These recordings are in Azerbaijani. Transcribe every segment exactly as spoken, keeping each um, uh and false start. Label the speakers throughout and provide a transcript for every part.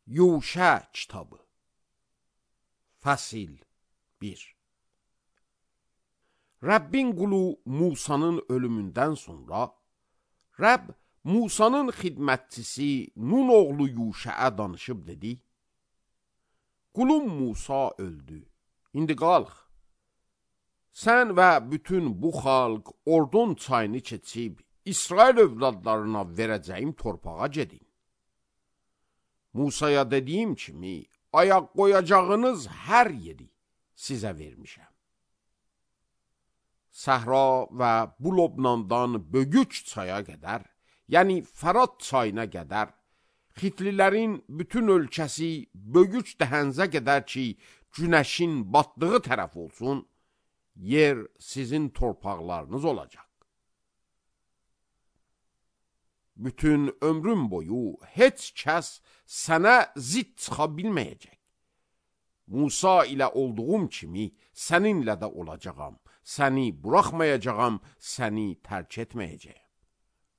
Speaker 1: Yuşə kitabı Fəsil bir. Rəbbin qulu Musanın ölümündən sonra Rəbb Musanın xidmətçisi Nun oğlu Yuşəə danışıb dedi: Qulum Musa öldü, indi qalx. Sən və bütün bu xalq Ordon çayını keçib İsrail övladlarına verəcəyim torpağa gedin. Musaya dediyim kimi ayaq qoyacağınız hər yeri sizə vermişəm. Səhra və bu Lobnandan Bögüç çaya qədər, yəni Fərat çayına qədər, Xitlilərin bütün ölkəsi Bögüç dəhənzə qədər ki, günəşin batdığı tərəf olsun, yer sizin torpaqlarınız olacaq. Bütün ömrüm boyu heç kəs sənə zid çıxa bilməyəcək. Musa ilə olduğum kimi səninlə də olacağam, səni buraxmayacağam, səni tərk etməyəcəyəm.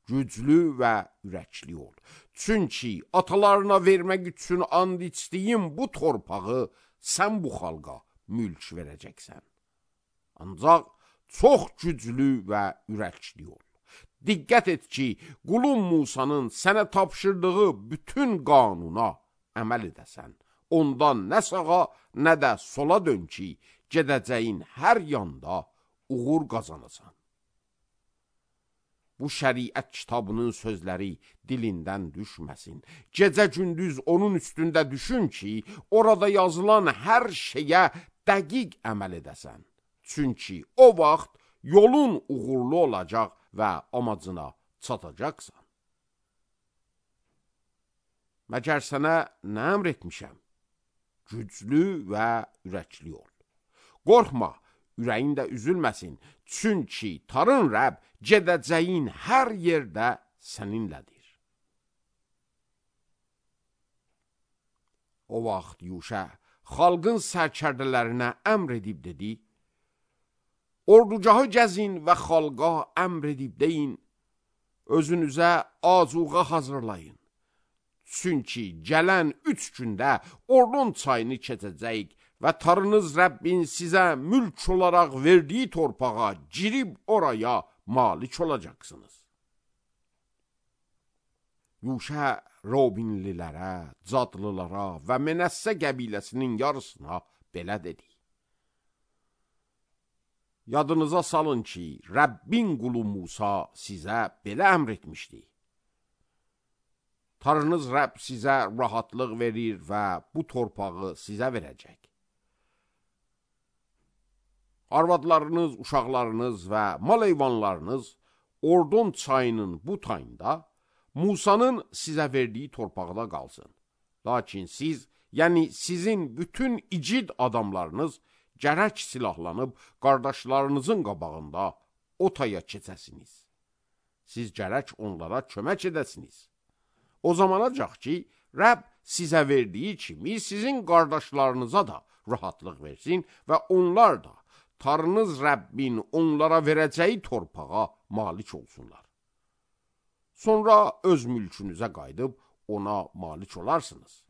Speaker 1: Güclü və ürəkli ol. Çünki atalarına vermək üçün and içdiyim bu torpağı sən bu xalqa mülk verəcəksən. Ancaq çox güclü və ürəkli ol. Diqqət et ki, qulum Musanın sənə tapşırdığı bütün qanuna əməl edəsən. Ondan nə sağa, nə də sola dön ki, gedəcəyin hər yanda uğur qazanasan. Bu şəriət kitabının sözləri dilindən düşməsin. Gecə-gündüz onun üstündə düşün ki, orada yazılan hər şeyə dəqiq əməl edəsən. Çünki o vaxt yolun uğurlu olacaq və amacına çatacaqsan. Məgər sənə nə əmr etmişəm? Güclü və ürəkli ol. Qorxma, ürəyin də üzülməsin. Çünki Tarın Rəbb gedəcəyin hər yerdə səninlədir. O vaxt Yuşə xalqın sərkərdələrinə əmr edib dedi: Ordugahı gəzin və xalqa əmr edib deyin, özünüzə azuqa hazırlayın. Çünki gələn üç gündə Ordon çayını keçəcəyik və Tarınız Rəbbin sizə mülk olaraq verdiyi torpağa girib oraya malik olacaqsınız. Yuşə Robinlilərə, Cadlılara və Menəssə qəbiləsinin yarısına belə dedi: Yadınıza salın ki, Rəbbin qulu Musa sizə belə əmr etmişdi. Tarınız Rəbb sizə rahatlıq verir və bu torpağı sizə verəcək. Arvadlarınız, uşaqlarınız və mal heyvanlarınız Ordon çayının bu tayında Musanın sizə verdiyi torpaqda qalsın. Lakin siz, yəni sizin bütün igid adamlarınız gərək silahlanıb qardaşlarınızın qabağında o taya keçəsiniz. Siz gərək onlara kömək edəsiniz. O zamanacaq ki, Rəbb sizə verdiyi kimi sizin qardaşlarınıza da rahatlıq versin və onlar da Tarınız Rəbbin onlara verəcəyi torpağa malik olsunlar. Sonra öz mülkünüzə qayıdıb ona malik olarsınız.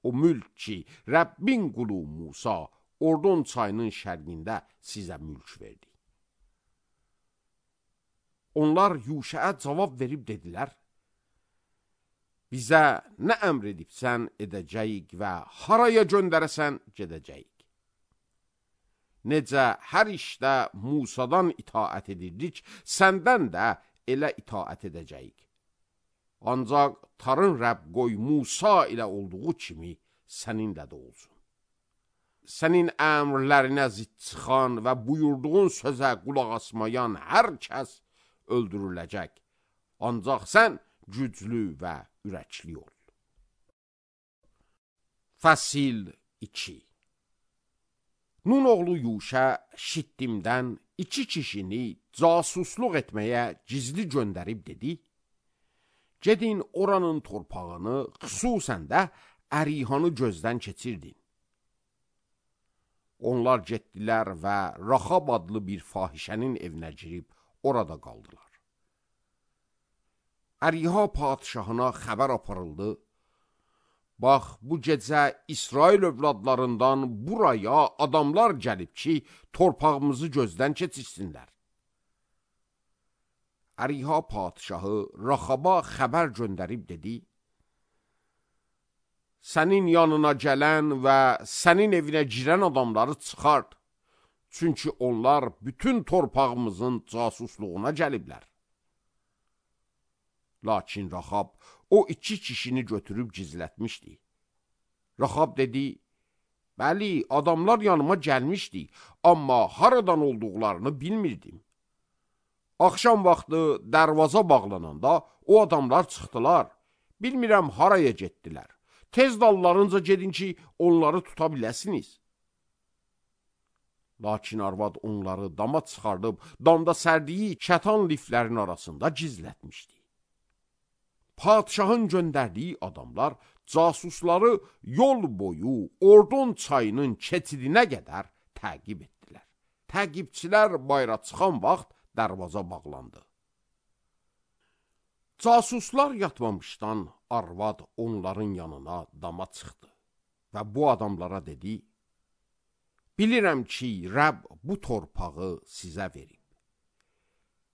Speaker 1: O mülk ki, Rəbbin qulu Musa Ordon çayının şərqində sizə mülk verdi. Onlar Yuşəə cavab verib dedilər: Bizə nə əmr edibsən edəcəyik və haraya göndərəsən gedəcəyik. Necə hər işdə Musadan itaət edirdik, səndən də elə itaət edəcəyik. Ancaq Tarın Rəbb qoy Musa ilə olduğu kimi səninlə də olsun. Sənin əmrlərinə zid çıxan və buyurduğun sözə qulaq asmayan hər kəs öldürüləcək. Ancaq sən güclü və ürəkli ol. Fəsil iki. Nun oğlu Yuşə Şittimdən iki kişini casusluq etməyə gizli göndərib dedi: Gedin oranın torpağını, xüsusən də Ərihanı gözdən keçirdin. Onlar getdilər və Raxab adlı bir fahişənin evinə girib orada qaldılar. Əriha padişahına xəbər aparıldı: bax, bu gecə İsrail övladlarından buraya adamlar gəlib ki, torpağımızı gözdən keçirsinlər. Əriha padişahı Raxaba xəbər göndərib dedi, sənin yanına gələn və sənin evinə girən adamları çıxart, çünki onlar bütün torpağımızın casusluğuna gəliblər. Lakin Raxab o iki kişini götürüb gizlətmişdi. Raxab dedi, bəli, adamlar yanıma gəlmişdi, amma haradan olduqlarını bilmirdim. Axşam vaxtı dərvaza bağlananda o adamlar çıxdılar, bilmirəm haraya getdilər. Tez dallarınca gedin ki, onları tuta biləsiniz. Lakin arvad onları dama çıxardıb, damda sərdiyi kətan liflərin arasında gizlətmişdi. Padişahın göndərdiyi adamlar casusları yol boyu Ordon çayının keçidinə qədər təqib etdilər. Təqibçilər bayra çıxan vaxt dərvaza bağlandı. Casuslar yatmamışdan arvad onların yanına dama çıxdı və bu adamlara dedi, bilirəm ki, Rəbb bu torpağı sizə verib.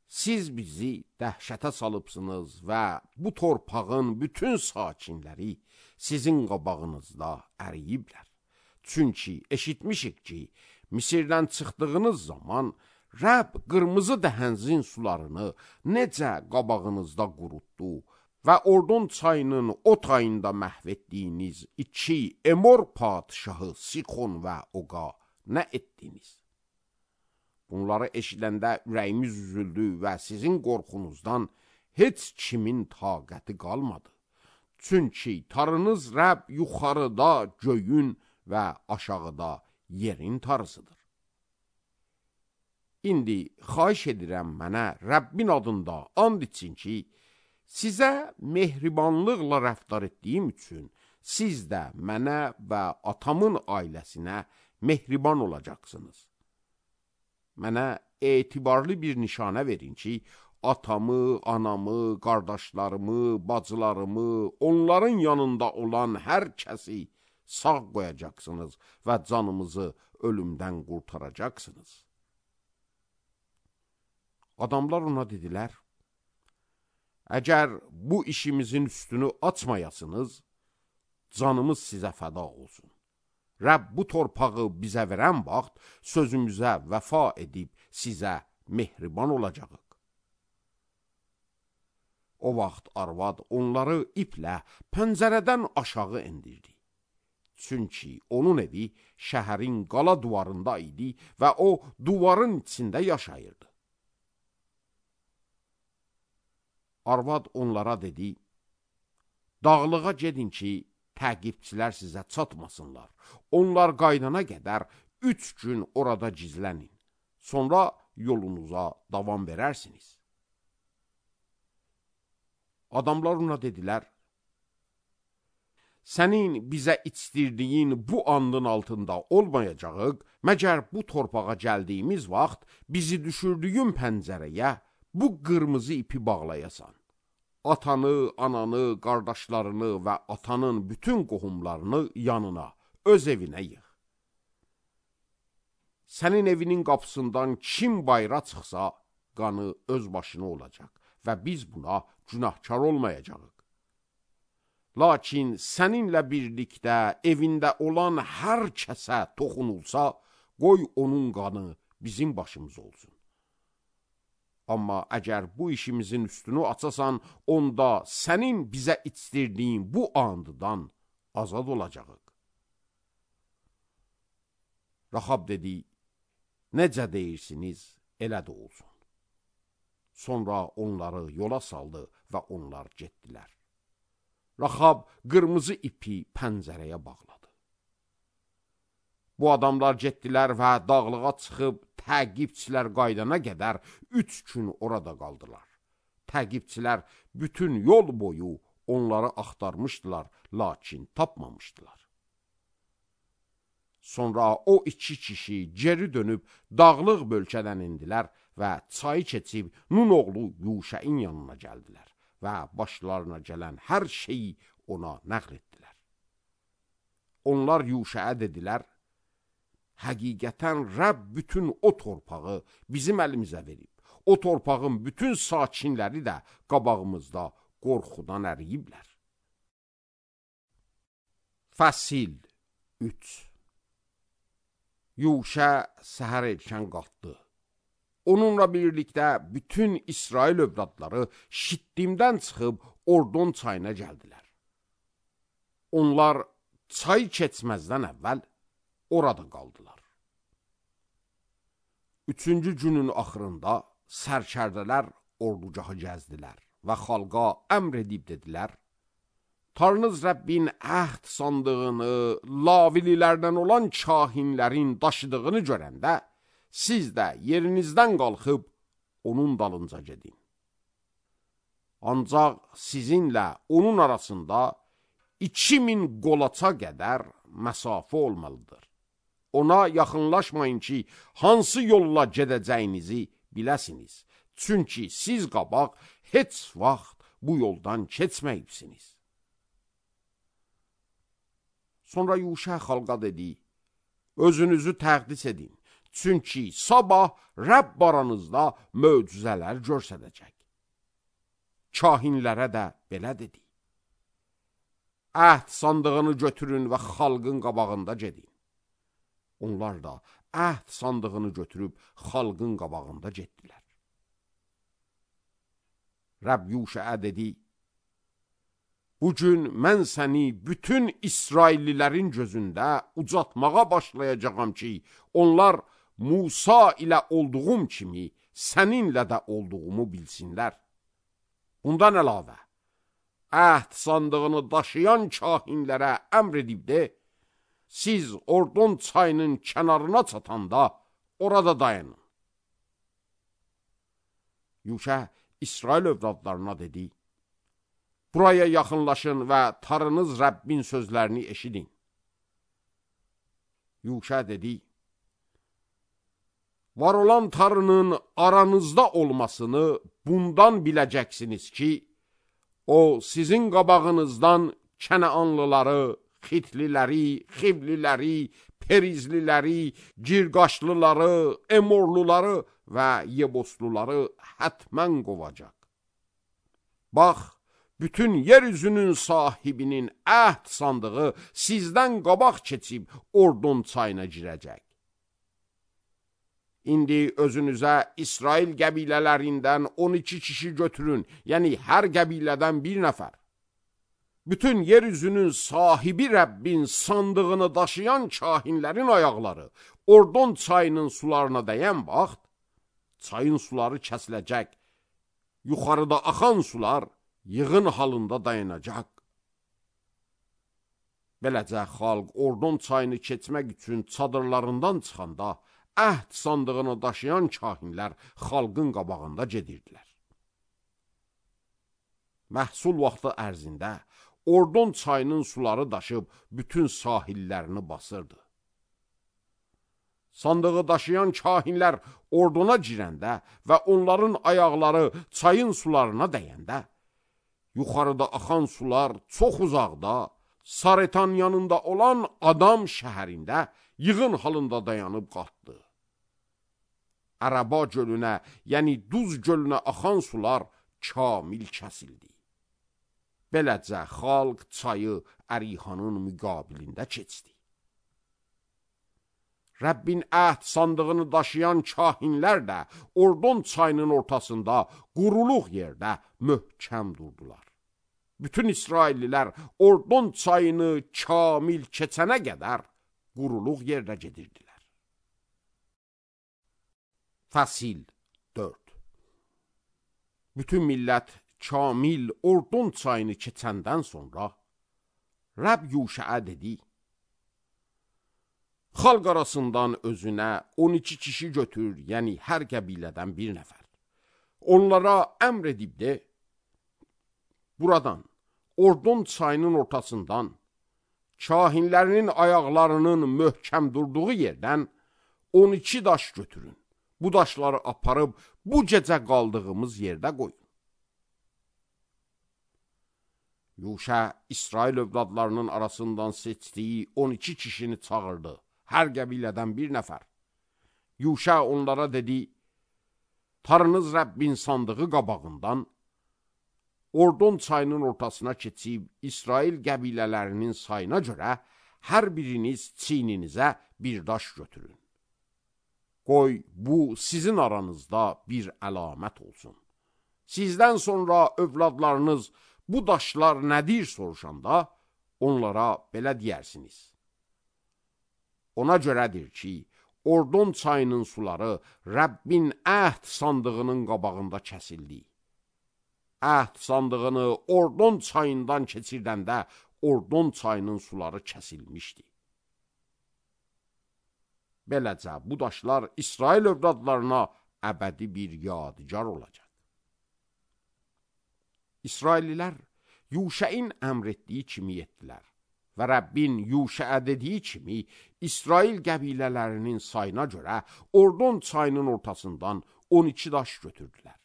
Speaker 1: Siz bizi dəhşətə salıbsınız və bu torpağın bütün sakinləri sizin qabağınızda əriyiblər. Çünki eşitmişik ki, Misirdən çıxdığınız zaman Rəbb qırmızı dəhənzin sularını necə qabağınızda qurutdu və Ordon çayının o tayında məhv etdiyiniz iki Emor padişahı Sixon və Oqa nə etdiniz? Bunları eşidəndə ürəyimiz üzüldü və sizin qorxunuzdan heç kimin taqəti qalmadı. Çünki tarınız Rəbb yuxarıda göyün və aşağıda yerin tarısıdır. İndi xahiş edirəm mənə Rəbbin adında and için ki, sizə mehribanlıqla rəftar etdiyim üçün siz də mənə və atamın ailəsinə mehriban olacaqsınız. Mənə etibarlı bir nişanə verin ki, atamı, anamı, qardaşlarımı, bacılarımı, onların yanında olan hər kəsi sağ qoyacaqsınız və canımızı ölümdən qurtaracaqsınız. Adamlar ona dedilər, əgər bu işimizin üstünü açmayasınız, canımız sizə fəda olsun. Rəbb bu torpağı bizə verən vaxt sözümüzə vəfa edib sizə mehriban olacağıq. O vaxt arvad onları iplə pəncərədən aşağı endirdi. Çünki onun evi şəhərin qala duvarında idi və o duvarın içində yaşayırdı. Arvad onlara dedi, dağlığa gedin ki, təqibçilər sizə çatmasınlar. Onlar qaydana qədər üç gün orada gizlənin. Sonra yolunuza davam verərsiniz. Adamlar ona dedilər, sənin bizə içdirdiyin bu andın altında olmayacağıq, məgər bu torpağa gəldiyimiz vaxt bizi düşürdüyün pəncərəyə bu qırmızı ipi bağlayasan. Atanı, ananı, qardaşlarını və atanın bütün qohumlarını yanına, öz evinə yığ. Sənin evinin qapısından kim bayra çıxsa, qanı öz başına olacaq və biz buna günahkar olmayacağıq. Lakin səninlə birlikdə evində olan hər kəsə toxunulsa, qoy onun qanı bizim başımız olsun. Amma əgər bu işimizin üstünü açasan, onda sənin bizə içdirdiyin bu andıdan azad olacağıq. Raxab dedi, necə deyirsiniz, elə də olsun. Sonra onları yola saldı və onlar getdilər. Raxab qırmızı ipi pəncərəyə bağladı. Bu adamlar getdilər və dağlığa çıxıb təqibçilər qaydana qədər üç gün orada qaldılar. Təqibçilər bütün yol boyu onları axtarmışdılar, lakin tapmamışdılar. Sonra o iki kişi geri dönüb dağlıq bölgədən indilər və çayı keçib Nun oğlu Yuşəin yanına gəldilər və başlarına gələn hər şeyi ona nəql etdilər. Onlar Yuşaya dedilər, həqiqətən Rəbb bütün o torpağı bizim əlimizə verib. O torpağın bütün sakinləri də qabağımızda qorxudan əriyiblər. Fəsil üç. Yuşa səhər erkən qalxdı. Onunla birlikdə bütün İsrail övladları Şittimdən çıxıb Ordon çayına gəldilər. Onlar çay keçməzdən əvvəl orada qaldılar. Üçüncü günün axırında sərkərdələr ordugahı gəzdilər və xalqa əmr edib dedilər, Tanrınız Rəbbin əhd sandığını, lavililərdən olan kahinlərin daşıdığını görəndə, siz də yerinizdən qalxıb onun dalınca gedin. Ancaq sizinlə onun arasında iki min qolaça qədər məsafə olmalıdır. Ona yaxınlaşmayın ki, hansı yolla gedəcəyinizi biləsiniz. Çünki siz qabaq heç vaxt bu yoldan keçməyibsiniz. Sonra Yuşa xalqa dedi, özünüzü təqdis edin. Çünki sabah Rəbb aranızda möcüzələr göstərəcək. Kahinlərə də belə dedi. Əhd sandığını götürün və xalqın qabağında gedin. Onlar da əhd sandığını götürüb xalqın qabağında getdilər. Rəbb Yuşaya dedi, bugün mən səni bütün İsraillilərin gözündə ucatmağa başlayacağam ki, onlar Musa ilə olduğum kimi səninlə də olduğumu bilsinlər. Bundan əlavə, əhd sandığını daşıyan kahinlərə əmr edib de, siz Ordon çayının kənarına çatanda orada dayanın. Yuşa İsrail övladlarına dedi, buraya yaxınlaşın və Tanrınız Rəbbin sözlərini eşidin. Yuşa dedi, var olan Tanrının aranızda olmasını bundan biləcəksiniz ki, o sizin qabağınızdan Kənaanlıları, Xitliləri, Xivliləri, Perizliləri, Girqaşlıları, Emorluları və Yebosluları hətmən qovacaq. Bax, bütün yeryüzünün sahibinin əhd sandığı sizdən qabaq keçib Ordon çayına girəcək. İndi özünüzə İsrail qəbilələrindən on iki kişi götürün, yəni hər qəbilədən bir nəfər. Bütün yeryüzünün sahibi Rəbbin sandığını daşıyan kahinlərin ayaqları Ordon çayının sularına dəyən vaxt, çayın suları kəsiləcək, yuxarıda axan sular yığın halında dayanacaq. Beləcə xalq Ordon çayını keçmək üçün çadırlarından çıxanda, əhd sandığını daşıyan kahinlər xalqın qabağında gedirdilər. Məhsul vaxtı ərzində Ordon çayının suları daşıb bütün sahillərini basırdı. Sandığı daşıyan kahinlər Ordona girəndə və onların ayaqları çayın sularına dəyəndə, yuxarıda axan sular çox uzaqda, Saretan yanında olan Adam şəhərində yığın halında dayanıb qalxdı. Ərəba gölünə, yəni Duz gölünə axan sular kamil kəsildi. Beləcə xalq çayı Ərihanın müqabilində keçdi. Rəbbin əhd sandığını daşıyan kahinlər də Ordon çayının ortasında quruluq yerdə möhkəm durdular. Bütün İsraillilər Ordon çayını kamil keçənə qədər quruluq yerdə gedirdilər. Fəsil dörd. Bütün millət kamil Ordon çayını keçəndən sonra Rəbb Yuşaya dedi, xalq arasından özünə on iki kişi götür, yəni hər qəbilədən bir nəfər. Onlara əmr edib de, buradan, Ordon çayının ortasından, kahinlərinin ayaqlarının möhkəm durduğu yerdən on iki daş götürün. Bu daşları aparıb bu gecə qaldığımız yerdə qoyun. Yuşa İsrail övladlarının arasından seçdiyi on iki kişini çağırdı. Hər qəbilədən bir nəfər. Yuşa onlara dedi, Tanrınız Rəbbin sandığı qabağından Ordon çayının ortasına keçib İsrail qəbilələrinin sayına görə hər biriniz çiyninizə bir daş götürün. Qoy bu sizin aranızda bir əlamət olsun. Sizdən sonra övladlarınız bu daşlar nədir soruşanda onlara belə deyərsiniz. Ona görədir ki, Ordon çayının suları Rəbbin əhd sandığının qabağında kəsildi. Əhd sandığını Ordon çayından keçirdəndə Ordon çayının suları kəsilmişdi. Beləcə, bu daşlar İsrail övladlarına əbədi bir yadigar olacaq. İsraillilər Yuşəin əmr etdiyi kimi etdilər və Rəbbin Yuşəə dediyi kimi İsrail qəbilələrinin sayına görə Ordon çayının ortasından on iki daş götürdülər.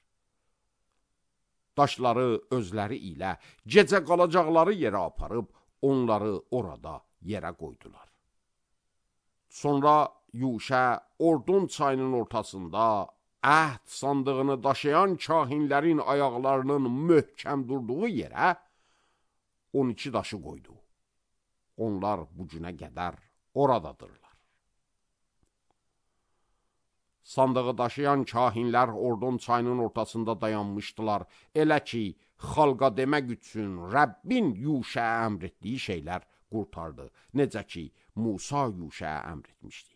Speaker 1: Daşları özləri ilə gecə qalacaqları yerə aparıb onları orada yerə qoydular. Sonra Yuşə Ordon çayının ortasında əhd sandığını daşıyan kahinlərin ayaqlarının möhkəm durduğu yerə on iki daşı qoydu. Onlar bu günə qədər oradadırlar. Sandığı daşıyan kahinlər Ordon çayının ortasında dayanmışdılar. Elə ki, xalqa demək üçün Rəbbin Yuşəyə əmr etdiyi şeylər qurtardı. Necə ki, Musa Yuşəyə əmr etmişdi.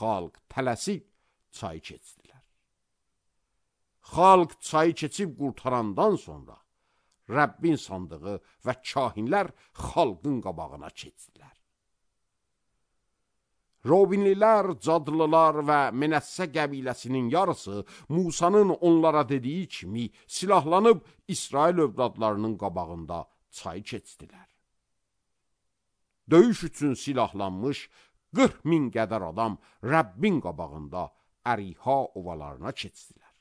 Speaker 1: Xalq tələsik çayı keçdilər. Xalq çayı keçib qurtarandan sonra Rəbbin sandığı və kahinlər xalqın qabağına keçdilər. Robinlilər, Cadlılar və Menəssə qəbiləsinin yarısı Musanın onlara dediyi kimi silahlanıb İsrail övladlarının qabağında çayı keçdilər. Döyüş üçün silahlanmış qırx min qədər adam Rəbbin qabağında Əriha ovalarına keçdilər.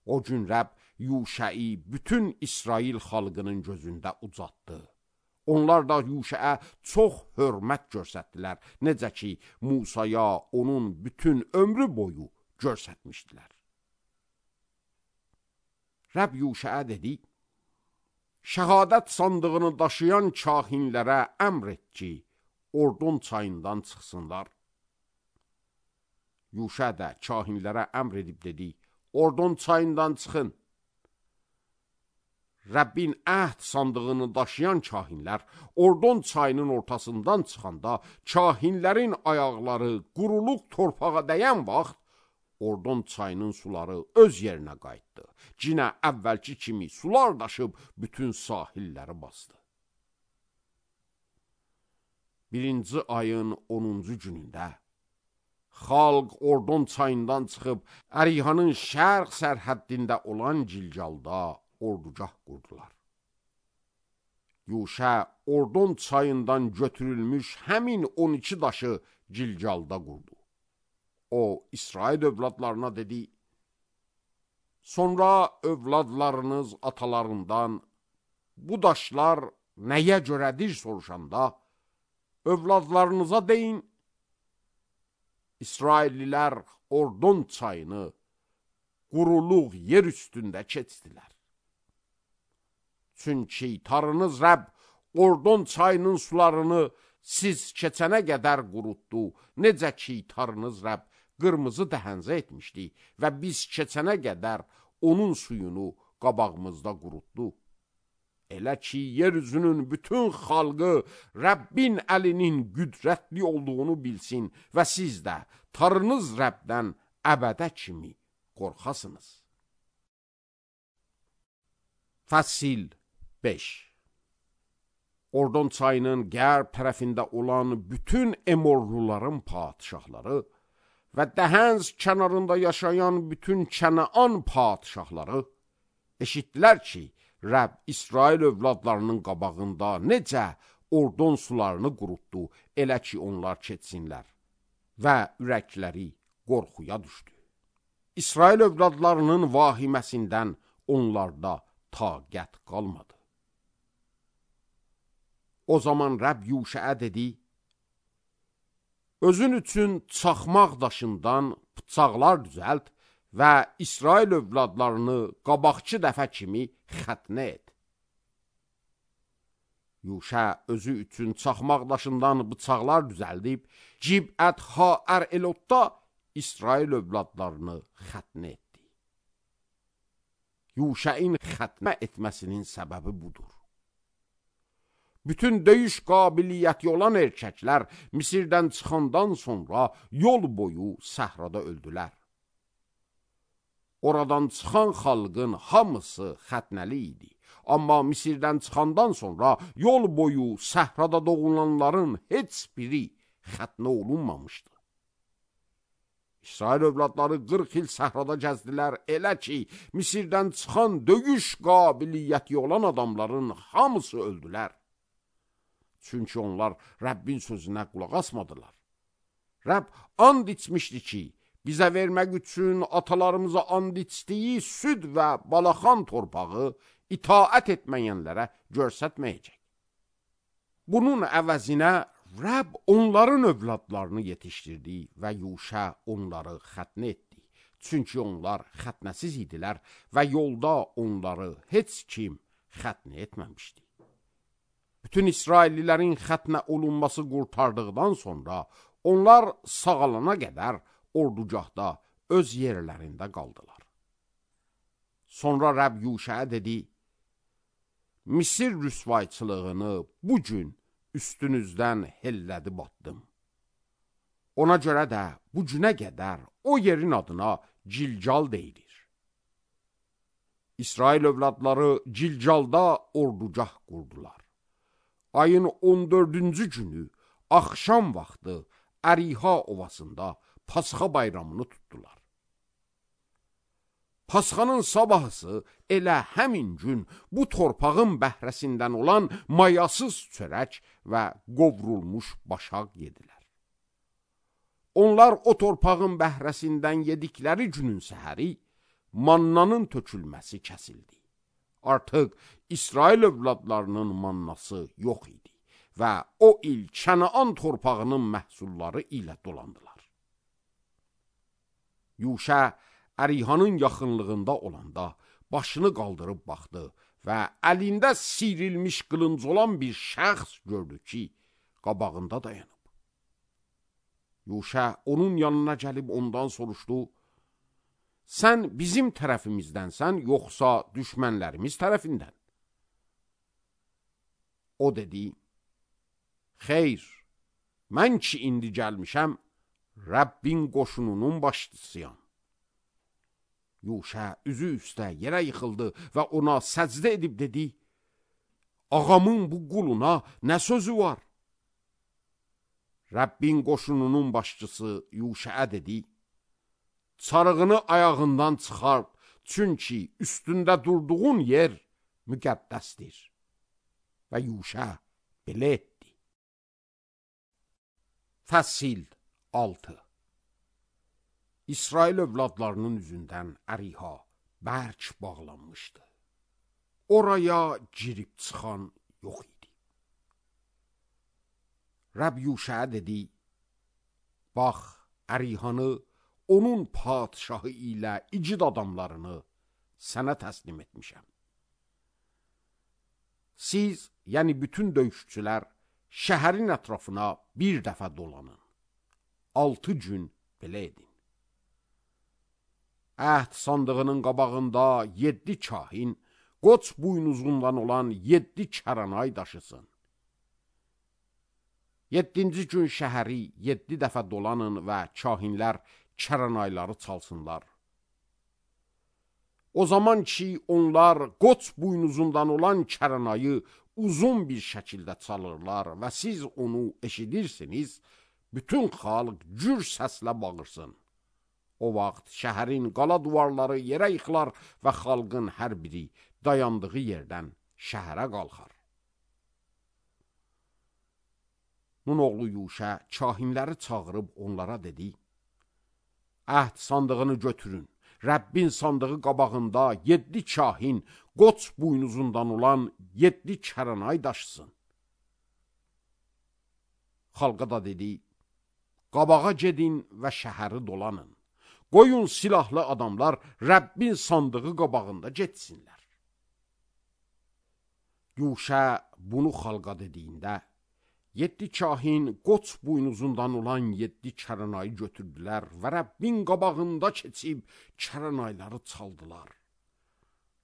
Speaker 1: O gün Rəbb Yuşəi bütün İsrail xalqının gözündə ucatdı. Onlar da Yuşəə çox hörmət göstərdilər, necə ki, Musaya onun bütün ömrü boyu göstərmişdilər. Rəbb Yuşəə dedi, şəhadət sandığını daşıyan kahinlərə əmr et ki, Ordon çayından çıxsınlar. Yuşə də kahinlərə əmr edib dedi, Ordon çayından çıxın. Rəbbin əhd sandığını daşıyan kahinlər Ordon çayının ortasından çıxanda kahinlərin ayaqları quruluq torpağa dəyən vaxt Ordon çayının suları öz yerinə qayıtdı. Cinə əvvəlki kimi sular daşıb bütün sahilləri bastı. Birinci ayın onuncu günündə xalq Ordon çayından çıxıb Ərihanın şərq sərhəddində olan Gilgalda ordugah qurdular. Yuşə Ordon çayından götürülmüş həmin on iki daşı Gilgalda qurdu. O, İsrail övladlarına dedi, sonra övladlarınız atalarından bu daşlar nəyə görədir soruşanda, övladlarınıza deyin, İsraillilər Ordon çayını quruluq yer üstündə keçdilər. Çünki Tanrınız Rəbb Ordon çayının sularını siz keçənə qədər qurutdu. Necə ki, Tanrınız Rəbb qırmızı dəhəncə etmişdi və biz keçənə qədər onun suyunu qabağımızda qurutdu. Elə ki, yeryüzünün bütün xalqı Rəbbin əlinin qüdrətli olduğunu bilsin və siz də Tanrınız Rəbbdən əbədə kimi qorxasınız. Fəsil beş. Ordon çayının qərb tərəfində olan bütün Emorluların padişahları və Dəhənz kənarında yaşayan bütün Kənaan padişahları eşitdilər ki, Rəbb İsrail övladlarının qabağında necə Ordon sularını qurutdu, elə ki onlar keçsinlər və ürəkləri qorxuya düşdü. İsrail övladlarının vahiməsindən onlarda taqət qalmadı. O zaman Rəbb Yuşəə dedi, özün üçün çaxmaq daşından bıçaqlar düzəlt və İsrail övladlarını qabaqçı dəfə kimi xətnə et. Yuşə özü üçün çaxmaq daşından bıçaqlar düzəldib, Cibət Ha-ər-Elotda İsrail övladlarını xətnə etdi. Yuşəin xətnə etməsinin səbəbi budur. Bütün döyüş qabiliyyəti olan erkəklər Misirdən çıxandan sonra yol boyu səhrada öldülər. Oradan çıxan xalqın hamısı xətnəli idi. Amma Misirdən çıxandan sonra yol boyu səhrada doğulanların heç biri xətnə olunmamışdı. İsrail övladları qırx il səhrada gəzdilər, elə ki, Misirdən çıxan döyüş qabiliyyəti olan adamların hamısı öldülər. Çünki onlar Rəbbin sözünə qulaq asmadılar. Rəbb and içmişdi ki, bizə vermək üçün atalarımıza and içdiyi süd və balaxan torpağı itaət etməyənlərə görsətməyəcək. Bunun əvəzinə Rəbb onların övladlarını yetişdirdi və Yuşə onları xətnə etdi. Çünki onlar xətnəsiz idilər və yolda onları heç kim xətnə etməmişdi. Bütün İsraillilərin xətnə olunması qurtardıqdan sonra onlar sağalana qədər ordugahda öz yerlərində qaldılar. Sonra Rəbb Yuşəə dedi, Misir rüsvayçılığını bu gün üstünüzdən hellədib atdım. Ona görə də bu günə qədər o yerin adına Cilcal deyilir. İsrail övladları Cilcalda ordugah qurdular. Ayın on dördüncü günü axşam vaxtı Əriha ovasında Pasxa bayramını tutdular. Pasxanın sabahısı elə həmin gün bu torpağın bəhrəsindən olan mayasız çörək və qovrulmuş başaq yedilər. Onlar o torpağın bəhrəsindən yedikləri günün səhəri mannanın tökülməsi kəsildi. Artıq İsrail övladlarının mannası yox idi və o il Kənaan torpağının məhsulları ilə dolandılar. Yuşə Ərihanın yaxınlığında olanda başını qaldırıb baxdı və əlində siyrilmiş qılınc olan bir şəxs gördü ki, qabağında dayanıb. Yuşə onun yanına gəlib ondan soruşdu, sən bizim tərəfimizdənsən, yoxsa düşmənlərimiz tərəfindən? O dedi, xeyr, mən ki indi gəlmişəm, Rəbbin qoşununun başçısıyam. Yuşə üzü üstə yerə yıxıldı və ona səcdə edib dedi, ağamın bu quluna nə sözü var? Rəbbin qoşununun başçısı Yuşəə dedi, çarığını ayağından çıxart, çünki üstündə durduğun yer müqəddəsdir. Və Yuşə belə etdi. Fəsil altı. İsrail övladlarının üzündən Əriha bərk bağlanmışdı. Oraya girib çıxan yox idi. Rəbb Yuşəə dedi, bax, Ərihanı, onun padşahı ilə igid adamlarını sənə təslim etmişəm. Siz, yəni bütün döyüşçülər, şəhərin ətrafına bir dəfə dolanın. Altı gün belə edin. Əhd sandığının qabağında yeddi kahin, qoç buynuzundan olan yeddi kəranay daşısın. Yeddinci gün şəhəri yeddi dəfə dolanın və kahinlər kəranayları çalsınlar. O zaman ki, onlar qoç buynuzundan olan kəranayı uzun bir şəkildə çalırlar və siz onu eşidirsiniz, bütün xalq gür səslə bağırsın. O vaxt şəhərin qala duvarları yerə yıxılar və xalqın hər biri dayandığı yerdən şəhərə qalxar. Nun oğlu Yuşə kahinləri çağırıb onlara dedi, əhd sandığını götürün, Rəbbin sandığı qabağında yeddi kahin qoç buynuzundan olan yeddi kəranay daşısın. Xalqa da dedi, qabağa gedin və şəhəri dolanın. Qoyun silahlı adamlar Rəbbin sandığı qabağında getsinlər. Yuşa bunu xalqa dediyində, yeddi kahin qoç buynuzundan olan yeddi kəranayı götürdülər və Rəbbin qabağında keçib kəranayları çaldılar.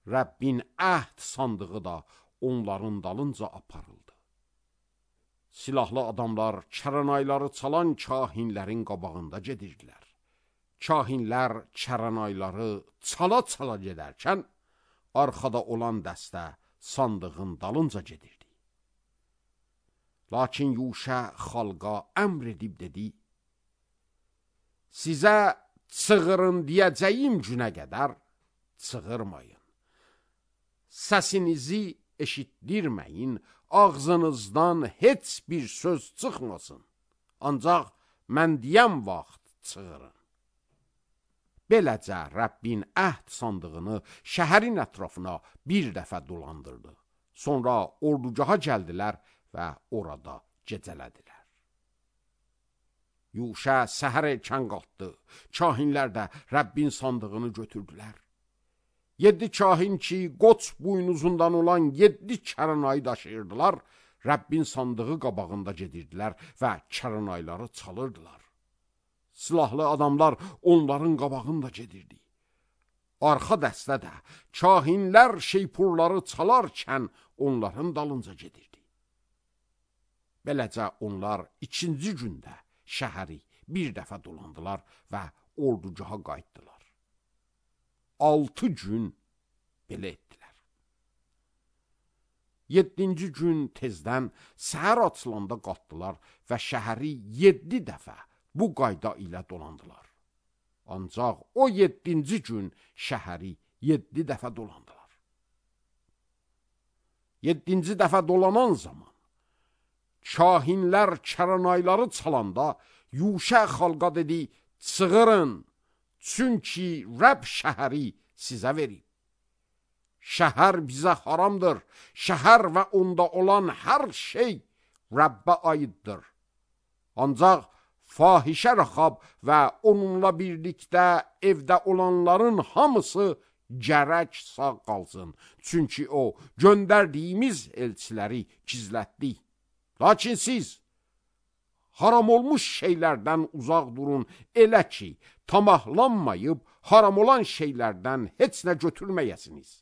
Speaker 1: Rəbbin əhd sandığı da onların dalınca aparıldı. Silahlı adamlar kəranayları çalan kahinlərin qabağında gedirdilər. Kahinlər kəranayları çala-çala gedərkən, arxada olan dəstə sandığın dalınca gedirdi. Lakin Yuşa xalqa əmr edib dedi, sizə çığırın deyəcəyim günə qədər çığırmayın. Səsinizi eşitdirməyin, ağzınızdan heç bir söz çıxmasın. Ancaq mən deyəm vaxt çığırın. Beləcə Rəbbin əhd sandığını şəhərin ətrafına bir dəfə dolandırdı. Sonra ordugaha gəldilər və orada gecələdilər. Yuşa səhər erkən qalxdı. Kahinlər də Rəbbin sandığını götürdülər. Yeddi kahin ki, qoç buynuzundan olan yeddi kəranayı daşıyırdılar, Rəbbin sandığı qabağında gedirdilər və kəranayları çalırdılar. Silahlı adamlar onların qabağında gedirdi. Arxa dəstə də kahinlər şeypurları çalarkən onların dalınca gedirdi. Beləcə onlar ikinci gündə şəhəri bir dəfə dolandılar və ordugaha qayıtdılar. Altı gün belə etdilər. Yeddinci gün tezdən səhər açılanda qalxdılar və şəhəri yeddi dəfə bu qayda ilə dolandılar. Ancaq o yeddinci gün şəhəri yeddi dəfə dolandılar. Yeddinci dəfə dolanan zaman kahinlər kəranayları çalanda Yuşa xalqa dedi, çığırın, çünki Rəbb şəhəri sizə verib. Şəhər bizə haramdır, şəhər və onda olan hər şey Rəbbə aiddir. Ancaq fahişə Rəxab və onunla birlikdə evdə olanların hamısı gərək sağ qalsın. Çünki o, göndərdiyimiz elçiləri gizlətdi. Lakin siz haram olmuş şeylərdən uzaq durun, elə ki, tamahlanmayıb haram olan şeylərdən heç nə götürməyəsiniz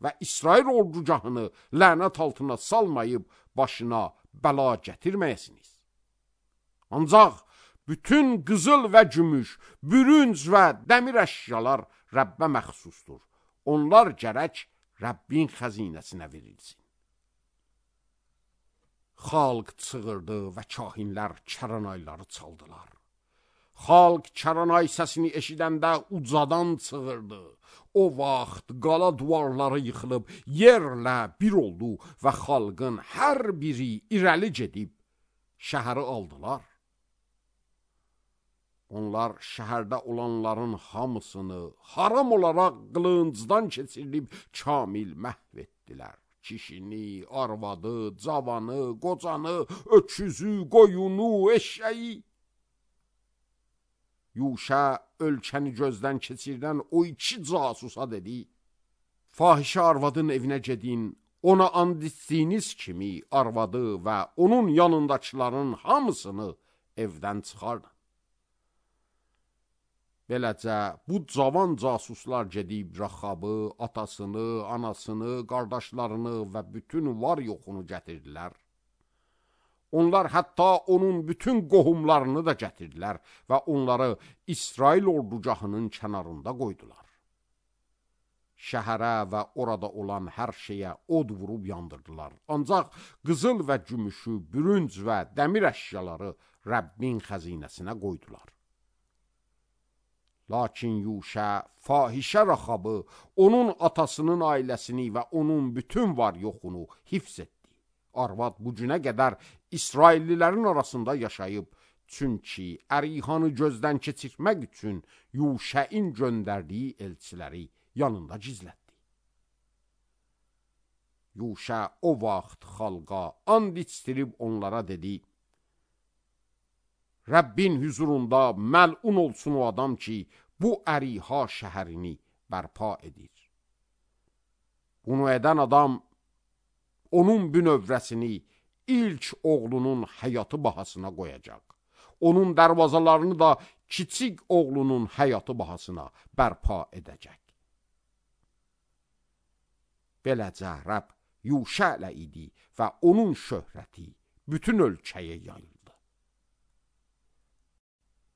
Speaker 1: və İsrail ordugahını lənət altına salmayıb başına bəla gətirməyəsiniz. Ancaq bütün qızıl və gümüş, bürünc və dəmir əşyalar Rəbbə məxsusdur. Onlar gərək Rəbbin xəzinəsinə verilsin. Xalq çığırdı və kahinlər kəranayları çaldılar. Xalq kəranay səsini eşidəndə ucadan çığırdı. O vaxt qala duvarları yıxılıb, yerlə bir oldu və xalqın hər biri irəli gedib şəhəri aldılar. Onlar şəhərdə olanların hamısını haram olaraq qılıncdan keçirilib kamil məhv etdilər. Kişini, arvadı, cavanı, qocanı, öküzü, qoyunu, eşşəyi. Yuşa ölkəni gözdən keçirdən o iki casusa dedi, fahişə arvadın evinə gedin, ona and etdiyiniz kimi arvadı və onun yanındakıların hamısını evdən çıxardın. Beləcə, bu cavan casuslar gedib Rəxabı, atasını, anasını, qardaşlarını və bütün var yoxunu gətirdilər. Onlar hətta onun bütün qohumlarını da gətirdilər və onları İsrail ordugahının kənarında qoydular. Şəhərə və orada olan hər şeyə od vurub yandırdılar. Ancaq qızıl və gümüşü, bürünc və dəmir əşyaları Rəbbin xəzinəsinə qoydular. Lakin Yuşa fahişə Rəxabı, onun atasının ailəsini və onun bütün var yoxunu hifz etdi. Arvad bu günə qədər İsraillilərin arasında yaşayıb, Çünki Ərihanı gözdən keçirmək üçün Yuşəin göndərdiyi elçiləri yanında gizlətdi. Yuşə o vaxt xalqa and içdirib onlara dedi: Rəbbin huzurunda məlun olsun o adam ki, bu Əriha şəhərini bərpa edir. Bunu edən adam onun bünövrəsini ilk oğlunun həyatı bahasına qoyacaq. Onun dərvazalarını da kiçik oğlunun həyatı bahasına bərpa edəcək. Beləcə Rəbb Yuşə ilə idi və onun şöhrəti bütün ölkəyə yayıldı.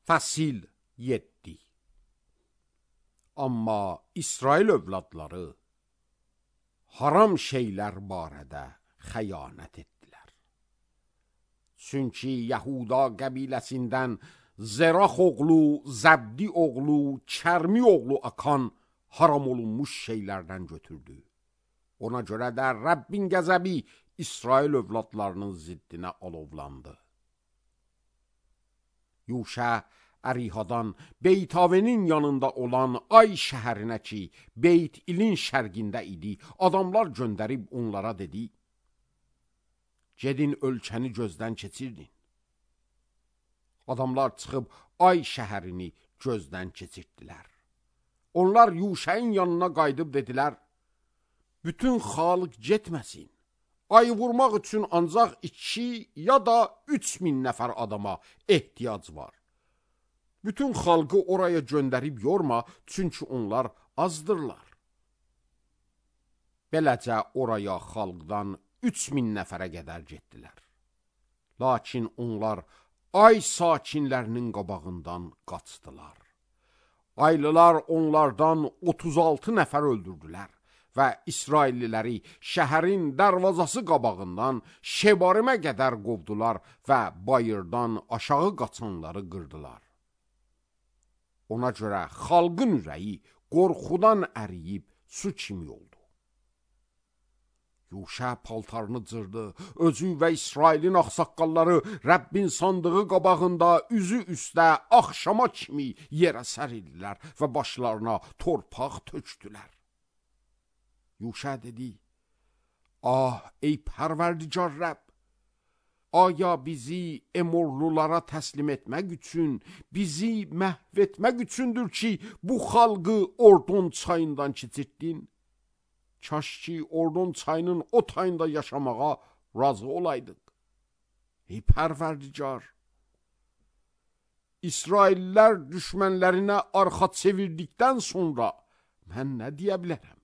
Speaker 1: Fəsil yeddi. Amma İsrail övladları haram şeylər barədə xəyanət etdilər. Çünki Yahuda qəbiləsindən Zerax oğlu, Zəbdi oğlu, Kərmi oğlu Akan haram olunmuş şeylərdən götürdü. Ona görə də Rəbbin qəzəbi İsrail övladlarının ziddinə alovlandı. Yuşə Ərihadan Beytavenin yanında olan Ay şəhərinə ki, Beyt İlin şərqində idi, adamlar göndərib onlara dedi: Gedin ölkəni gözdən keçirdin. Adamlar çıxıb Ay şəhərini gözdən keçirdilər. Onlar Yuşəin yanına qayıdıb dedilər: Bütün xalq getməsin. Ayı vurmaq üçün ancaq iki ya da üç min nəfər adama ehtiyac var. Bütün xalqı oraya göndərib yorma, çünki onlar azdırlar. Beləcə oraya xalqdan üç min nəfərə qədər getdilər. Lakin onlar Ay sakinlərinin qabağından qaçdılar. Aylılar onlardan otuz altı nəfər öldürdülər və İsrailliləri şəhərin dərvazası qabağından Şebarimə qədər qovdular və bayırdan aşağı qaçanları qırdılar. Ona görə xalqın ürəyi qorxudan əriyib su kimi oldu. Yuşə paltarını cırdı, özü və İsrailin ağsaqqalları Rəbbin sandığı qabağında üzü üstə axşama kimi yerə sərildilər və başlarına torpaq tökdülər. Yuşə dedi: Ah, ey pərverdigar Rəbb! Aya bizi Emorlulara təslim etmək üçün, bizi məhv etmək üçündür ki, bu xalqı Ordon çayından keçirdin? Kaş ki, Ordon çayının o tayında yaşamağa razı olaydıq. Ey pərverdigar! İsraillər düşmənlərinə arxa çevirdikdən sonra mən nə deyə bilərəm?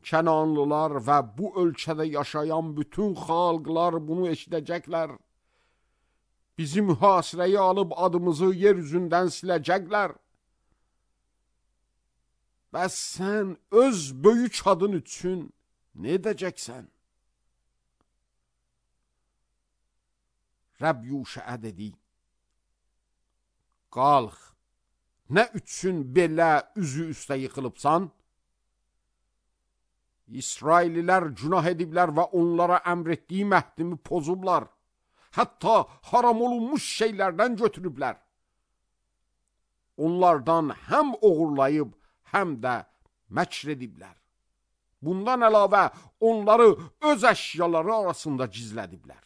Speaker 1: Kənanlılar və bu ölkədə yaşayan bütün xalqlar bunu eşidəcəklər. Bizi mühasirəyə alıb adımızı yer üzündən siləcəklər. Bəs sən öz böyük adın üçün nə edəcəksən? Rəbb Yuşəə dedi: Qalx, nə üçün belə üzü üstə yıxılıbsan? İsraililər günah ediblər və onlara əmr etdiyi məhdimi pozublar. Hətta haram olunmuş şeylərdən götürüblər. Onlardan həm oğurlayıb, həm də məkr ediblər. Bundan əlavə onları öz əşyaları arasında gizlədiblər.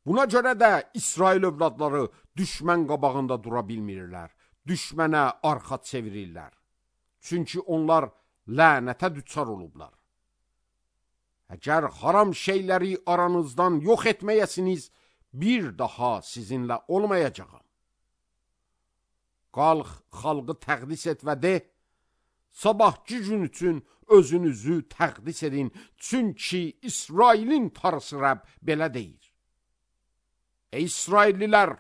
Speaker 1: Buna görə də İsrail övladları düşmən qabağında dura bilmirlər, düşmənə arxa çevirirlər. Çünki onlar lənətə düçar olublar. Əgər haram şeyləri aranızdan yox etməyəsiniz, bir daha sizinlə olmayacağam. Qalx, xalqı təqdis et və de, sabahki gün üçün özünüzü təqdis edin, çünki İsrailin Tanrısı Rəbb belə deyir: Ey İsraillilər,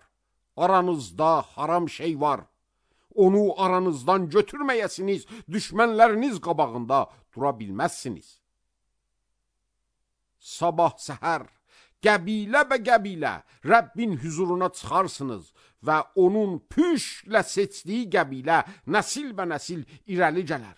Speaker 1: aranızda haram şey var. Onu aranızdan götürməyəsiniz, düşmənləriniz qabağında dura bilməzsiniz. Sabah səhər, qəbilə bə qəbilə Rəbbin huzuruna çıxarsınız və onun püşlə seçdiyi qəbilə nəsil bə nəsil irəli gələr.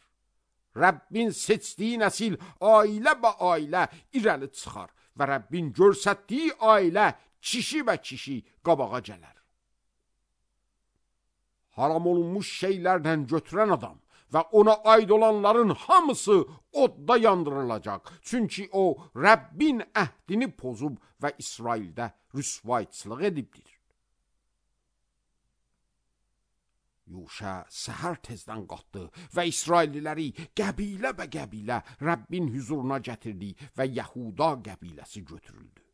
Speaker 1: Rəbbin seçdiyi nəsil ailə bə ailə irəli çıxar və Rəbbin görsətdiyi ailə kişi və kişi qabağa gələr. Haram olunmuş şeylərdən götürən adam və ona aid olanların hamısı odda yandırılacaq. Çünki o, Rəbbin əhdini pozub və İsraildə rüsvayçılıq edibdir. Yuşa səhər tezdən qalxdı və İsrailliləri qəbilə və qəbilə Rəbbin huzuruna gətirdi və Yahuda qəbiləsi götürüldü.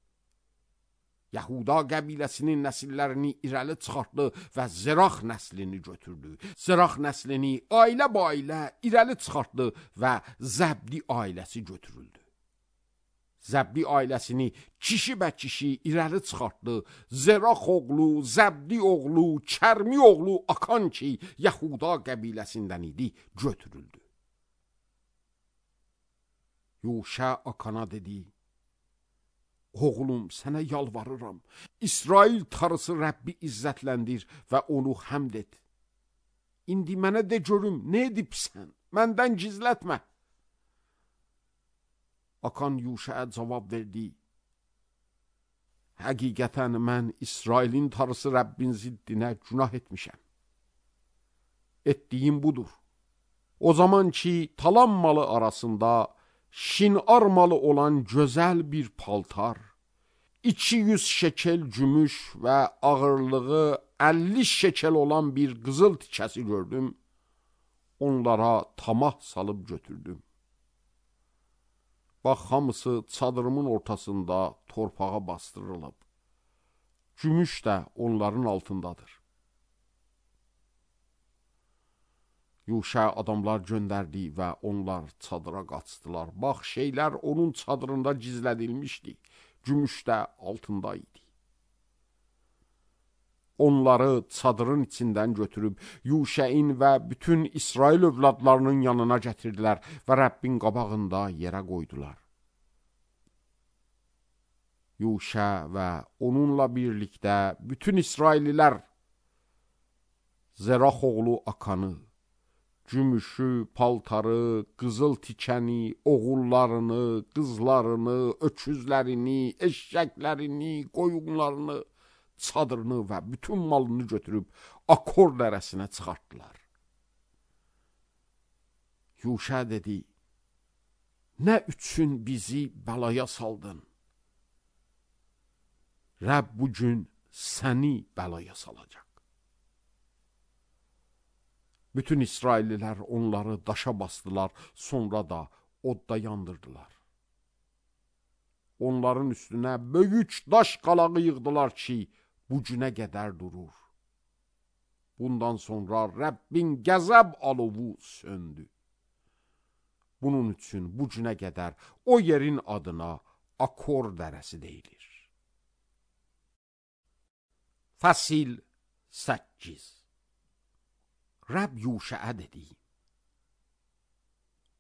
Speaker 1: Yahuda qəbiləsinin nəsillərini irəli çıxartdı və Zerax nəslini götürdü. Zerax nəslini ailə ba ailə irəli çıxartdı və Zəbdi ailəsi götürüldü. Zəbdi ailəsini kişi və kişi irəli çıxartdı. Zerax oğlu, Zəbdi oğlu, Kərmi oğlu Akan ki, Yahuda qəbiləsindən idi, götürüldü. Yuşa Akana dedi: Oğlum, sənə yalvarıram, İsrail tarısı Rəbbi izzətləndir və onu həmd et. İndi mənə de görüm, nə edibsən? Məndən gizlətmə. Akan Yuşaya cavab verdi: Həqiqətən mən İsrailin tarısı Rəbbin ziddinə günah etmişəm. Etdiyim budur. O zaman ki, talan malı arasında Şinar malı olan gözəl bir paltar, iki yüz şekel gümüş və ağırlığı əlli şekel olan bir qızıl tikəsi gördüm. Onlara tamah salıb götürdüm. Bax, hamısı çadırımın ortasında torpağa bastırılıb. Gümüş də onların altındadır. Yuşa adamlar göndərdi və onlar çadıra qaçdılar. Bax, şeylər onun çadırında gizlədilmişdi. Gümüş də altında idi. Onları çadırın içindən götürüb Yuşain və bütün İsrail övladlarının yanına gətirdilər və Rəbbin qabağında yerə qoydular. Yuşa və onunla birlikdə bütün İsraillilər Zerax oğlu Akanı, gümüşü, paltarı, qızıl tikəni, oğullarını, qızlarını, öküzlərini, eşşəklərini, qoyunlarını, çadırını və bütün malını götürüb Akor dərəsinə çıxartdılar. Yuşa dedi: Nə üçün bizi bəlaya saldın? Rəbb bugün səni bəlaya salacaq. Bütün İsraillilər onları daşa bastılar, sonra da odda yandırdılar. Onların üstünə böyük daş qalağı yığdılar ki, bu günə qədər durur. Bundan sonra Rəbbin qəzəb alovu söndü. Bunun üçün bu günə qədər o yerin adına Akor dərəsi deyilir. Fəsil səkkiz. Rəbb Yuşaya dedi: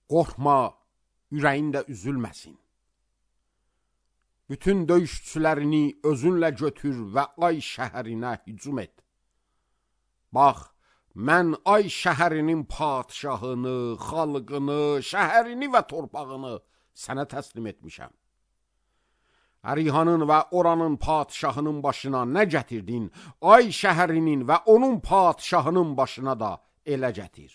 Speaker 1: Qorxma, ürəyin də üzülməsin. Bütün döyüşçülərini özünlə götür və Ay şəhərinə hücum et. Bax, mən Ay şəhərinin padşahını, xalqını, şəhərini və torpağını sənə təslim etmişəm. Ərihanın və oranın padşahının başına nə gətirdin, Ay şəhərinin və onun padşahının başına da elə gətir.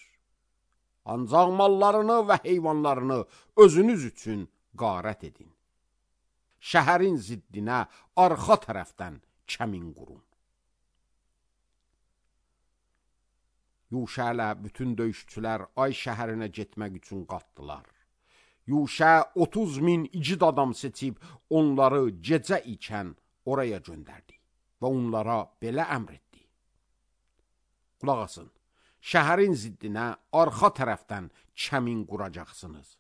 Speaker 1: Ancaq mallarını və heyvanlarını özünüz üçün qarət edin. Şəhərin ziddinə arxa tərəfdən kəmin qurun. Yuşa ilə bütün döyüşçülər Ay şəhərinə getmək üçün qalxdılar. Yuşa otuz min igid adam seçib onları gecə ikən oraya göndərdi və onlara belə əmr etdi: Qulaq asın, şəhərin ziddinə arxa tərəfdən kəmin quracaqsınız.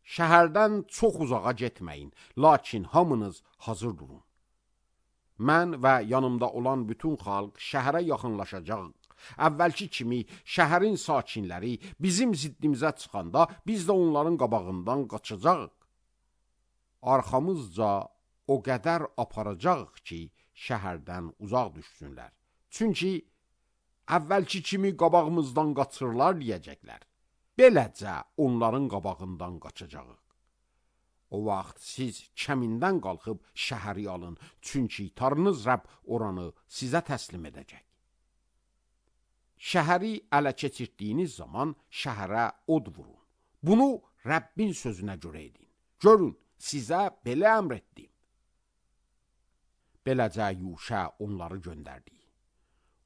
Speaker 1: Şəhərdən çox uzağa getməyin, lakin hamınız hazır durun. Mən və yanımda olan bütün xalq şəhərə yaxınlaşacaq. Əvvəlki kimi şəhərin sakinləri bizim ziddimizə çıxanda biz də onların qabağından qaçacağıq. Arxamızca o qədər aparacağıq ki, şəhərdən uzaq düşsünlər. Çünki əvvəlki kimi qabağımızdan qaçırlar deyəcəklər. Beləcə onların qabağından qaçacağıq. O vaxt siz kəmindən qalxıb şəhəri alın, çünki Tanrınız Rəbb oranı sizə təslim edəcək. Şəhəri ələ keçirdiyiniz zaman şəhərə od vurun. Bunu Rəbbin sözünə görə edin. Görün, sizə belə əmr etdim. Beləcə Yuşa onları göndərdi.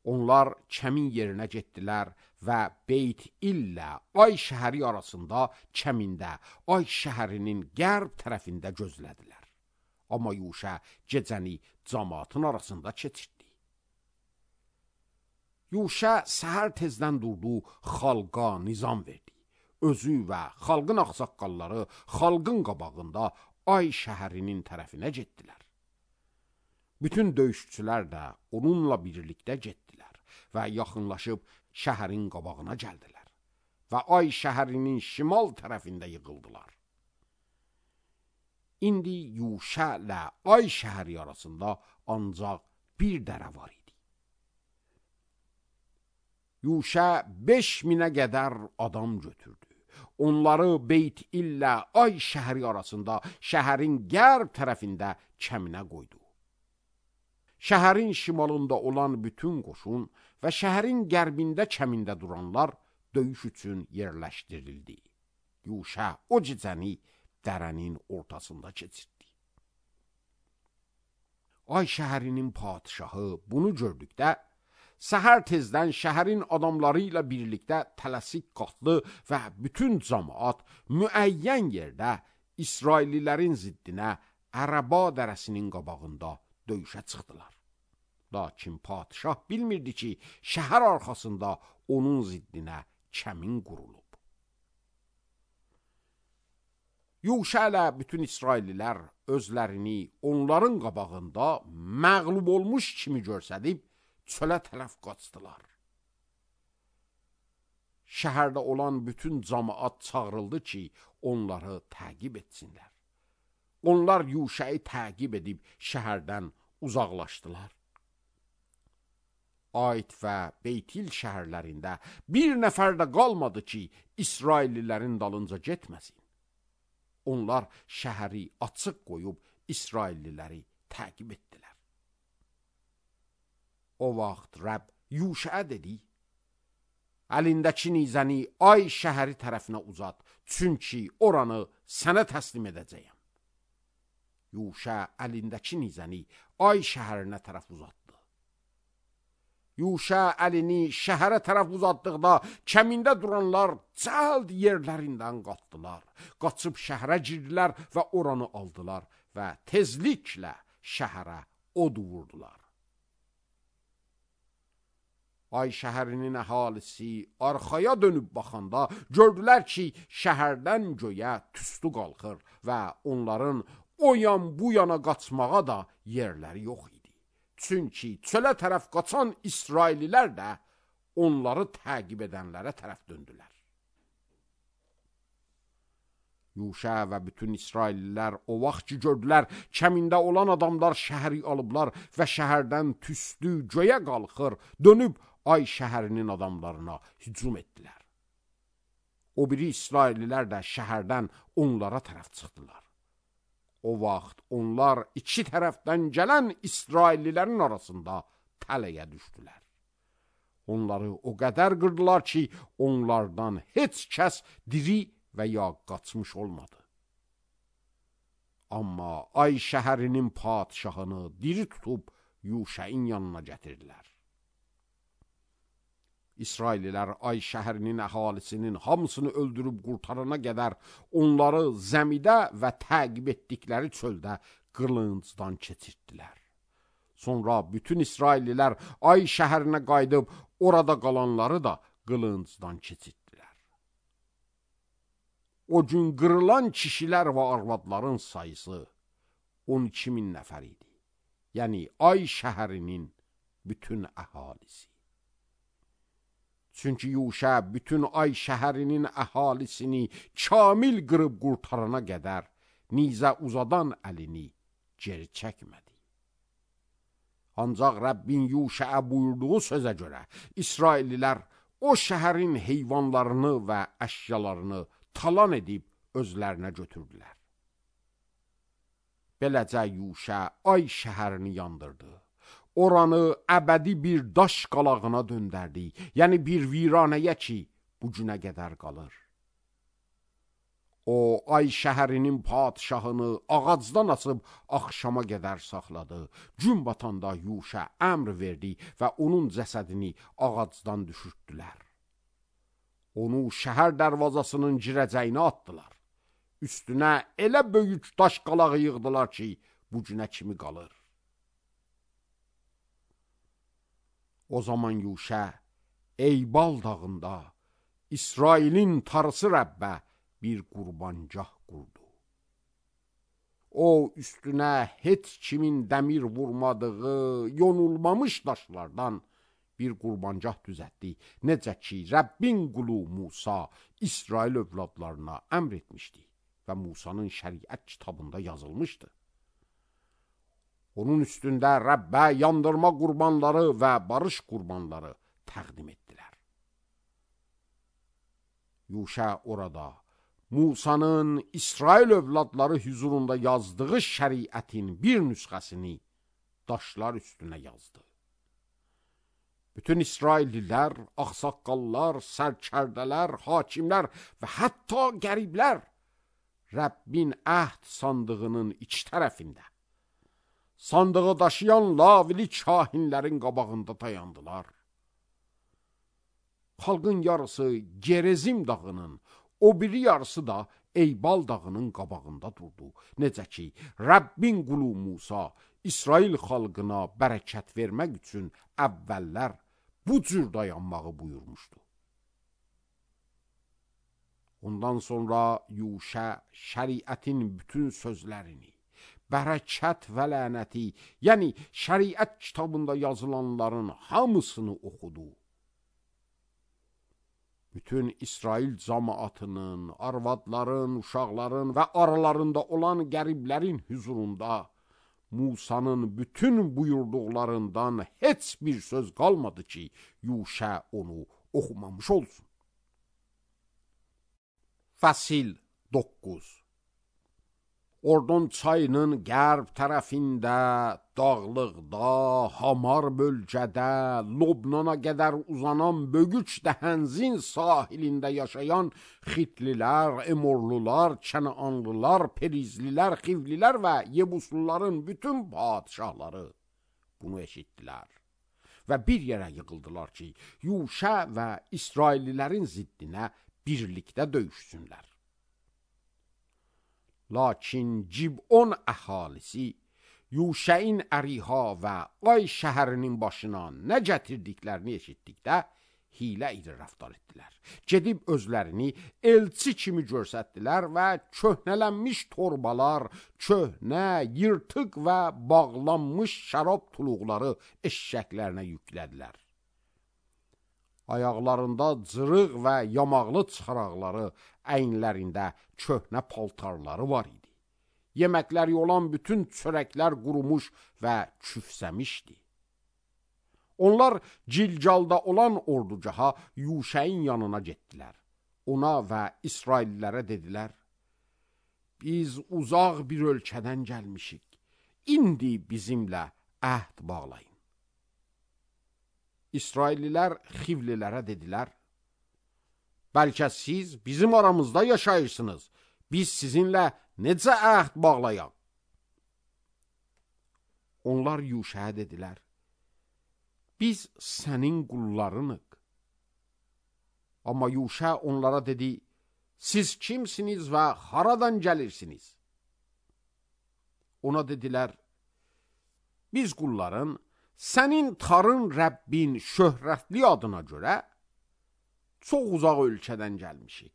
Speaker 1: Onlar kəmin yerinə getdilər və Beyt illə Ay şəhəri arasında kəmində Ay şəhərinin qərb tərəfində gözlədilər. Amma Yuşa gecəni cəmaatın arasında keçirdi. Yuşa səhər tezdən durdu, xalqa nizam verdi. Özü və xalqın ağsaqqalları xalqın qabağında Ay şəhərinin tərəfinə getdilər. Bütün döyüşçülər də onunla birlikdə getdilər və yaxınlaşıb şəhərin qabağına gəldilər və Ay şəhərinin şimal tərəfində yığıldılar. İndi Yuşa ilə Ay şəhəri arasında ancaq bir dərə var idi. Yuşa beş minə qədər adam götürdü. Onları Beyt illə Ay şəhəri arasında şəhərin qərb tərəfində kəminə qoydu. Şəhərin şimalında olan bütün qoşun və şəhərin qərbində kəmində duranlar döyüş üçün yerləşdirildi. Yuşa o gecəni dərənin ortasında keçirdi. Ay şəhərinin padişahı bunu gördükdə, səhər tezdən şəhərin adamları ilə birlikdə tələsik qalxdı və bütün cəmaat müəyyən yerdə İsraillilərin ziddinə Ərəba dərəsinin qabağında döyüşə çıxdılar. Lakin padişah bilmirdi ki, şəhər arxasında onun ziddinə kəmin qurulub. Yuşa ilə bütün İsraillilər özlərini onların qabağında məğlub olmuş kimi görsədib, çölə tərəf qaçdılar. Şəhərdə olan bütün cəmaat çağırıldı ki, onları təqib etsinlər. Onlar Yuşayı təqib edib şəhərdən uzaqlaşdılar. Ayt və Beytil şəhərlərində bir nəfər də qalmadı ki, İsraillilərin dalınca getməsin. Onlar şəhəri açıq qoyub İsrailliləri təqib etdilər. O vaxt Rəbb Yuşaya dedi, əlindəki nizəni Ay şəhəri tərəfinə uzat, çünki oranı sənə təslim edəcəyəm. Yuşa əlindəki nizəni Ay şəhərinə tərəf uzatdı. Yuşa əlini şəhərə tərəf uzatdıqda kəmində duranlar cəld yerlərindən qalxdılar. Qaçıb şəhərə girdilər və oranı aldılar və tezliklə şəhərə od vurdular. Ay şəhərinin əhalisi arxaya dönüb baxanda gördülər ki, şəhərdən göyə tüstü qalxır və onların o yan bu yana qaçmağa da yerləri yox idi. Çünki çölə tərəf qaçan İsraillilər də onları təqib edənlərə tərəf döndülər. Yuşa və bütün İsraillilər o vaxt ki gördülər, kəmində olan adamlar şəhəri alıblar və şəhərdən tüstü göyə qalxır, dönüb Ay şəhərinin adamlarına hücum etdilər. O biri İsraillilər də şəhərdən onlara tərəf çıxdılar. O vaxt onlar iki tərəfdən gələn İsraillilərin arasında tələyə düşdülər. Onları o qədər qırdılar ki, onlardan heç kəs diri və ya qaçmış olmadı. Amma Ay şəhərinin padişahını diri tutub Yuşayın yanına gətirdilər. İsraillilər Ay şəhərinin əhalisinin hamısını öldürüb qurtarana qədər onları zəmidə və təqib etdikləri çöldə qılıncdan keçirtdilər. Sonra bütün İsraillilər Ay şəhərinə qayıdıb orada qalanları da qılıncdan keçirtdilər. O gün qırılan kişilər və arvadların sayısı on iki min nəfər idi. Yəni Ay şəhərinin bütün əhalisi. Çünki Yuşa bütün Ay şəhərinin əhalisini kamil qırıb qurtarana qədər nizə uzadan əlini geri çəkmədi. Ancaq Rəbbin Yuşaya buyurduğu sözə görə İsraillilər o şəhərin heyvanlarını və əşyalarını talan edib özlərinə götürdülər. Beləcə Yuşə ay şəhərini yandırdı. Oranı əbədi bir daş qalağına döndərdi. Yəni bir viranəyə ki, bu günə qədər qalır. O, ay şəhərinin padişahını ağacdan asıb axşama qədər saxladı. Gün batanda Yuşə əmr verdi və onun cəsədini ağacdan düşürtdülər. Onu şəhər dərvazasının girəcəyinə atdılar. Üstünə elə böyük daş qalağı yığdılar ki, bu günə kimi qalır. O zaman Yuşə Eybal dağında İsrailin tarısı Rəbbə bir qurbancah qurdu. O, üstünə heç kimin dəmir vurmadığı, yonulmamış daşlardan bir qurbancah düzətdi. Necə ki, Rəbbin qulu Musa İsrail övladlarına əmr etmişdi və Musanın şəriət kitabında yazılmışdı. Onun üstündə Rəbbə yandırma qurbanları və barış qurbanları təqdim etdilər. Yuşə orada Musanın İsrail övladları hüzurunda yazdığı şəriətin bir nüsxəsini daşlar üstünə yazdı. Bütün İsraillilər, ağsaqqallar, sərkərdələr, hakimlər və hətta qəriblər Rəbbin əhd sandığının iç tərəfində, sandığı daşıyan lavili kahinlərin qabağında dayandılar. Xalqın yarısı Gerizim dağının, o biri yarısı da Eybal dağının qabağında durdu. Necə ki, Rəbbin qulu Musa İsrail xalqına bərəkət vermək üçün əvvəllər bu cür dayanmağı buyurmuşdu. Ondan sonra Yuşə şəriətin bütün sözlərini, bərəkət və lənəti, yəni şəriət kitabında yazılanların hamısını oxudu. Bütün İsrail cəmaatının, arvadların, uşaqların və aralarında olan qəriblərin hüzurunda Musanın bütün buyurduqlarından heç bir söz qalmadı ki, Yuşə onu oxumamış olsun. Fəsil doqquz. Ordon çayının qərb tərəfində, dağlıqda, hamar bölgədə, Lobnana qədər uzanan böyük dəhənzin sahilində yaşayan Xitlilər, Emorlular, Kənaanlılar, Perizlilər, Xivlilər və Yebusluların bütün padişahları bunu eşitdilər və bir yerə yığıldılar ki, Yuşə və İsraillilərin ziddinə birlikdə döyüşsünlər. Lakin Cib'on əhalisi Yuşəin əriha və Ay şəhərinin başına nə gətirdiklərini eşitdikdə hilə ilə rəftar etdilər. Gedib özlərini elçi kimi görsətdilər və köhnələnmiş torbalar, köhnə, yırtıq və bağlanmış şərab tuluqları eşşəklərinə yüklədilər. Ayaqlarında cırıq və yamaqlı çıxaraqları, əynlərində köhnə paltarları var idi. Yeməkləri olan bütün çörəklər qurumuş və küfsəmişdi. Onlar Cilcalda olan orducaha Yuşəin yanına getdilər. Ona və İsraillilərə dedilər, biz uzaq bir ölkədən gəlmişik, indi bizimlə əhd bağlayın. İsraillilər Xivlilərə dedilər, bəlkə siz bizim aramızda yaşayırsınız, biz sizinlə necə əhd bağlayaq? Onlar Yuşəyə dedilər, biz sənin qullarınıq. Amma Yuşə onlara dedi, siz kimsiniz və haradan gəlirsiniz? Ona dedilər, biz qulların sənin tarın Rəbbin şöhrətli adına görə çox uzaq ölkədən gəlmişik.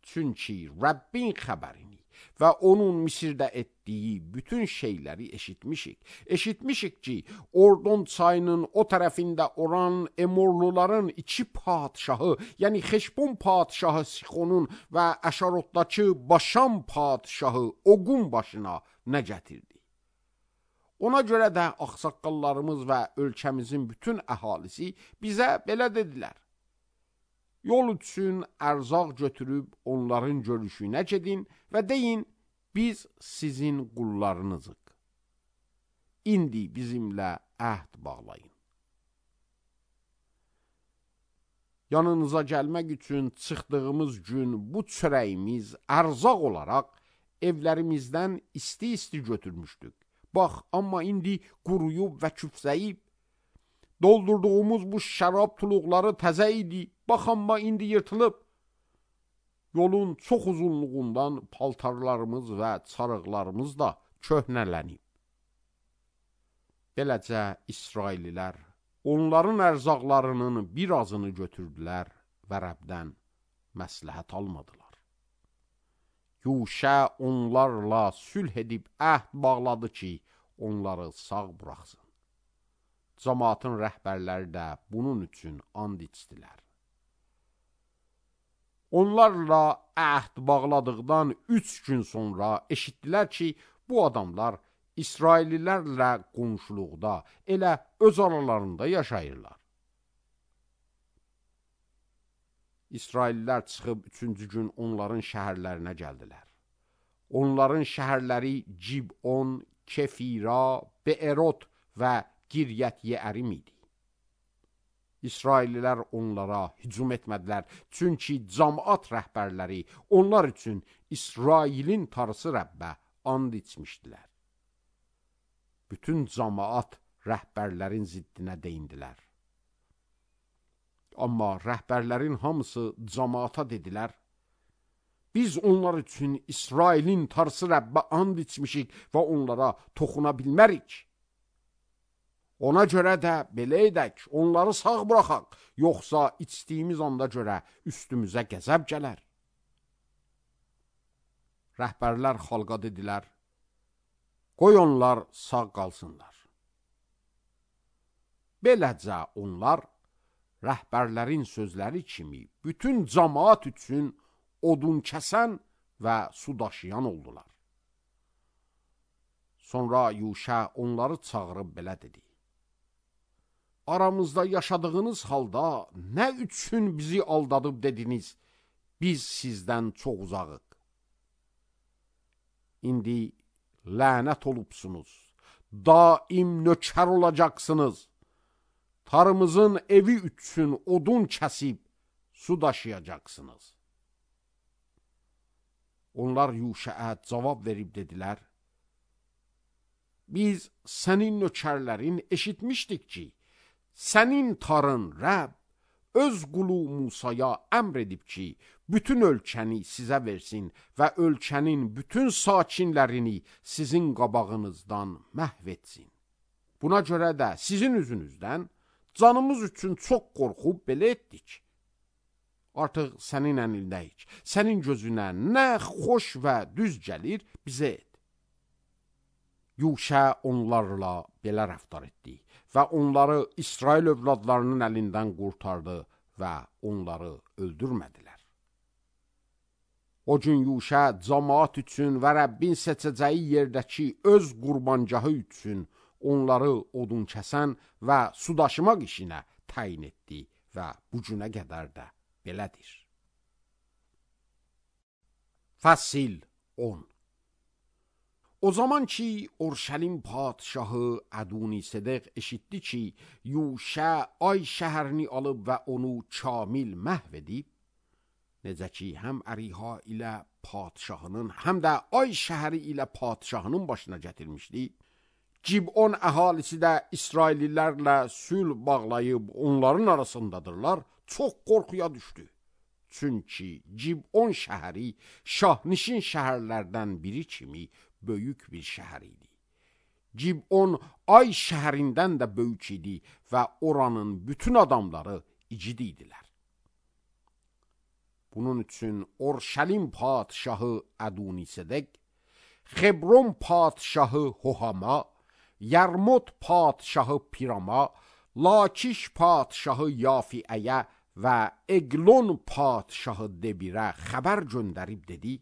Speaker 1: Çünki Rəbbin xəbərini və onun Misirdə etdiyi bütün şeyləri eşitmişik. Eşitmişik ki, Ordon çayının o tərəfində olan Emorluların iki padişahı, yəni Xeşbon padişahı Sixonun və Əşarotdakı Başam padişahı Oqun başına nə gətirdi? Ona görə də ağsaqqallarımız və ölkəmizin bütün əhalisi bizə belə dedilər. Yol üçün ərzaq götürüb onların görüşünə gedin və deyin, biz sizin qullarınızıq. İndi bizimlə əhd bağlayın. Yanınıza gəlmək üçün çıxdığımız gün bu çörəyimiz ərzaq olaraq evlərimizdən isti-isti götürmüşdük. Bax, amma indi quruyub və küfzəyib. Doldurduğumuz bu şərab tuluqları təzə idi. Bax, amma indi yırtılıb. Yolun çox uzunluğundan paltarlarımız və çarıqlarımız da köhnələnib. Beləcə İsraililər onların ərzaqlarının birazını götürdülər və Rəbdən məsləhət almadılar. Yuşə onlarla sülh edib əhd bağladı ki, onları sağ buraxsın. Cəmaatın rəhbərləri də bunun üçün and içdilər. Onlarla əhd bağladıqdan üç gün sonra eşitdilər ki, bu adamlar İsraillilərlə qonşuluqda, elə öz aralarında yaşayırlar. İsraillilər çıxıb üçüncü gün onların şəhərlərinə gəldilər. Onların şəhərləri Cibon, Kefira, Beerot və Giryət-Yeərim idi. İsraillilər onlara hücum etmədilər, çünki cəmaat rəhbərləri onlar üçün İsrailin tarısı Rəbbə and içmişdilər. Bütün cəmaat rəhbərlərin ziddinə deyindilər. Amma rəhbərlərin hamısı cəmaata dedilər, biz onlar üçün İsrailin tarısı Rəbbə and içmişik və onlara toxuna bilmərik. Ona görə də belə edək, onları sağ buraxaq, yoxsa içdiyimiz anda görə üstümüzə qəzəb gələr. Rəhbərlər xalqa dedilər, qoy onlar sağ qalsınlar. Beləcə onlar rəhbərlərin sözləri kimi bütün cəmaat üçün odun kəsən və su daşıyan oldular. Sonra Yuşə onları çağırıb belə dedi. Aramızda yaşadığınız halda nə üçün bizi aldadıb dediniz, biz sizdən çox uzağıq. İndi lənət olubsunuz, daim nökər olacaqsınız. Tarımızın evi üçün odun kəsib su daşıyacaqsınız. Onlar Yuşəə cavab verib dedilər, biz sənin nökərlərin eşitmişdik ki, sənin tarın Rəbb öz qulu Musaya əmr edib ki, bütün ölkəni sizə versin və ölkənin bütün sakinlərini sizin qabağınızdan məhv etsin. Buna görə də sizin üzünüzdən canımız üçün çox qorxub belə etdik. Artıq sənin əlindəyik, sənin gözünə nə xoş və düz gəlir, bizə et. Yuşə onlarla belə rəftar etdi və onları İsrail övladlarının əlindən qurtardı və onları öldürmədilər. O gün Yuşə cəmaat üçün və Rəbbin seçəcəyi yerdəki öz qurbancahı üçün onları odun kəsən və su daşımaq işinə təyin etdi və bu günə qədər də belədir. Fəsil on. O zaman ki Urşəlim padşahı Ədonisedek eşitdi ki, Yuşə ay şəhərini alıb və onu kamil məhv edib, necə ki həm Əriha ilə padşahının, həm də ay şəhəri ilə padşahının başına gətirmişdi, Cibon əhalisi də İsraillilərlə sülh bağlayıb onların arasındadırlar, çox qorxuya düşdü. Çünki Cibon şəhəri şahnişin şəhərlərdən biri kimi böyük bir şəhər idi. Cibon ay şəhərindən də böyük idi və oranın bütün adamları igid idilər. Bunun üçün Urşəlim padşahı Ədonisedek, Xebron padşahı Hohama, Yarmut padşahı Pirama, Lakiş padşahı Yafiəyə və Eglon padşahı Debirə xəbər göndərib dedi,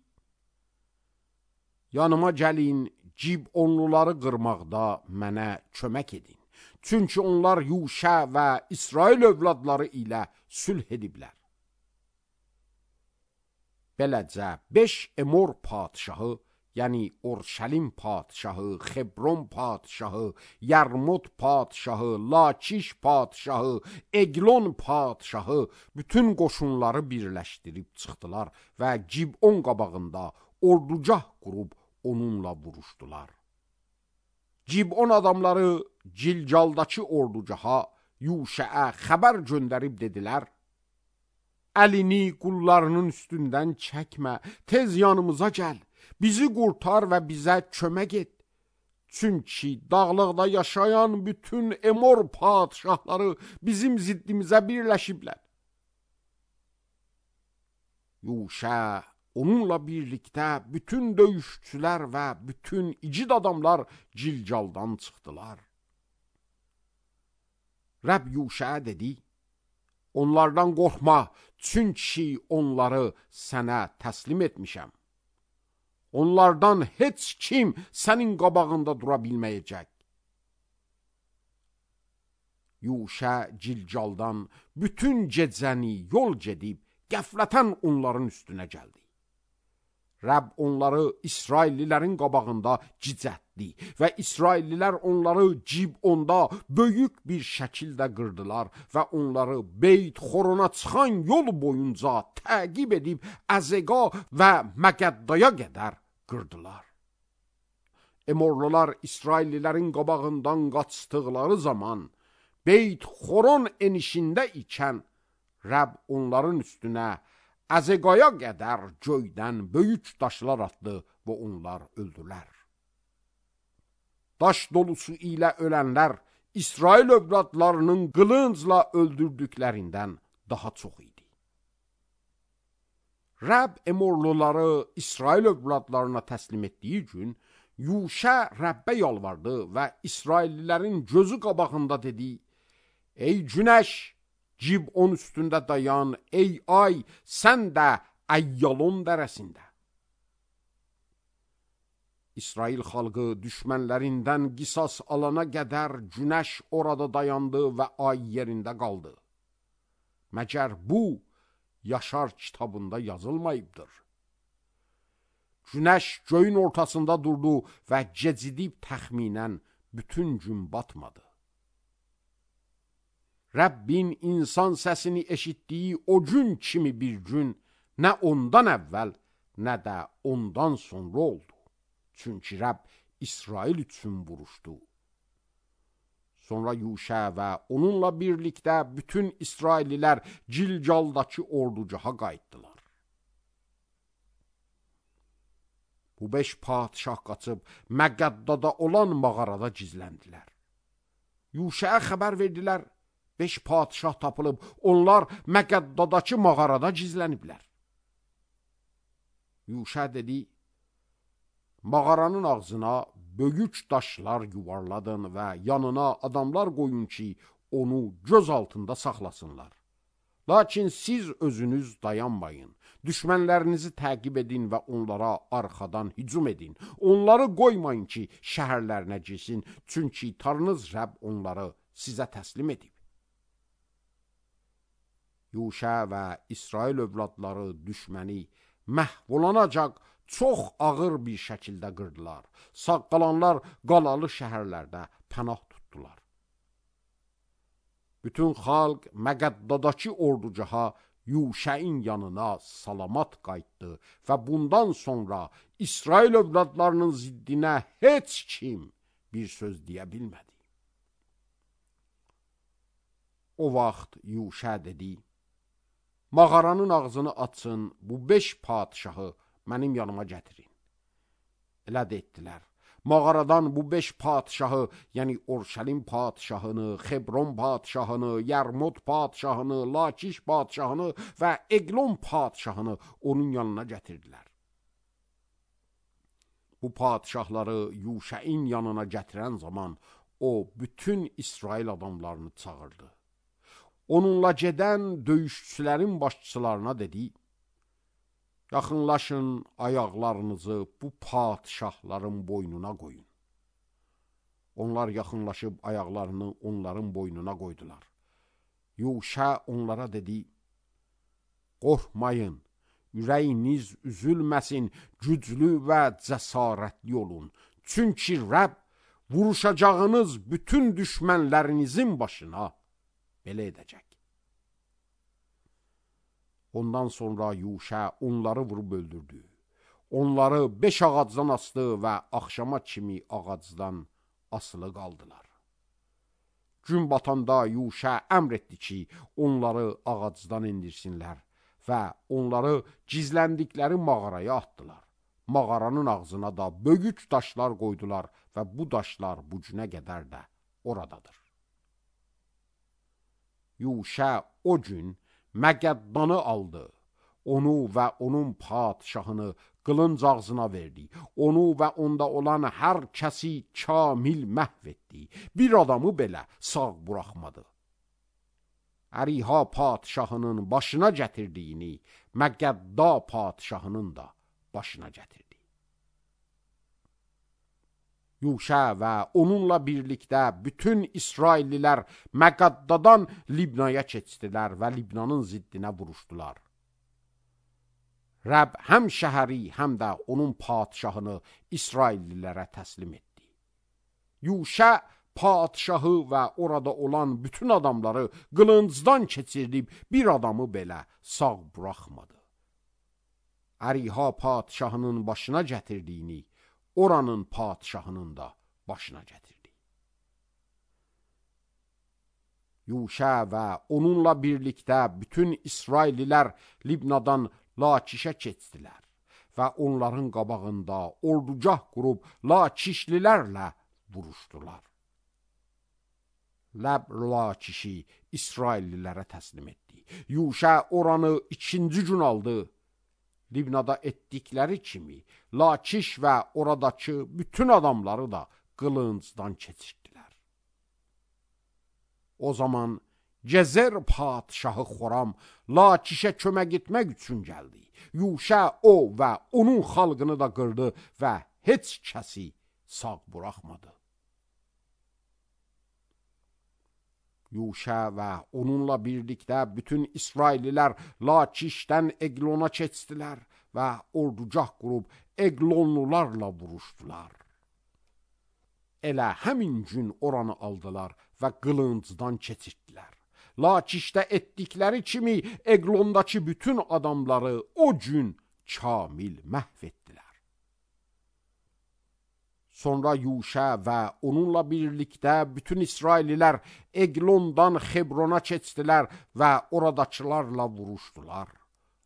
Speaker 1: yanıma gəlin, Cibonluları qırmaqda mənə kömək edin. Çünki onlar Yuşə və İsrail övladları ilə sülh ediblər. Beləcə beş Emor padşahı yani Orşalim padişahı, Xebron padişahı, Yarmut padişahı, Lakiş padişahı, Eglon padişahı bütün qoşunları birləşdirib çıxdılar və Gibon qabağında orducah qurub onunla vuruşdular. Gibon adamları Cilcaldakı orducaha Yuşəə xəbər göndərib dedilər: Əlini qullarının üstündən çəkmə, tez yanımıza gəl, bizi qurtar və bizə kömək et. Çünki dağlıqda yaşayan bütün Emor padişahları bizim ziddimizə birləşiblər. Yuşə onunla birlikdə bütün döyüşçülər və bütün igid adamlar Cilcaldan çıxdılar. Rəbb Yuşəə dedi: Onlardan qorxma, çünki onları sənə təslim etmişəm. Onlardan heç kim sənin qabağında dura bilməyəcək. Yuşə Cilcaldan bütün gecəni yol gedib, qəflətən onların üstünə gəldi. Rəbb onları İsraillilərin qabağında cicətdi və İsraillilər onları Gibonda böyük bir şəkildə qırdılar və onları Beyt Xorona çıxan yol boyunca təqib edib Əzəqa və Məqəddaya qədər qırdılar. Emorlular İsraillilərin qabağından qaçdıqları zaman Beyt Xoron enişində ikən Rəbb onların üstünə Əzəqaya qədər göydən böyük daşlar atdı və onlar öldülər. Daş dolusu ilə ölənlər İsrail övladlarının qılıncla öldürdüklərindən daha çox idi. Rəbb Emorluları İsrail övladlarına təslim etdiyi gün Yuşə Rəbbə yalvardı və İsraillilərin gözü qabağında dedi: Ey günəş, Gibon üstündə dayan, ey ay, sən də Əyyalon dərəsində. İsrail xalqı düşmənlərindən qisas alana qədər günəş orada dayandı və ay yerində qaldı. Məgər bu, Yaşar kitabında yazılmayıbdır. Günəş göyün ortasında durdu və gecidib təxminən bütün gün batmadı. Rəbbin insan səsini eşitdiyi o gün kimi bir gün nə ondan əvvəl, nə də ondan sonra oldu. Çünki Rəbb İsrail üçün vuruşdu. Sonra Yuşə və onunla birlikdə bütün İsraillilər Cilcaldakı orducaha qayıtdılar. Bu beş padişah qaçıb Məqəddada olan mağarada gizləndilər. Yuşəyə xəbər verdilər: Beş padişah tapılıb, onlar Məqəddadakı mağarada gizləniblər. Yuşə dedi: Mağaranın ağzına böyük daşlar yuvarladın və yanına adamlar qoyun ki, onu göz altında saxlasınlar. Lakin siz özünüz dayanmayın, düşmənlərinizi təqib edin və onlara arxadan hücum edin. Onları qoymayın ki, şəhərlərinə girsin, çünki Tanrınız Rəbb onları sizə təslim edib. Yuşə və İsrail övladları düşməni məhv olunacaq çox ağır bir şəkildə qırdılar. Sağ qalanlar qalalı şəhərlərdə pənah tutdular. Bütün xalq Məqəddadakı orducaha Yuşəin yanına salamat qayıtdı və bundan sonra İsrail övladlarının ziddinə heç kim bir söz deyə bilmədi. O vaxt Yuşə dedi: Mağaranın ağzını açın, bu beş padişahı mənim yanıma gətirin. Elə də etdilər. Mağaradan bu beş padişahı, yəni Orşalim padişahını, Xebron padişahını, Yarmut padişahını, Lakiş padişahını və Eglon padişahını onun yanına gətirdilər. Bu padişahları Yuşəin yanına gətirən zaman o bütün İsrail adamlarını çağırdı. Onunla gedən döyüşçülərin başçılarına dedi: Yaxınlaşın, ayaqlarınızı bu padişahların boynuna qoyun. Onlar yaxınlaşıb ayaqlarını onların boynuna qoydular. Yuşə onlara dedi: Qorxmayın, ürəyiniz üzülməsin, güclü və cəsarətli olun. Çünki Rəbb vuruşacağınız bütün düşmənlərinizin başına belə edəcək. Ondan sonra Yuşa onları vurub öldürdü. Onları beş ağacdan asdı və axşama kimi ağacdan asılı qaldılar. Gün batanda Yuşa əmr etdi ki, onları ağacdan indirsinlər və onları gizləndikləri mağaraya atdılar. Mağaranın ağzına da böyük daşlar qoydular və bu daşlar bu günə qədər də oradadır. Yuşa o gün Məgəddanı aldı, onu və onun padşahını qılınc ağzına verdi, onu və onda olan hər kəsi kamil məhv etdi, bir adamı belə sağ buraxmadı. Əriha padşahının başına gətirdiyini Məgədda padşahının da başına gətirdi. Yuşa və onunla birlikdə bütün İsraillilər Məqaddadan Libnaya keçdilər və Libnanın ziddinə vuruşdular. Rəbb həm şəhəri, həm də onun padşahını İsraillilərə təslim etdi. Yuşa padşahı və orada olan bütün adamları qılıncdan keçirib bir adamı belə sağ buraxmadı. Əriha padşahının başına gətirdiyini oranın padşahının da başına gətirdi. Yuşa və onunla birlikdə bütün İsraillilər Libnadan Lakişə keçdilər və onların qabağında ordugah qurub Lakişlilərlə vuruşdular. Ləb Lakişi İsraillilərə təslim etdi. Yuşa oranı ikinci gün aldı. Libnada etdikləri kimi Lakiş və oradakı bütün adamları da qılıncdan keçirdilər. O zaman Gezer padşahı Xoram Lakişə kömək etmək üçün gəldi. Yuşa o və onun xalqını da qırdı və heç kəsi sağ buraxmadı. Yuşa və onunla birlikdə bütün İsraillilər Lakişdən Eglona keçdilər və ordugah qurub Eglonlularla vuruşdular. Elə həmin gün oranı aldılar və qılıncdan keçirdilər. Lakişdə etdikləri kimi Eglondakı bütün adamları o gün kamil məhv etdilər. Sonra Yuşa və onunla birlikdə bütün İsraillilər Eglondan Xebrona keçdilər və oradakılarla vuruşdular.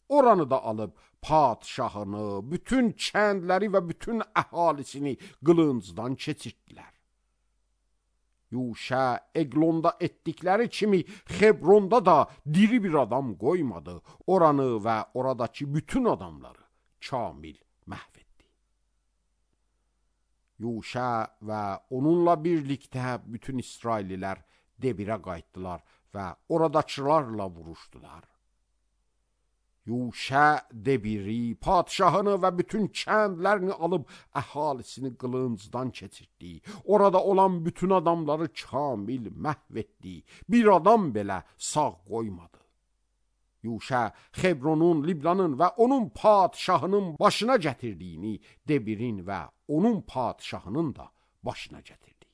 Speaker 1: Oranı da alıb padşahını, bütün kəndləri və bütün əhalisini qılıncdan keçirdilər. Yuşa Eglonda etdikləri kimi Xebronda da diri bir adam qoymadı. Oranı və oradakı bütün adamları kamil məhv etdi. Yuşa və onunla birlikdə bütün İsraillilər Debirə qayıtdılar və oradakılarla vuruşdular. Yuşa Debiri, padşahını və bütün kəndlərini alıb əhalisini qılıncdan keçirdi. Orada olan bütün adamları kamil məhv etdi. Bir adam belə sağ qoymadı. Yuşa Xebronun, Libnanın və onun padşahının başına gətirdiyini Debirin və onun padşahının da başına gətirdi.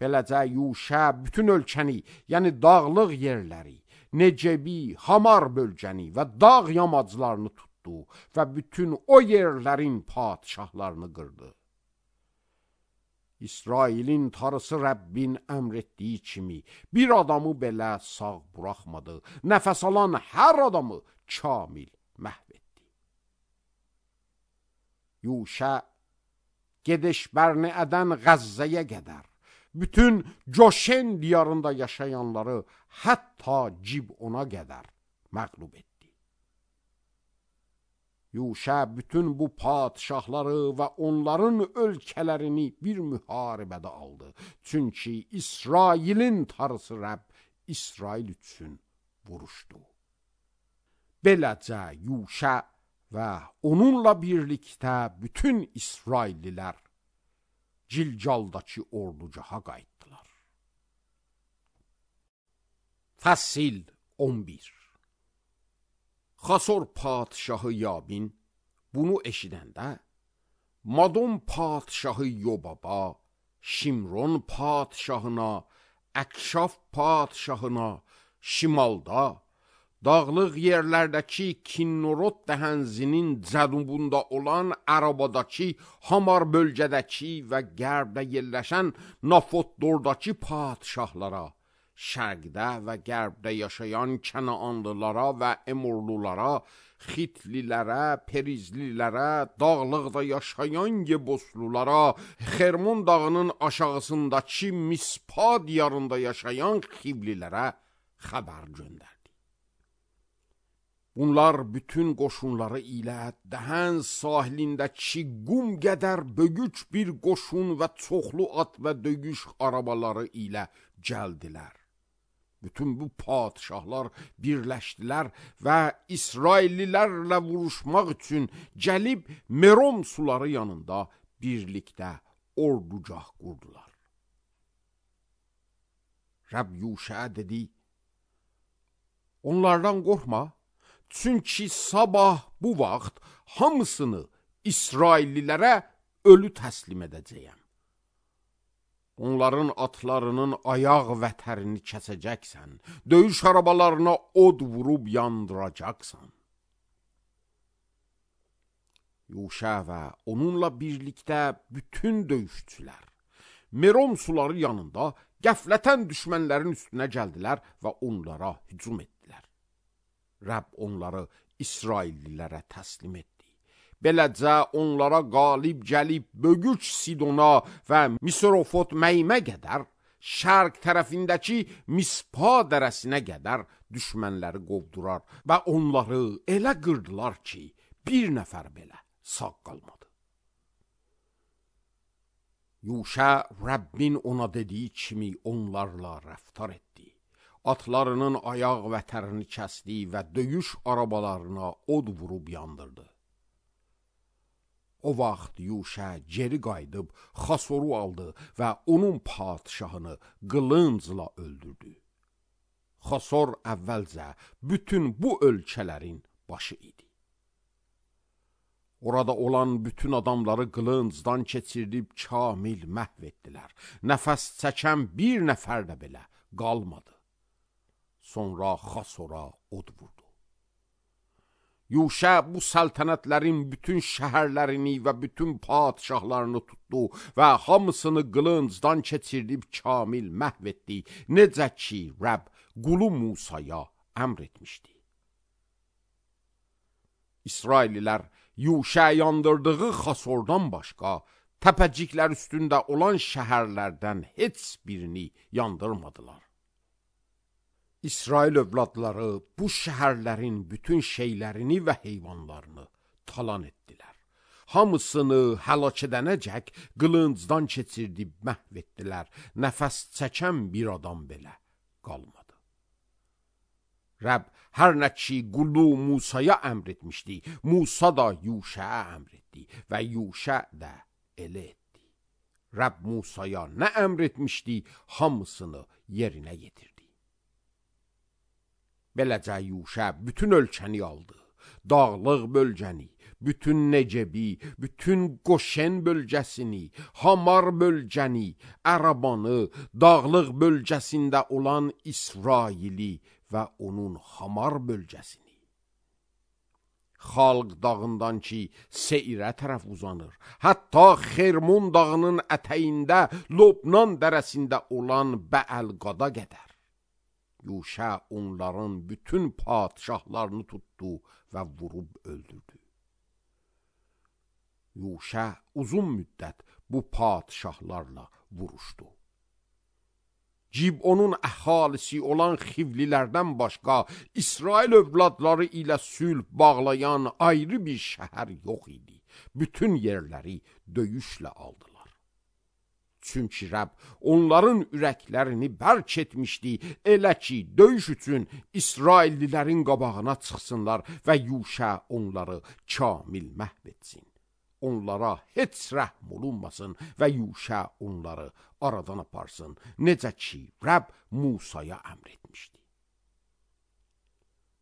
Speaker 1: Beləcə Yuşa bütün ölkəni, yəni dağlıq yerləri, Necebi, Hamar bölgəni və dağ yamaclarını tutdu və bütün o yerlərin padşahlarını qırdı. İsrailin tarısı Rəbbin əmr etdiyi kimi bir adamı belə sağ buraxmadı. Nəfəs alan hər adamı kamil məhv etdi. Yuşa Gedeş-Bərneədən Qəzzəyə qədər bütün Coşen diyarında yaşayanları hətta Cibona qədər məğlub etdi. Yuşa bütün bu padşahları və onların ölkələrini bir müharibədə aldı. Çünki İsrailin tarısı Rəbb İsrail üçün vuruşdu. Beləcə Yuşa və onunla birlikdə bütün İsraillilər Cilcaldakı ordugaha qayıtdılar. Fəsil on bir. Xasor padşahı Yabin bunu eşidəndə, Madon padşahı Yobaba, Şimron padşahına, Əkşaf padşahına, şimalda, dağlıq yerlərdəki Kinnorot dəhənzinin cənubunda olan Ərabadakı, Hamar bölgədəki və qərbdə yerləşən Nafotdordakı padşahlara, şərqdə və qərbdə yaşayan Kənaanlılara və Emorlulara, Xitlilərə, Perizlilərə, dağlıqda yaşayan Yeboslulara, Xermon dağının aşağısındakı Mispa diyarında yaşayan Xivlilərə xəbər göndərdi. Bunlar bütün qoşunları ilə Dəhən sahilindəki qum qədər böyük bir qoşun və çoxlu at və döyüş arabaları ilə gəldilər. Bütün bu padşahlar birləşdilər və İsraillilərlə vuruşmaq üçün gəlib Merom suları yanında birlikdə ordugah qurdular. Rəbb Yuşaya dedi, onlardan qorxma, çünki sabah bu vaxt hamısını İsraillilərə ölü təslim edəcəyəm. Onların atlarının ayaq vətərini kəsəcəksən, döyüş arabalarına od vurub yandıracaqsan. Yuşa və onunla birlikdə bütün döyüşçülər Merom suları yanında qəflətən düşmənlərin üstünə gəldilər və onlara hücum etdilər. Rəbb onları İsraillilərə təslim etdi. Beləcə onlara qalib gəlib Bögüç Sidona və Misrofot Məymə qədər, şərq tərəfindəki Mispa dərəsinə qədər düşmənləri qovdurar və onları elə qırdılar ki, bir nəfər belə sağ qalmadı. Yuşa Rəbbin ona dediyi kimi onlarla rəftar etdi. Atlarının ayaq vətərini kəsdi və döyüş arabalarına od vurub yandırdı. O vaxt Yuşa geri qayıdıb Xasoru aldı və onun padşahını qılıncla öldürdü. Xasor əvvəlcə bütün bu ölkələrin başı idi. Orada olan bütün adamları qılıncdan keçirdib kamil məhv etdilər. Nəfəs çəkən bir nəfər də belə qalmadı. Sonra Xasora od vurdu. Yuşa bu səltənətlərin bütün şəhərlərini və bütün padşahlarını tutdu və hamısını qılıncdan keçirdib kamil məhv etdi, necə ki Rəbb qulu Musaya əmr etmişdi. İsraililər Yuşa yandırdığı Xasordan başqa təpəciklər üstündə olan şəhərlərdən heç birini yandırmadılar. İsrail övladları bu şəhərlərin bütün şeylərini və heyvanlarını talan etdilər. Hamısını həlak edənəcək qılıncdan keçirdib məhv etdilər. Nəfəs çəkən bir adam belə qalmadı. Rəbb hər nə ki qulu Musaya əmr etmişdi, Musa da Yuşaya əmr etdi və Yuşa da elə etdi. Rəbb Musaya nə əmr etmişdi, hamısını yerinə yetirdi. Beləcə Yuşa bütün ölkəni aldı, dağlıq bölgəni, bütün Necebi, bütün Qoşen bölgəsini, Hamar bölgəni, Ərabanı, dağlıq bölgəsində olan İsraili və onun Hamar bölgəsini. Xalq dağından ki Seirə tərəf uzanır, hətta Xermon dağının ətəyində Lobnan dərəsində olan Bəəlqada qədər. Yuşa onların bütün padşahlarını tutdu və vurub öldürdü. Yuşa uzun müddət bu padşahlarla vuruşdu. Cibonun əhalisi olan Xivlilərdən başqa İsrail övladları ilə sülh bağlayan ayrı bir şəhər yox idi. Bütün yerləri döyüşlə aldılar. Çünki Rəbb onların ürəklərini bərk etmişdi, elə ki, döyüş üçün İsraillilərin qabağına çıxsınlar və Yuşa onları kamil məhv etsin. Onlara heç rəhm olunmasın və Yuşa onları aradan aparsın, necə ki, Rəbb Musaya əmr etmişdi.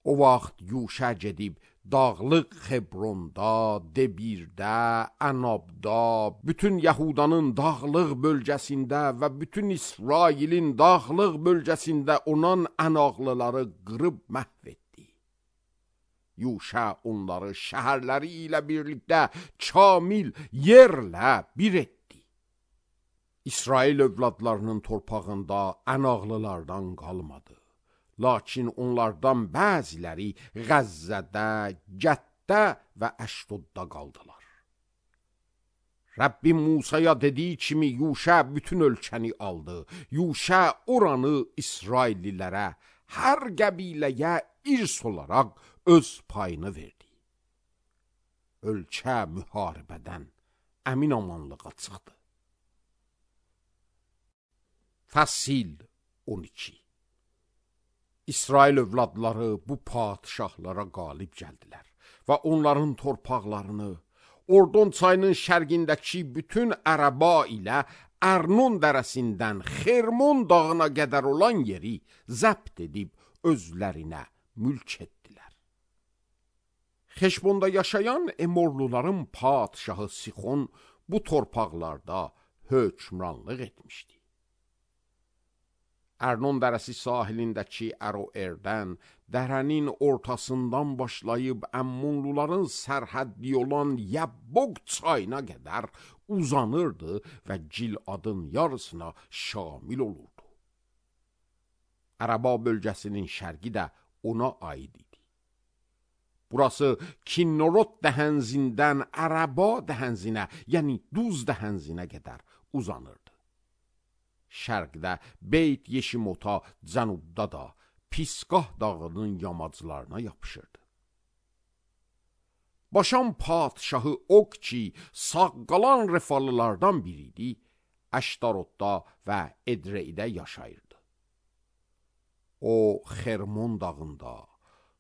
Speaker 1: O vaxt Yuşa gedib dağlıq Xebronda, Debirdə, Ənabda, bütün Yahudanın dağlıq bölgəsində və bütün İsrailin dağlıq bölgəsində olan ənaqlıları qırıb məhv etdi. Yuşa onları şəhərləri ilə birlikdə kamil yerlə bir etdi. İsrail övladlarının torpağında ənaqlılardan qalmadı. Lakin onlardan bəziləri Qəzzədə, Gətdə və Əşdodda qaldılar. Rəbbim Musaya dediyi kimi Yuşa bütün ölkəni aldı. Yuşa oranı İsraillilərə, hər qəbiləyə irs olaraq öz payını verdi. Ölkə müharibədən əmin amanlığa çıxdı. Fəsil on iki. İsrail övladları bu padişahlara qalib gəldilər və onların torpaqlarını, Ordon çayının şərqindəki bütün Ərəba ilə Ərnon dərəsindən Xermon dağına qədər olan yeri zəbt edib özlərinə mülk etdilər. Xeşbonda yaşayan Emorluların padişahı Sixon bu torpaqlarda hökmranlıq etmişdi. Ərnon dərəsi sahilindəki Əroerdən, dərənin ortasından başlayıb Əmmonluların sərhəddi olan Yəbboq çayına qədər uzanırdı və Giladın yarısına şamil olurdu. Ərəba bölgəsinin şərqi də ona aid idi. Burası Kinnorot dəhənzindən Ərəba dəhənzinə, yəni Duz dəhənzinə qədər uzanırdı. Şərqdə Beyt Yeşimota, cənubda da Pisqah dağının yamaclarına yapışırdı. Başan padişahı Ok ki, sağ qalan Refalılardan biriydi, Əştarotda və Edreydə yaşayırdı. O, Xermon dağında,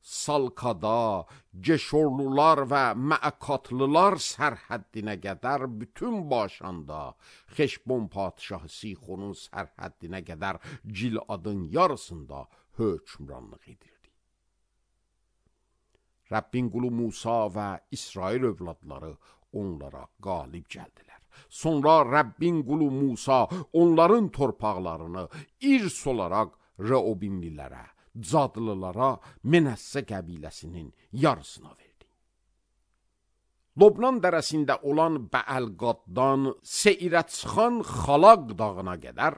Speaker 1: Salkada, Geşorlular və Məəkatlılar sərhəddinə qədər bütün Başanda, Xeşbon padişahı Sixonun sərhəddinə qədər Giladın yarısında hökmranlıq edirdi. Rəbbin qulu Musa və İsrail övladları onlara qalib gəldilər. Sonra Rəbbin qulu Musa onların torpaqlarını irs olaraq Reobimlilərə, Cadlılara, Menəssə qəbiləsinin yarısına verdi. Lobnan dərəsində olan Bəəlqaddan Seirə çıxan Xalaq dağına qədər,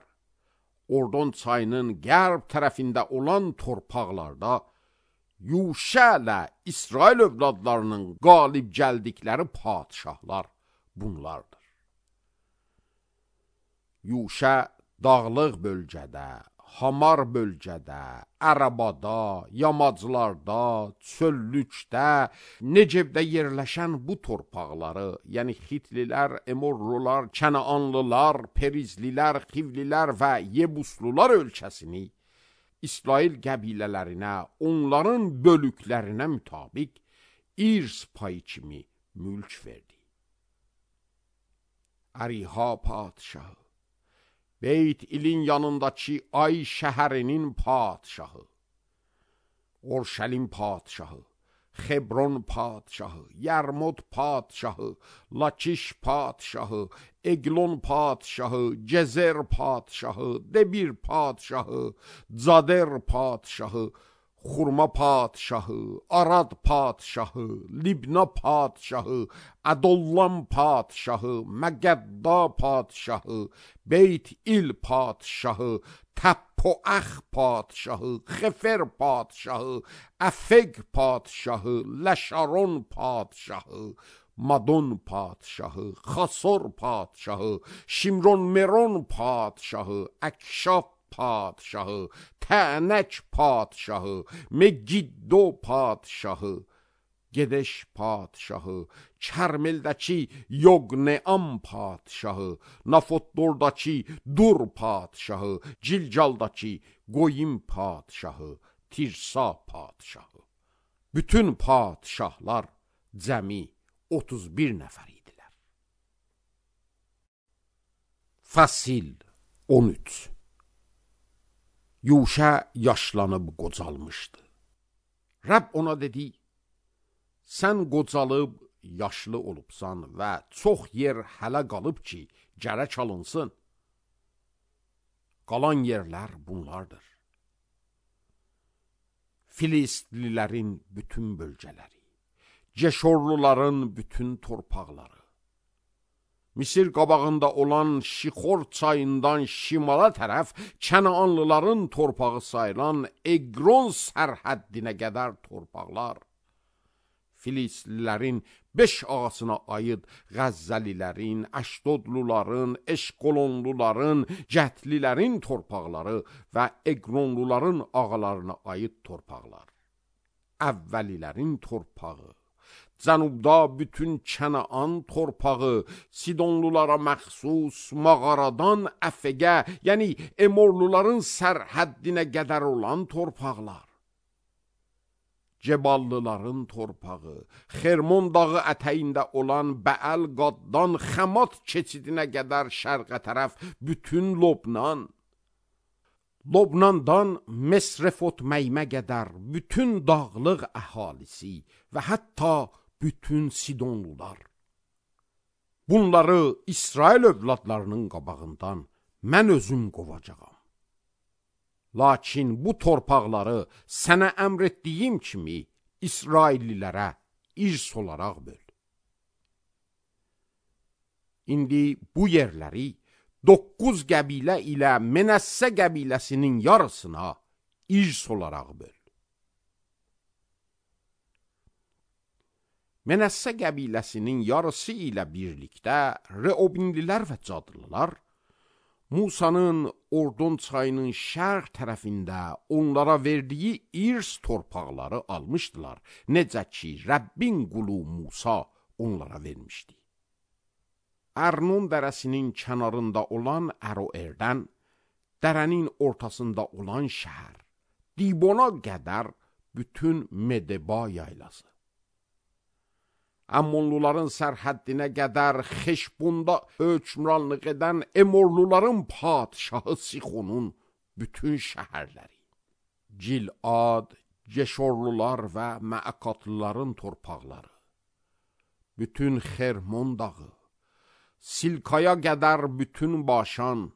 Speaker 1: Ordon çayının qərb tərəfində olan torpaqlarda Yuşa ilə İsrail övladlarının qalib gəldikləri padişahlar bunlardır. Yuşa dağlıq bölgədə, Hamar bölgədə, Ərəbada, yamaclarda, çöllükdə, Necebdə yerləşən bu torpaqları, yəni Xitlilər, Emorlular, Kənaanlılar, Perizlilər, Xivlilər və Yebuslular ölkəsini İsrail qəbilələrinə, onların bölüklərinə mütabiq irs payı kimi mülk verdi. Əriha padişahı, Beyt ilin yanındakı Ay şəhərinin padişahı, Orşəlim padişahı, Xebron padişahı, Yərmod padişahı, Lakiş padişahı, Eglon padişahı, Gezer padişahı, Debir padişahı, Cader padişahı, Xurma padişahı, Arad padişahı, Libna padişahı, Ədollam padişahı, Məgədda padişahı, Beyt il padişahı, Təppoəx padişahı, Xefer padişahı, Əfeq padişahı, Ləşaron padişahı, Madon padişahı, Xasor padişahı, Şimron Meron padişahı, Əkşaf padişahı, Tənək padişahı, Megiddo padişahı, Gedeş padişahı, Kərmeldəki Yoqneam padişahı, Nafotdordakı Dur padişahı, Cilcaldakı Qoyim padişahı, Tirsa padişahı. Bütün padişahlar cəmi otuz bir nəfər idilər. Fəsil on üç. Yuşa yaşlanıb qocalmışdı. Rəbb ona dedi, sən qocalıb yaşlı olubsan və çox yer hələ qalıb ki, gərək alınsın. Qalan yerlər bunlardır. Filistlilərin bütün bölgələri, Ceşorluların bütün torpaqları, Misir qabağında olan Şixor çayından şimala tərəf Kənaanlıların torpağı sayılan Eqron sərhəddinə qədər torpaqlar, Filistlilərin beş ağasına aid Qəzzəlilərin, Əşdodluların, Eşqolonluların, Cətlilərin torpaqları və Eqronluların ağalarına aid torpaqlar, Əvvəlilərin torpağı, Cənubda bütün Kənaan torpağı, Sidonlulara məxsus mağaradan Əfəqə, yəni Emorluların sərhəddinə qədər olan torpaqlar, Ceballıların torpağı, Xermon dağı ətəyində olan Bəəl-Qaddan Xəmat keçidinə qədər şərqə tərəf bütün Lobnan, Lobnandan Mesrefot-Məymə qədər bütün dağlıq əhalisi və hətta bütün Sidonlular. Bunları İsrail övladlarının qabağından mən özüm qovacağam. Lakin bu torpaqları sənə əmr etdiyim kimi İsraillilərə irs olaraq böl. İndi bu yerləri doqquz qəbilə ilə Menəssə qəbiləsinin yarısına irs olaraq böl. Menəssə qəbiləsinin yarısı ilə birlikdə Reobinlilər və Cadlılar Musanın Ordon çayının şərq tərəfində onlara verdiyi irs torpaqları almışdılar, necə ki Rəbbin qulu Musa onlara vermişdi. Ərnon dərəsinin kənarında olan Əroerdən, dərənin ortasında olan şəhər, Dibona qədər bütün Medeba yaylası, Əmmonluların sərhəddinə qədər Xeşbonda hökmranlıq edən Emorluların padşahı Sixonun bütün şəhərləri, Gilad, Ceşorlular və Məəkatlıların torpaqları, bütün Xermon dağı, Silkaya qədər bütün Başan,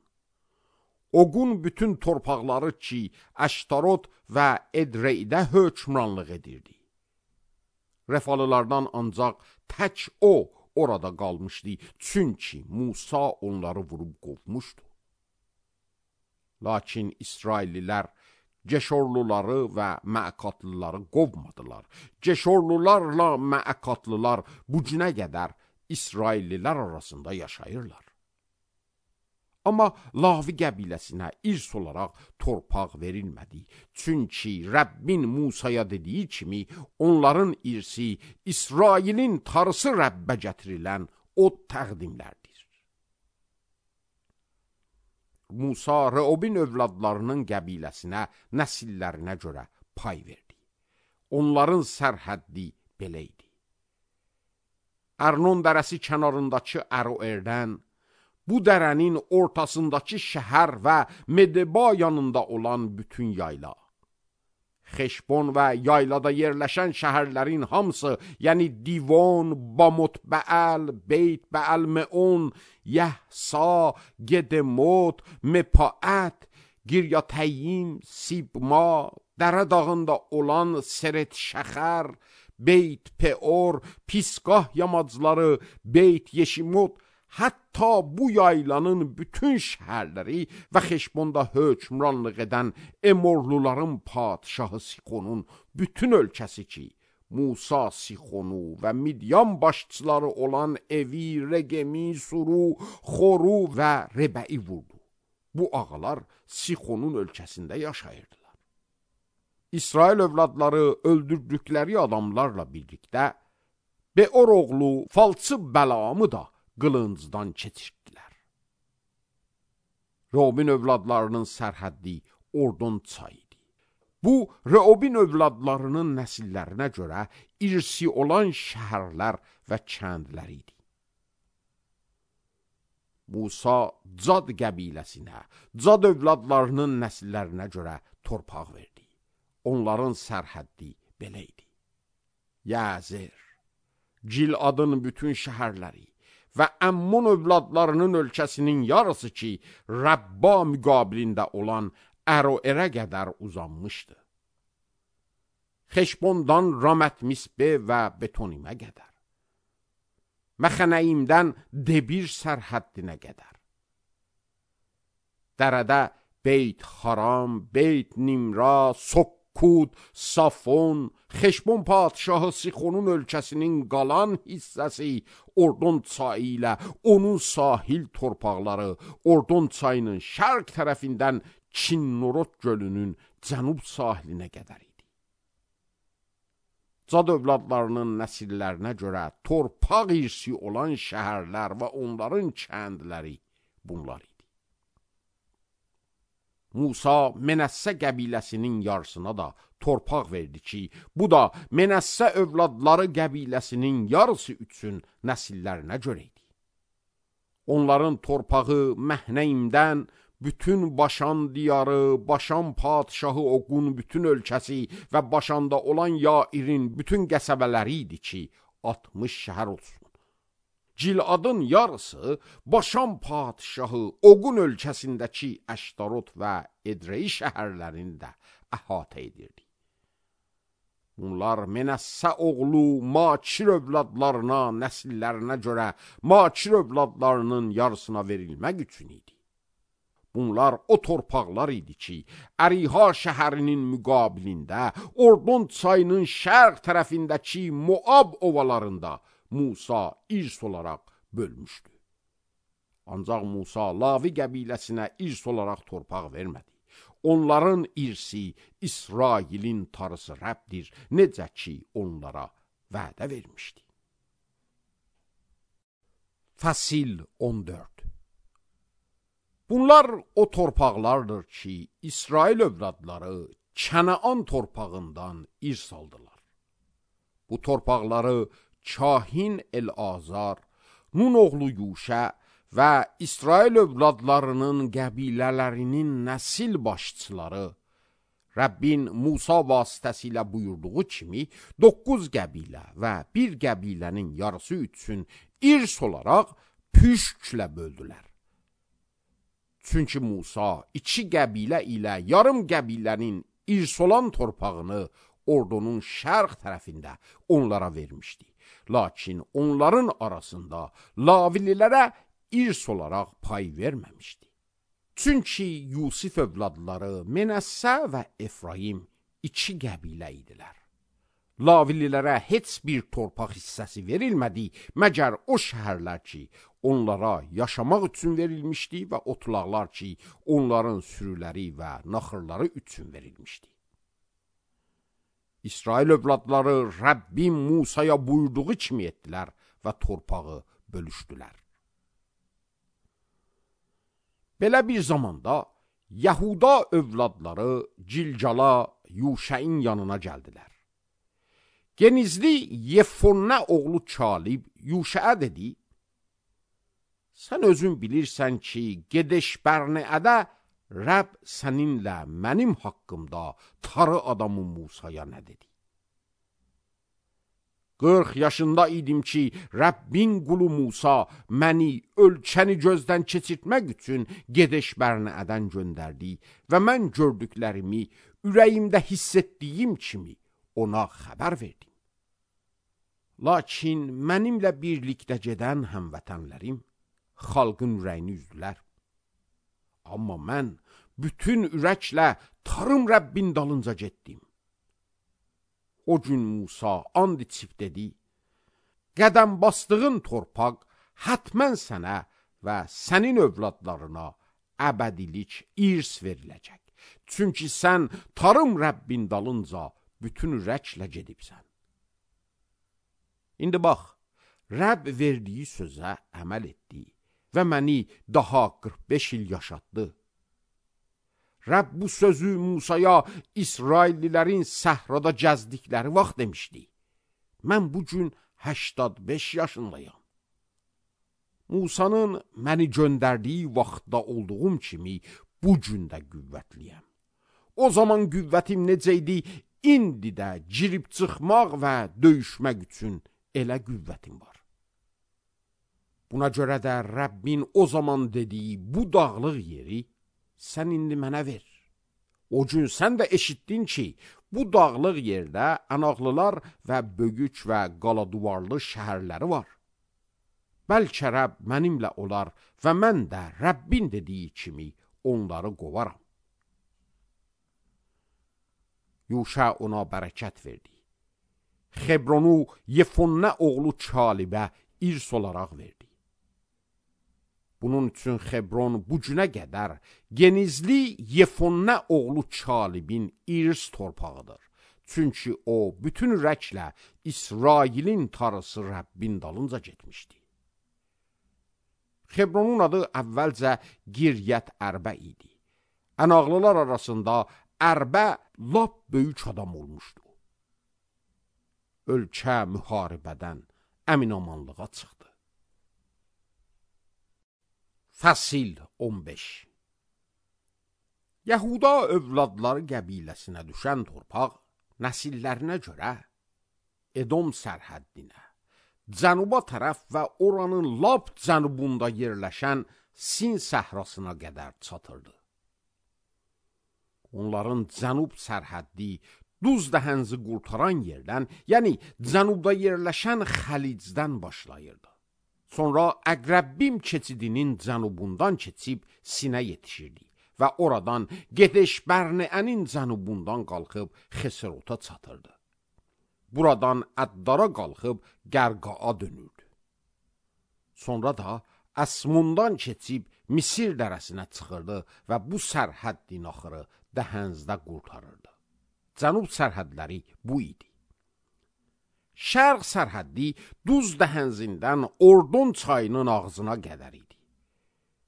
Speaker 1: Oqun bütün torpaqları ki, Əştarot və Edreydə hökmranlıq edirdi. Refalılardan ancaq tək o orada qalmışdı, çünki Musa onları vurub qovmuşdu. Lakin İsraillilər Ceşorluları və Məəkatlıları qovmadılar. Ceşorlularla Məəkatlılar bu günə qədər İsraillilər arasında yaşayırlar. Amma Lavi qəbiləsinə irs olaraq torpaq verilmədi. Çünki Rəbbin Musaya dediyi kimi onların irsi İsrailin tarısı Rəbbə gətirilən od təqdimlərdir. Musa Reobin övladlarının qəbiləsinə, nəsillərinə görə pay verdi. Onların sərhəddi belə idi. Ərnon dərəsi kənarındakı Əroerdən, bu dərənin ortasındakı şəhər və Medeba yanında olan bütün yayla, Xeşbon və yaylada yerləşən şəhərlərin hamısı, yəni Divon, Bamot-Bəəl, Beyt-Bəəl-Meon, Yəhsa, Gedemot, Mepaət, Giryatəyim, Sibma, dərə dağında olan Seret-Şəxər, Beyt-Peor, Pisqah yamacları, Beyt-Yeşimot, hətta bu yaylanın bütün şəhərləri və Xeşbonda hökmranlıq edən Emorluların padşahı Sixonun bütün ölkəsi ki, Musa Sixonu və Midyan başçıları olan Evi, Regemi, Suru, Xoru və Rebəi vurdu. Bu ağalar Sixonun ölkəsində yaşayırdılar. İsrail övladları öldürdükləri adamlarla birlikdə Beor oğlu falçı Bəlamı da qılıncdan keçirdilər. Reobin övladlarının sərhəddi Ordon çayıdır. Bu, Reobin övladlarının nəsillərinə görə irsi olan şəhərlər və kəndlər idi. Musa Cad qəbiləsinə, Cad övladlarının nəsillərinə görə torpaq verdi. Onların sərhəddi belə idi. Yazir, Giladın bütün şəhərləri və Əmmun övladlarının ölkəsinin yarısı ki, Rəbba müqabilində olan Əroərə qədər uzanmışdı. Xeşbondan Ramət Misbe və Betonimə qədər. Məxənəyimdən Debir sərhəddinə qədər. Dərədə Beyt Xaram, Beyt Nimra, Sokkud, Safon, Xeşbon padişahı Sixonun ölkəsinin qalan hissəsi, Ordon çayı ilə onun sahil torpaqları, Ordon çayının şərq tərəfindən Çinnorod gölünün cənub sahilinə qədər idi. Cad övladlarının nəsillərinə görə torpaq irsi olan şəhərlər və onların kəndləri bunlar idi. Musa Menəssə qəbiləsinin yarısına da torpaq verdi ki, bu da Menəssə övladları qəbiləsinin yarısı üçün nəsillərinə görə idi. Onların torpağı Məhnəyimdən bütün Başan diyarı, Başan padişahı Oqun bütün ölkəsi və Başanda olan Yairin bütün qəsəbələri idi ki, altmış şəhər olsun. Giladın yarısı Başan padişahı Oqun ölkəsindəki Əştarot və Edrei şəhərlərini də əhatə edirdi. Bunlar Menəssə oğlu Makir övladlarına, nəsillərinə görə Makir övladlarının yarısına verilmək üçün idi. Bunlar o torpaqlar idi ki, Əriha şəhərinin müqabilində, Ordon çayının şərq tərəfindəki Moab ovalarında Musa irs olaraq bölmüşdü. Ancaq Musa Lavi qəbiləsinə irs olaraq torpaq vermədi. Onların irsi İsrailin tarısı Rəbdir, necə ki onlara vədə vermişdi. Fəsil on dörd. Bunlar o torpaqlardır ki, İsrail övladları Kənaan torpağından irs aldılar. Bu torpaqları Kahin El-Azar, Nun oğlu Yuşə və İsrail övladlarının qəbilələrinin nəsil başçıları Rəbbin Musa vasitəsilə buyurduğu kimi doqquz qəbilə və bir qəbilənin yarısı üçün irs olaraq püşklə böldülər. Çünki Musa iki qəbilə ilə yarım qəbilənin irs olan torpağını Ordonun şərq tərəfində onlara vermişdi. Lakin onların arasında Lavililərə irs olaraq pay verməmişdi. Çünki Yusif övladları Menəssə və Efraim iki qəbilə idilər. Lavililərə heç bir torpaq hissəsi verilmədi, məgər o şəhərlər ki, onlara yaşamaq üçün verilmişdi və otlaqlar ki, onların sürüləri və naxırları üçün verilmişdi. İsrail övladları Rəbbin Musaya buyurduğu kimi etdilər və torpağı bölüşdülər. Belə bir zamanda Yahuda övladları Cilcala Yuşəin yanına gəldilər. Genizli Yefonnə oğlu Kalib Yuşəə dedi, sən özün bilirsən ki, Gedeş-Bərneədə Rəbb səninlə mənim haqqımda tarı adamı Musaya nə dedi? qırx yaşında idim ki, Rəbbin qulu Musa məni ölkəni gözdən keçirtmək üçün Gedeş-Bərneədən göndərdi və mən gördüklərimi ürəyimdə hiss etdiyim kimi ona xəbər verdim. Lakin mənimlə birlikdə gedən həmvətənlərim xalqın ürəyini üzdülər. Amma mən bütün ürəklə tarım Rəbbin dalınca getdim. O gün Musa and içib dedi, qədəm bastığın torpaq hətmən sənə və sənin övladlarına əbədilik irs veriləcək. Çünki sən tarım Rəbbin dalınca bütün ürəklə gedibsən. İndi bax, Rəbb verdiyi sözə əməl etdi və məni daha qırx beş il yaşatdı. Rəbb bu sözü Musaya İsraillilərin səhrada gəzdikləri vaxt demişdi. Mən bu gün səksən beş yaşındayam. Musanın məni göndərdiyi vaxtda olduğum kimi bu gün də qüvvətliyəm. O zaman qüvvətim necə idi, indi də girib çıxmaq və döyüşmək üçün elə qüvvətin var. Buna görə də Rəbbin o zaman dediyi bu dağlıq yeri sən indi mənə ver. O gün sən də eşitdin ki, bu dağlıq yerdə Ənaqlılar və Bögüc və Qaladuvarlı şəhərləri var. Bəlkə Rəbb mənimlə olar və mən də Rəbbin dediyi kimi onları qovaram. Yuşa ona bərəkət verdi. Xebronu Yefunne oğlu Çalibə irs olaraq verdi. Bunun üçün Xebron bu günə qədər genizli Yefunne oğlu Çalibin irs torpağıdır. Çünki o bütün ürəklə İsrailin tarısı Rəbbin dalınca getmişdi. Xebronun adı əvvəlcə Giryət Ərbə idi. Ənaqlılar arasında Ərbə lap böyük adam olmuşdu. Ölkə müharibədən əminamanlığa çıxdı. Fəsil on beş. Yahuda övladları qəbiləsinə düşən torpaq nəsillərinə görə Edom sərhəddinə, cənuba tərəf və oranın lap cənubunda yerləşən Sin səhrasına qədər çatırdı. Onların cənub sərhəddi Duz dəhənzi qurtaran yerdən, yəni cənubda yerləşən Xəlicdən başlayırdı. Sonra Əqrəbbim keçidinin cənubundan keçib Sinə yetişirdi və oradan Gedeş Bərneənin cənubundan qalxıb Xeserota çatırdı. Buradan Əddara qalxıb Qərqaa dönürdü. Sonra da Əsmundan keçib Misir dərəsinə çıxırdı və bu sərhəddin axırı Dəhənzdə qurtarırdı. Cənub sərhədləri bu idi. Şərq sərhəddi Duz dəhənzindən Ordon çayının ağzına qədər idi.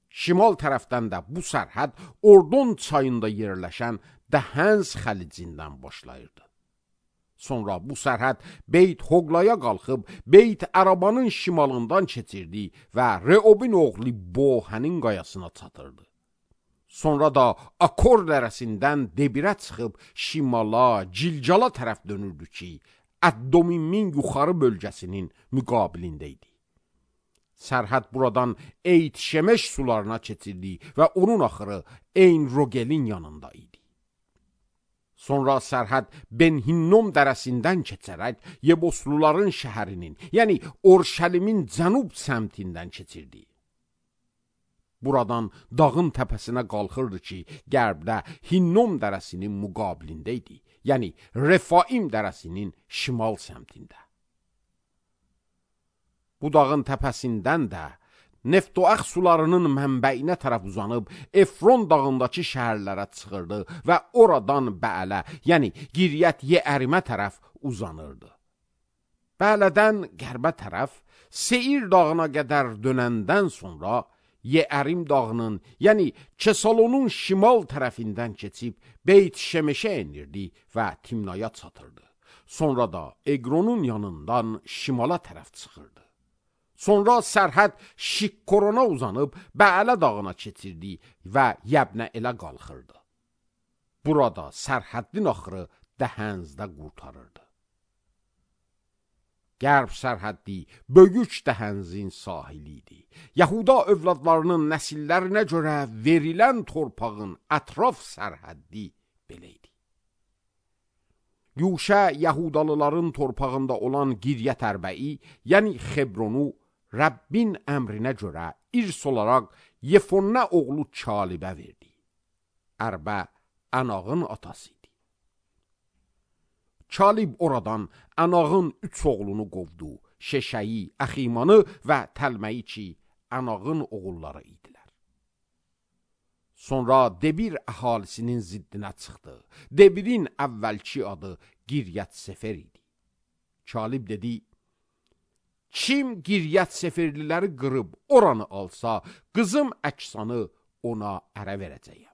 Speaker 1: Şimal tərəfdən də bu sərhəd Ordon çayında yerləşən Dəhənz xəlicindən başlayırdı. Sonra bu sərhəd Beyt Hoqlaya qalxıb Beyt Ərabanın şimalından keçirdi və Reobin oğlu Bohənin qayasına çatırdı. Sonra da Akor dərəsindən Debirə çıxıb şimala, Cilcala tərəf dönürdü ki, Əddomimin yuxarı bölgəsinin müqabilində idi. Sərhəd buradan Eyt Şemeş sularına keçirdi və onun axırı Eyn Rogelin yanında idi. Sonra sərhəd Ben-Hinnom dərəsindən keçərək Yebosluların şəhərinin, yəni Orşəlimin cənub səmtindən keçirdi. Buradan dağın təpəsinə qalxırdı ki, qərbdə Hinnom dərəsinin müqabilində idi, yəni Refaim dərəsinin şimal səmtində. Bu dağın təpəsindən də Neftoax sularının mənbəyinə tərəf uzanıb Efron dağındakı şəhərlərə çıxırdı və oradan Bəələ, yəni Giryət Yeərimə tərəf uzanırdı. Bəələdən qərbə tərəf Seir dağına qədər dönəndən sonra Yeərim dağının, yəni Kesalonun şimal tərəfindən keçib Beyt Şemeşə enirdi və Timnaya çatırdı. Sonra da Eqronun yanından şimala tərəf çıxırdı. Sonra sərhəd Şikkorona uzanıb Bəələ dağına keçirdi və Yəbnə elə qalxırdı. Burada sərhəddin axırı Dəhənzdə qurtarırdı. Qərb sərhəddi Bögüc dəhənzin sahili idi. Yahuda övladlarının nəsillərinə görə verilən torpağın ətraf sərhəddi belə idi. Yuşa Yahudalıların torpağında olan Giryət Ərbəyi, yəni Xebronu Rəbbin əmrinə görə irs olaraq Yefunne oğlu Çalibə verdi. Ərbə Ənağın atası idi. Çalib oradan Ənağın üç oğlunu qovdu, Şeşəyi, Əximanı və Təlməyi ki, Ənağın oğulları idilər. Sonra Debir əhalisinin ziddinə çıxdı. Debirin əvvəlki adı Giryət Sefer idi. Çalib dedi, kim Giryət Seferliləri qırıb oranı alsa, qızım Əksanı ona ərə verəcəyəm.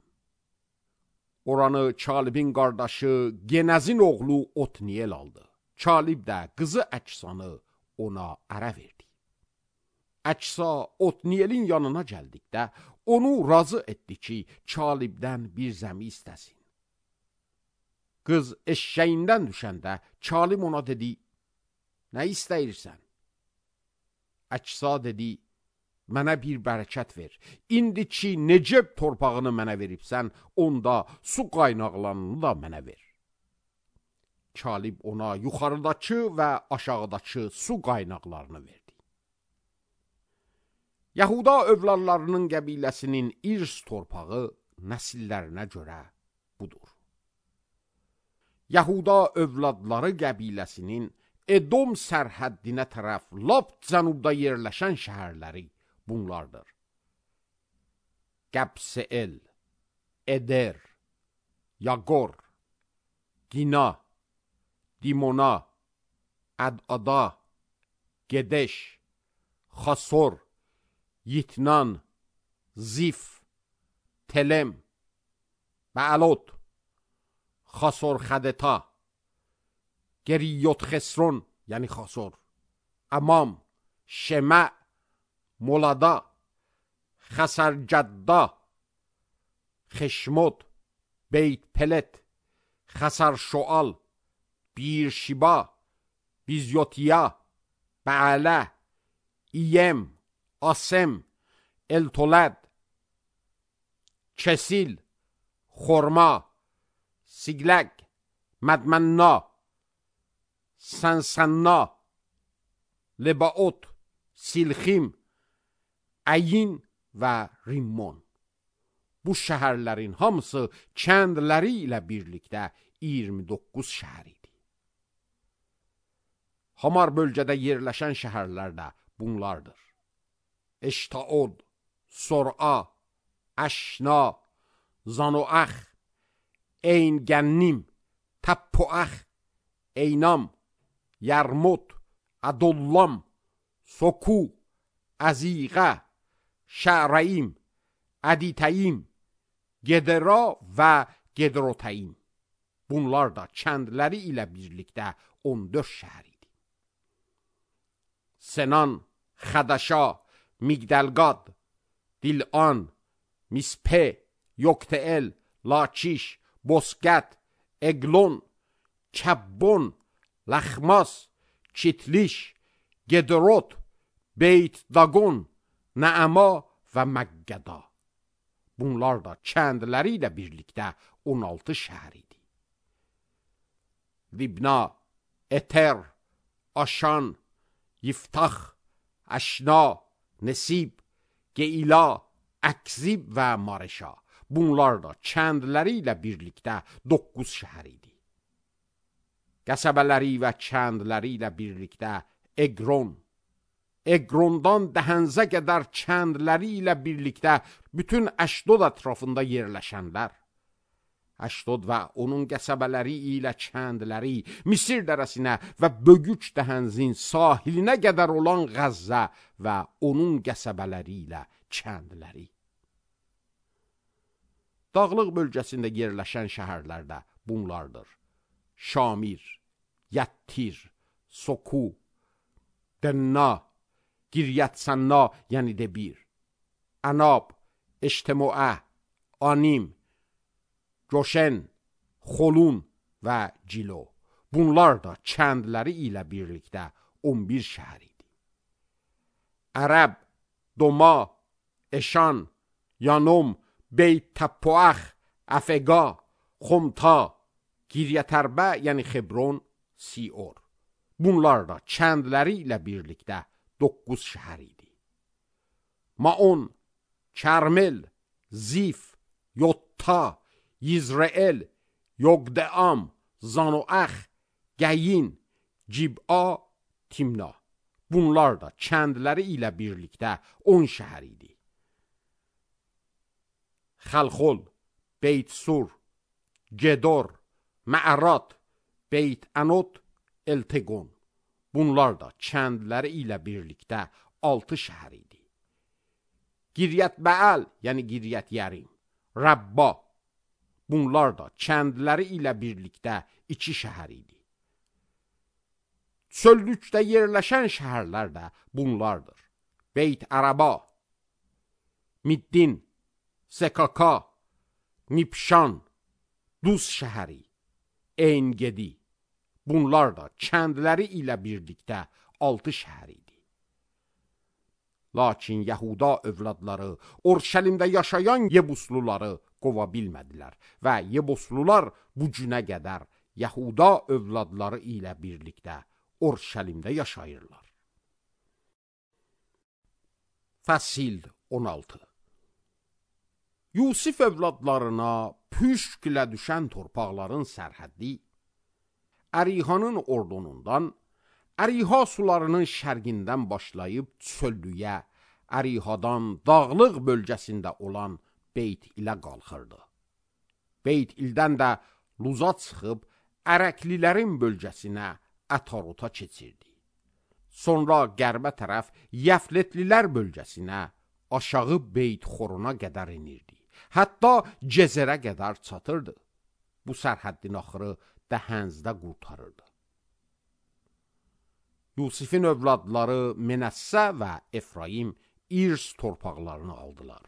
Speaker 1: Oranı Çalibin qardaşı Genəzin oğlu Otniyel aldı. Çalib də qızı Əksanı ona ərə verdi. Əksa Otniyelin yanına gəldikdə onu razı etdi ki, Çalibdən bir zəmi istəsin. Qız eşşəyindən düşəndə Kalim ona dedi, nə istəyirsən? Əksa dedi, mənə bir bərəkət ver. İndi ki, Neceb torpağını mənə veribsən, onda su qaynaqlarını da mənə ver. Kalib ona yuxarıdakı və aşağıdakı su qaynaqlarını verdi. Yahuda övladlarının qəbiləsinin irs torpağı nəsillərinə görə budur. Yahuda övladları qəbiləsinin Edom sərhəddinə tərəf lap cənubda yerləşən şəhərləri bunlardır. Qəbseel, Eder, Yaqor, Dina, Dimona, Ədada, Gedeş, Xasor, Yitnan, Zif, Telem, Bəlot, Xasor Xədeta, Geriyot Xesron, yəni Xasor, Amam, Şemə, Molada, Xəsərcədda, Xeşmod, Beyt Pelet, Xəsər Şoal, Birşiba, Bizyotiya, Bəələ, İyem, Asem, Eltolad, Kesil, Xorma, Sigləq, Mədmənna, Sənsənna, Lebaot, Silxim, Əyin və Rimmon. Bu şəhərlərin hamısı kəndləri ilə birlikdə iyirmi doqquz şəhər idi. Hamar bölgədə yerləşən şəhərlər də bunlardır. Eştaod, Sor'a, Əşna, Zanoax, Eyngənnim, Təppoax, Eynam, Yarmut, Adollam, Soku, Əziqə, Şərəyim, Əditəyim, Gedera və Gedrotəyim. Bunlar da kəndləri ilə birlikdə on dörd şəhər idi. Senan, Xədəşa, Migdəlqad, Dilan, Mispe, Yokteel, Lakiş, Bosqət, Eglon, Kəbbon, Ləxmas, Kitliş, Gedrot, Beyt Dagon, Nəəma və Məqqəda. Bunlar da kəndləri ilə birlikdə on altı şəhər idi. Libna, Eter, Aşan, Yiftax, Əşna, Nesib, Geila, Əkzib və Mareşa. Bunlar da kəndləri ilə birlikdə doqquz şəhər idi. Qəsəbələri və kəndləri ilə birlikdə Eqron, Eqrondan Dəhənzə qədər kəndləri ilə birlikdə bütün Əşdod ətrafında yerləşənlər, Əşdod və onun qəsəbələri ilə kəndləri, Misir dərəsinə və Bögüç Dəhənzin sahilinə qədər olan Qəzzə və onun qəsəbələri ilə kəndləri. Dağlıq bölgəsində yerləşən şəhərlər də bunlardır. Şamir, Yəttir, Soku, Dənna, Giryət-Sənna, yəni Debir, Ənab, Eştemoə, Anim, Coşen, Xolun və Cilo. Bunlar da kəndləri ilə birlikdə on bir şəhər idi. Ərəb, Doma, Eşan, Yanom, Beyt Təppoax, Əfəqa, Xomta, Giryətərbə, yəni Xebron, Sior. Bunlar da kəndləri ilə birlikdə doqquz şəhər idi. Maon, Kərmel, Zif, Yotta, Yizreel, Yogdeam, Zanoax, Qəyin, Cib'a, Timna. Bunlar da kəndləri ilə birlikdə on şəhər idi. Xəlxol, Beyt Sur, Gedor, Mə'rat, Beyt Ənot, Elteqon. Bunlar da kəndləri ilə birlikdə altı şəhər idi. Giryət Bəəl, yəni Giryət Yərim, Rəbba. Bunlar da kəndləri ilə birlikdə iki şəhər idi. Çöllükdə yerləşən şəhərlər də bunlardır. Beyt Ərəba, Middin, Sekaka, Nipşan, Duz şəhəri, En-Gedi. Bunlar da kəndləri ilə birlikdə altı şəhər idi. Lakin Yahuda övladları Orşəlimdə yaşayan Yebusluları qova bilmədilər və Yebuslular bu günə qədər Yahuda övladları ilə birlikdə Orşəlimdə yaşayırlar. Fəsil on altı. Yusif övladlarına püşklə düşən torpaqların sərhəddi Ərihanın ordunundan, Əriha sularının şərqindən başlayıb çöllüyə, Ərihadan dağlıq bölgəsində olan Beyt ilə qalxırdı. Beyt ildən də Luza çıxıb Ərəklilərin bölgəsinə Ətarota keçirdi. Sonra qərbə tərəf Yəfletlilər bölgəsinə, aşağı Beyt Xorona qədər inirdi. Hətta Cezerə qədər çatırdı. Bu sərhəddin axırı Dəhənzdə qurtarırdı. Yusifin övladları Menəssə və Efraim İrs torpaqlarını aldılar.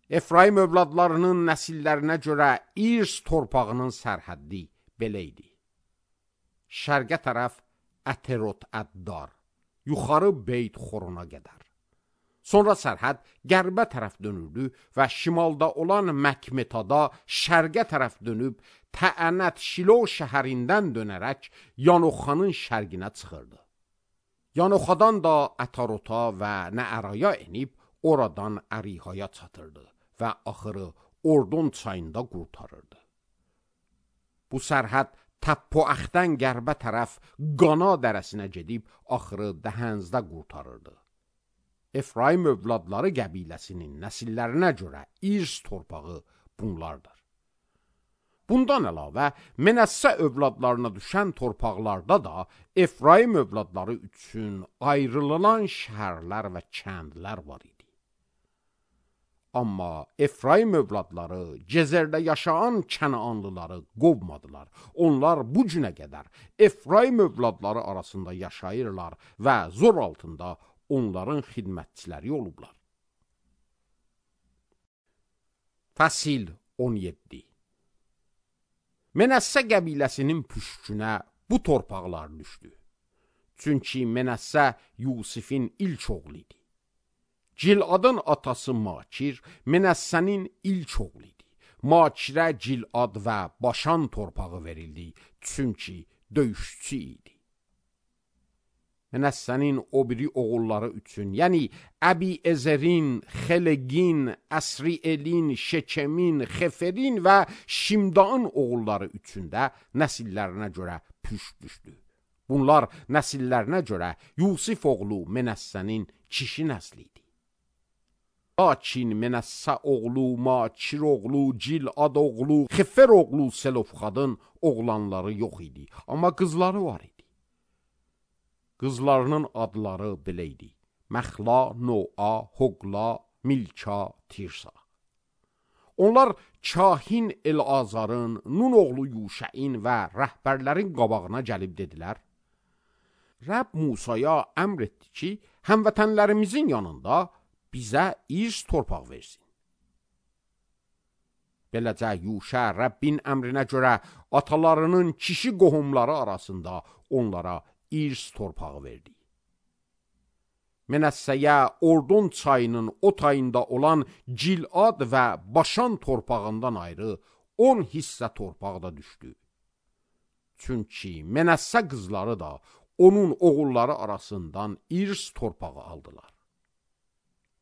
Speaker 1: Efraim övladlarının nəsillərinə görə İrs torpağının sərhəddi belə idi. Şərqə tərəf Əterot Əddar, yuxarı Beyt Xorona qədər. Sonra sərhəd qərbə tərəf dönürdü və şimalda olan Məkmetada şərqə tərəf dönüb Təənət Şilo şəhərindən dönərək Yanoxanın şərqinə çıxırdı. Yanoxadan da Ətarota və Nəəraya enib oradan Ərihaya çatırdı və axırı Ordon çayında qurtarırdı. Bu sərhəd Təppoəxdən qərbə tərəf Qana dərəsinə gedib axırı Dəhənzdə qurtarırdı. Efraim övladları qəbiləsinin nəsillərinə görə İrs torpağı bunlardır. Bundan əlavə, Menəssə övladlarına düşən torpaqlarda da Efraim övladları üçün ayrılılan şəhərlər və kəndlər var idi. Amma Efraim övladları Cezerdə yaşayan Kənaanlıları qovmadılar. Onlar bu günə qədər Efraim övladları arasında yaşayırlar və zor altında onların xidmətçiləri olublar. Fəsil on yeddi. Menəssə qəbiləsinin püşkünə bu torpaqlar düşdü. Çünki Menəssə Yusifin ilk oğlu idi. Giladın atası Makir Menəssənin ilk oğlu idi. Makirə Gilad və Başan torpağı verildi, çünki döyüşçü idi. Menəssənin o biri oğulları üçün, yəni Əbi-Ezerin, Xelegin, Əsrielin, Şekemin, Xeferin və Şimdaın oğulları üçün də nəsillərinə görə püşk düşdü. Bunlar nəsillərinə görə Yusif oğlu Menəssənin kişi nəsli idi. Lakin Menəssə oğlu, Makir oğlu, Gilad oğlu, Xefer oğlu Selofxadın oğlanları yox idi, amma qızları var idi. Qızlarının adları belə idi: Məxla, Noa, Hoqla, Milka, Tirsa. Onlar kahin El-Azarın, Nun oğlu Yuşəin və rəhbərlərin qabağına gəlib dedilər: Rəbb Musaya əmr etdi ki, həmvətənlərimizin yanında bizə İrs torpaq versin. Beləcə Yuşə Rəbbin əmrinə görə atalarının kişi qohumları arasında onlara İrs torpağı verdi. Menəssəyə Ordon çayının o tayında olan Gilad və Başan torpağından ayrı on hissə torpaq da düşdü. Çünki Menəssə qızları da onun oğulları arasından İrs torpağı aldılar.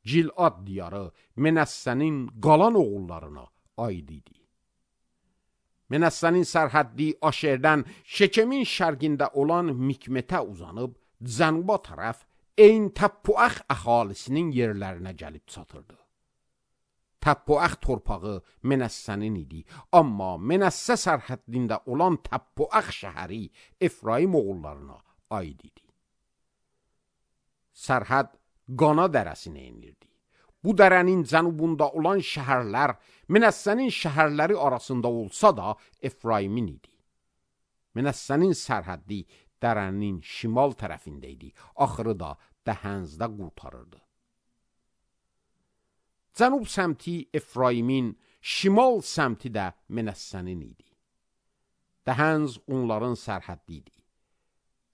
Speaker 1: Gilad diyarı Menəssənin qalan oğullarına aid idi. Menəssənin sərhəddi Aşerdən Şekemin şərqində olan Mikmetə uzanıb, cənuba tərəf Eyn Təppuəx əhalisinin yerlərinə gəlib çatırdı. Təppuəx torpağı Menəssənin idi, amma Menəssə sərhəddində olan Təppuəx şəhəri Efraim oğullarına aid idi. Sərhəd Qana dərəsinə enirdi. Bu dərənin cənubunda olan şəhərlər Menəssənin şəhərləri arasında olsa da Efraimin idi. Menəssənin sərhəddi dərənin şimal tərəfində idi, axırı da Dəhənzdə qurtarırdı. Cənub səmti Efraimin, şimal səmti də Menəssənin idi. Dəhənz onların sərhəddi idi.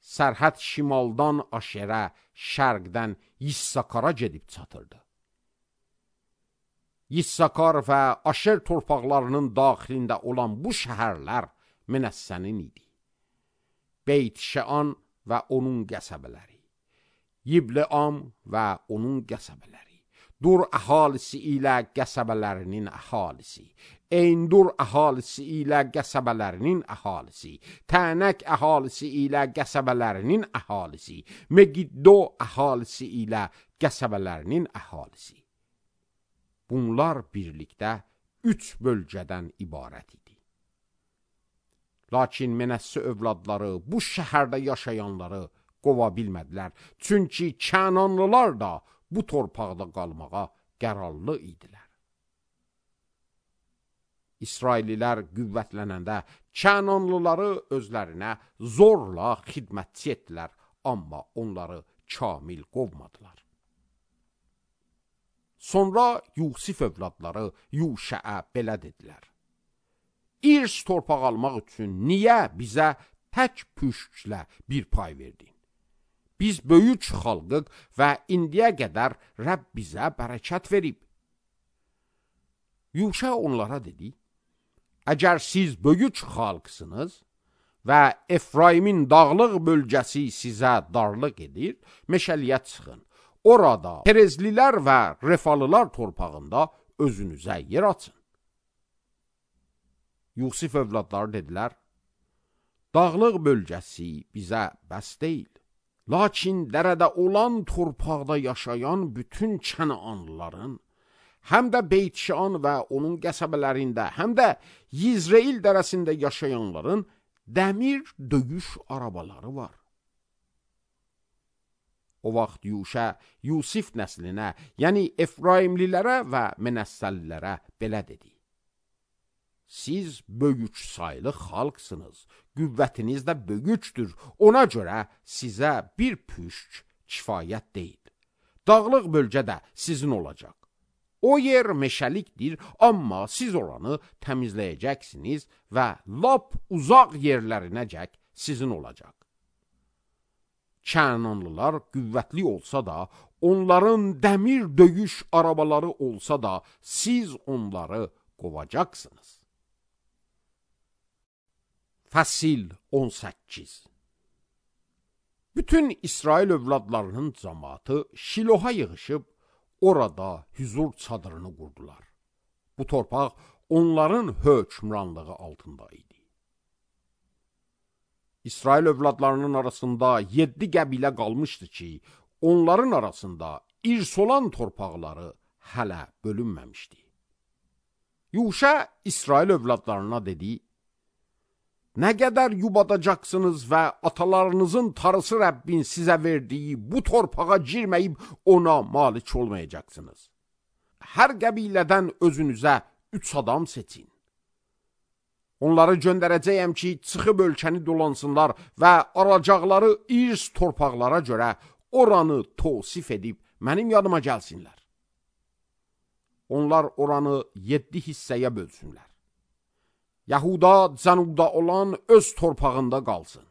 Speaker 1: Sərhəd şimaldan Aşerə, şərqdən Yissakara gedib çatırdı. Yissakar və Aşer torpaqlarının daxilində olan bu şəhərlər Menəssənin idi. Beyt-Şəan və onun qəsəbələri, Yibleam və onun qəsəbələri, Dur əhalisi ilə qəsəbələrinin əhalisi, Eyndur əhalisi ilə qəsəbələrinin əhalisi, Tənək əhalisi ilə qəsəbələrinin əhalisi, Megiddo əhalisi ilə qəsəbələrinin əhalisi. Bunlar birlikdə üç bölgədən ibarət idi. Lakin Menəssə övladları bu şəhərdə yaşayanları qova bilmədilər. Çünki Kənanlılar da bu torpaqda qalmağa qərarlı idilər. İsraillilər qüvvətlənəndə Kənanlıları özlərinə zorla xidmətçi etdilər, amma onları kamil qovmadılar. Sonra Yusif övladları Yuşəə belə dedilər: İrs torpaq almaq üçün niyə bizə tək püşklə bir pay verdin? Biz böyük xalqıq və indiyə qədər Rəbb bizə bərəkət verib. Yuşə onlara dedi: Əgər siz böyük xalqsınız və Efraimin dağlıq bölgəsi sizə darlıq edir, meşəliyə çıxın. Orada Perezlilər və Refalılar torpağında özünüzə yer açın. Yusif övladları dedilər: Dağlıq bölgəsi bizə bəs deyil. Lakin dərədə olan torpaqda yaşayan bütün Kənanlıların, həm də Beyt-Şəan və onun qəsəbələrində, həm də Yizreil dərəsində yaşayanların dəmir döyüş arabaları var. O vaxt Yuşə Yusif nəslinə, yəni Efraimlilərə və Menəssəlilərə belə dedi: Siz böyük saylı xalqsınız, qüvvətiniz də böyükdür, ona görə sizə bir püşk kifayət deyil. Dağlıq bölgə də sizin olacaq. O yer meşəlikdir, amma siz oranı təmizləyəcəksiniz və lap uzaq yerlərinəcək sizin olacaq. Kənanlılar qüvvətli olsa da, onların dəmir döyüş arabaları olsa da, siz onları qovacaqsınız. Fəsil on səkkiz. Bütün İsrail övladlarının cəmaatı Şiloha yığışıb, orada hüzur çadırını qurdular. Bu torpaq onların hökmranlığı altında idi. İsrail övladlarının arasında yeddi qəbilə qalmışdı ki, onların arasında irs olan torpaqları hələ bölünməmişdi. Yuşə İsrail övladlarına dedi: Nə qədər yubadacaqsınız və atalarınızın tarısı Rəbbin sizə verdiyi bu torpağa girməyib ona malik olmayacaqsınız. Hər qəbilədən özünüzə üç adam seçin. Onları göndərəcəyəm ki, çıxıb ölkəni dolansınlar və aracaqları irs torpaqlara görə oranı tosif edib mənim yanıma gəlsinlər. Onlar oranı yeddi hissəyə bölsünlər. Yahuda cənubda olan öz torpağında qalsın.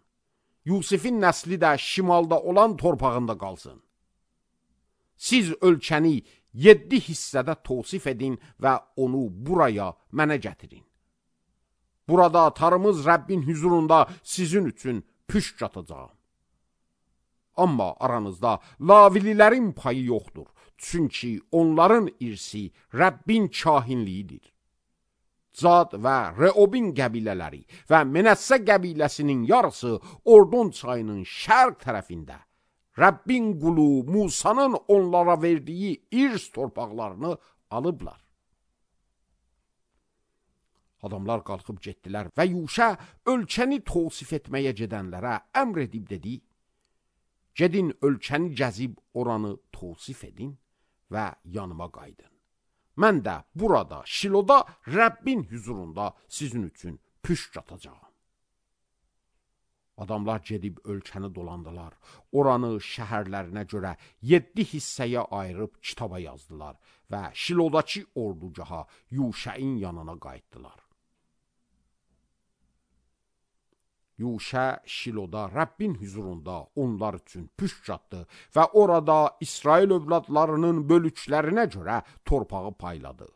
Speaker 1: Yusifin nəsli də şimalda olan torpağında qalsın. Siz ölkəni yeddi hissədə tosif edin və onu buraya mənə gətirin. Burada tarımız Rəbbin hüzurunda sizin üçün püşk atacağım. Amma aranızda Lavililərin payı yoxdur. Çünki onların irsi Rəbbin kahinliyidir. Cad və Reobin qəbilələri və Menəssə qəbiləsinin yarısı Ordon çayının şərq tərəfində Rəbbin qulu Musanın onlara verdiyi irs torpaqlarını alıblar. Adamlar qalxıb getdilər və Yuşə ölkəni tosif etməyə gedənlərə əmr edib dedi: Gedin ölkəni gəzib oranı tosif edin və yanıma qaydın. Mən də burada, Şiloda, Rəbbin hüzurunda sizin üçün püşk atacağım. Adamlar gedib ölkəni dolandılar. Oranı şəhərlərinə görə yeddi hissəyə ayırıb kitaba yazdılar və Şilodakı ordugaha Yuşəin yanına qayıtdılar. Yuşə Şiloda Rəbbin huzurunda onlar üçün püşk atdı və orada İsrail övladlarının bölüklərinə görə torpağı payladı.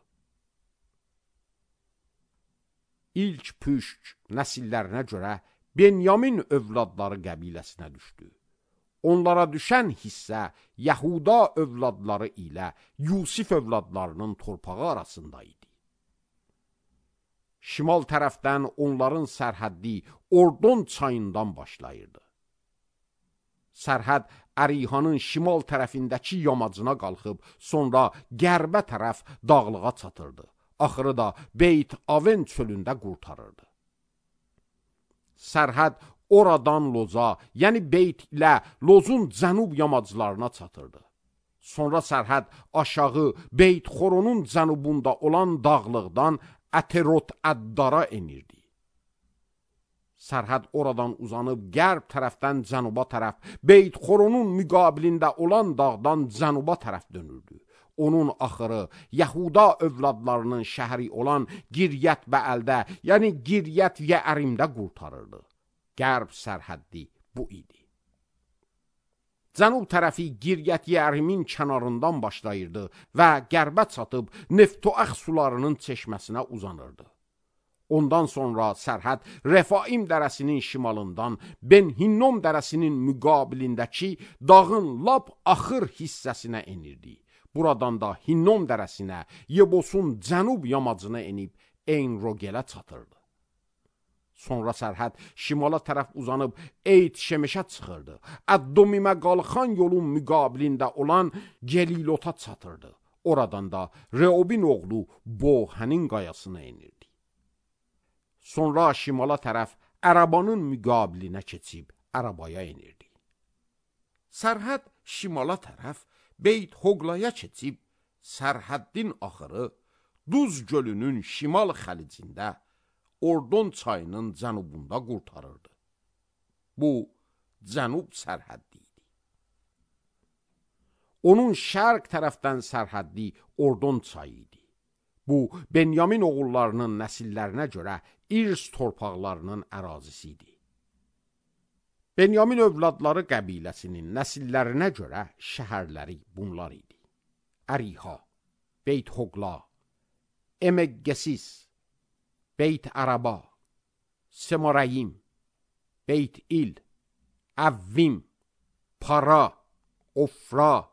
Speaker 1: İlk püşk nəsillərinə görə Benyamin övladları qəbiləsinə düşdü. Onlara düşən hissə Yahuda övladları ilə Yusif övladlarının torpağı arasında idi. Şimal tərəfdən onların sərhəddi Ordon çayından başlayırdı. Sərhəd Ərihanın şimal tərəfindəki yamacına qalxıb, sonra qərbə tərəf dağlığa çatırdı. Axırı da Beyt Aven çölündə qurtarırdı. Sərhəd oradan Loza, yəni Beyt ilə Lozun cənub yamaclarına çatırdı. Sonra sərhəd aşağı Beyt Xoronun cənubunda olan dağlıqdan Əterot Əddara enirdi. Sərhəd oradan uzanıb qərb tərəfdən cənuba tərəf, Beyt Xoronun müqabilində olan dağdan cənuba tərəf dönürdü. Onun axırı Yahuda övladlarının şəhəri olan Giryət Bəəldə, yəni Giryət Yeərimdə qurtarırdı. Qərb sərhəddi bu idi. Cənub tərəfi Giryət Yeərimin kənarından başlayırdı və qərbə çatıb Neftoax sularının çeşməsinə uzanırdı. Ondan sonra sərhəd Refaim dərəsinin şimalından Ben Hinnom dərəsinin müqabilindəki dağın lap axır hissəsinə enirdi. Buradan da Hinnom dərəsinə, Yebosun cənub yamacına enib Eyn-Rogelə çatırdı. Sonra sərhəd şimala tərəf uzanıb Eyt Şemeşə çıxırdı. Əddomimə qalxan yolun müqabilində olan Gelilota çatırdı. Oradan da Reobin oğlu Bohənin qayasına enirdi. Sonra şimala tərəf Ərabanın müqabilinə keçib Ərabaya enirdi. Sərhəd şimala tərəf Beyt Hoqlaya keçib, sərhəddin axırı Duz gölünün şimal xəlicində Ordon çayının cənubunda qurtarırdı. Bu, cənub sərhəddi idi. Onun şərq tərəfdən sərhəddi Ordon çayı idi. Bu, Benyamin oğullarının nəsillərinə görə İrs torpaqlarının ərazisi idi. Benyamin övladları qəbiləsinin nəsillərinə görə şəhərləri bunlar idi. Əriha, Beyt Hoqla, Emeqqesis, Beyt Əraba, Semorayim, Beyt İl, Əvvim, Para, Ofra,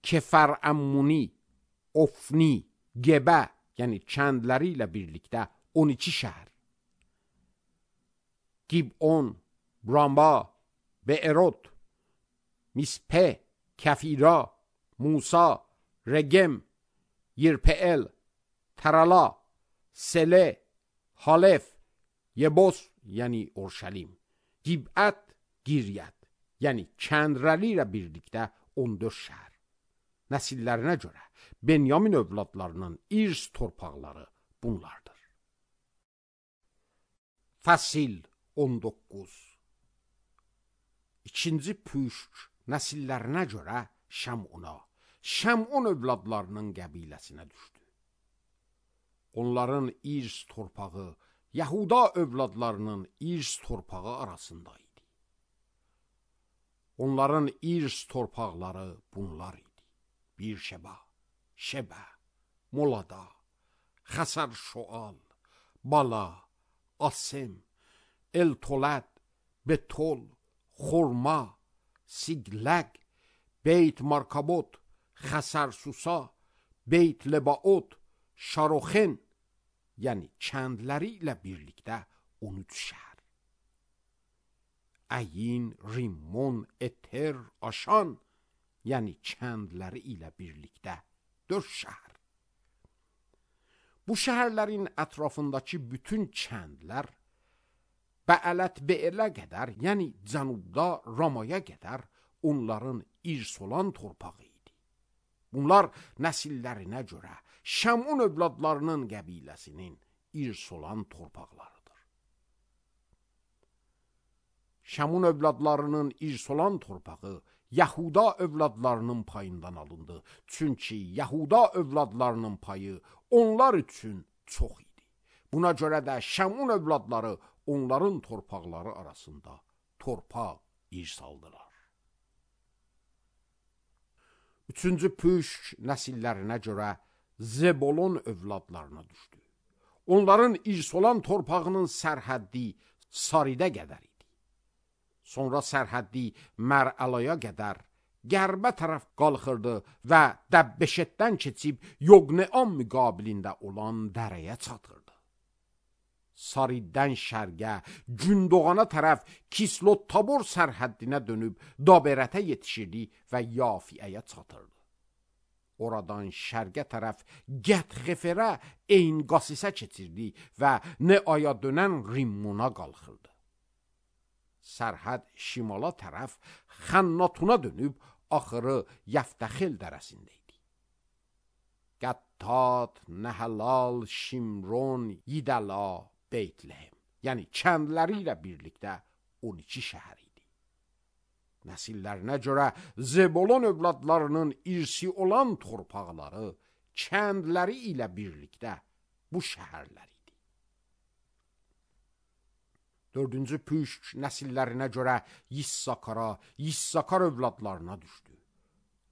Speaker 1: Kefər Əmmuni, Ofni, Gebə, yəni kəndləri ilə birlikdə on iki şəhər. Gibon, Ramba, Be'erot, Mispe, Kafira, Musa, Regem, Yirpe'el, Tarala, Sele, Halef, Yebos, yəni Orşalim, Gibət, Giryət, yəni kəndləri ilə birlikdə on dörd şəhər. Nəsillərinə görə Benyamin övladlarının İrs torpaqları bunlardır. Fəsil on doqquz. İkinci püşk nəsillərinə görə Şəmuna, Şəmun övladlarının qəbiləsinə düşdü. Onların İrs torpağı Yahuda övladlarının İrs torpağı arasında idi. Onların İrs torpaqları bunlar idi. Birşeba, Şebə, Molada, Xəsər Şoal, Bala, Asem, El-Tolad, Betol, Xorma, Sigləq, Beyt Markabot, Xəsər Susa, Beyt Lebaot, Şaroxen, yəni kəndləri ilə birlikdə on üç şəhər. Əyin, Rimmon, Eter, Aşan, yəni kəndləri ilə birlikdə dörd şəhər. Bu şəhərlərin ətrafındakı bütün kəndlər Bəələt Be'elə qədər, yəni cənubda Ramaya qədər onların irs olan torpağı idi. Bunlar nəsillərinə görə Şəmun övladlarının qəbiləsinin irs olan torpaqlarıdır. Şəmun övladlarının irs olan torpağı Yahuda övladlarının payından alındı. Çünki Yahuda övladlarının payı onlar üçün çox idi. Buna görə də Şəmun övladları onların torpaqları arasında torpaq irs aldılar. Üçüncü püşk nəsillərinə görə Zebolon övladlarına düşdü. Onların irs olan torpağının sərhəddi Saridə qədər idi. Sonra sərhəddi Mərəlaya qədər qərbə tərəf qalxırdı və Dəbbeşetdən keçib Yoqneam müqabilində olan dərəyə çatırdı. Sariddən şərqə, Gündoğana tərəf Kislot Tabor sərhəddinə dönüb Daberətə yetişirdi və Yafiəyə çatırdı. Oradan şərqə tərəf Gətxeferə, Eyn-Qasisə keçirdi və Neaya dönən Rimmona qalxırdı. Sərhəd şimala tərəf Xannatuna dönüb axırı Yəftəxil dərəsində idi. Qəttad, Nəhəlal, Şimron, Yidəla, Beytləhem, yəni kəndləri ilə birlikdə on iki şəhər idi. Nəsillərinə görə Zebolon övladlarının irsi olan torpaqları, kəndləri ilə birlikdə bu şəhərlər idi. Dördüncü püşk nəsillərinə görə Yissakara, Yissakar övladlarına düşdü.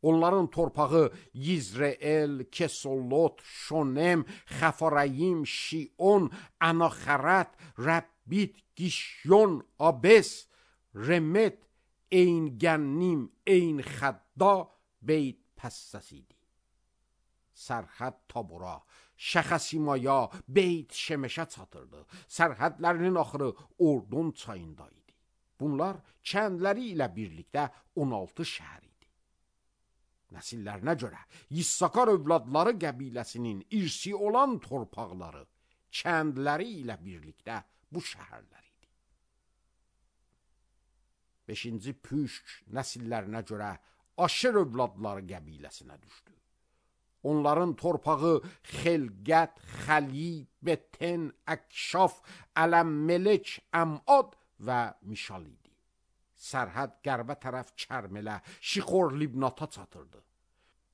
Speaker 1: Onların torpağı Yizreel, Kesolot, Şonem, Xəfarayim, Şion, Anaxərət, Rəbbit, Gişyon, Abes, Remet, Eyn-Gənnim, Eyn-Xədda, Beyt Pəssəs idi. Sərhəd Tabora, Şəxəsimaya, Beyt Şemeşə çatırdı. Sərhədlərinin axırı Ordon çayında idi. Bunlar kəndləri ilə birlikdə on altı şəhər idi. Nəsillərinə görə Yissakar övladları qəbiləsinin irsi olan torpaqları, kəndləri ilə birlikdə bu şəhərlər idi. Beşinci püşk nəsillərinə görə Aşer övladları qəbiləsinə düşdü. Onların torpağı Xelqət, Xəli, Beten, Əkşaf, Ələm-Melek, Əmad və Mişal idi. Sərhəd qərbə tərəf Kərmələ, Şixor Libnata çatırdı.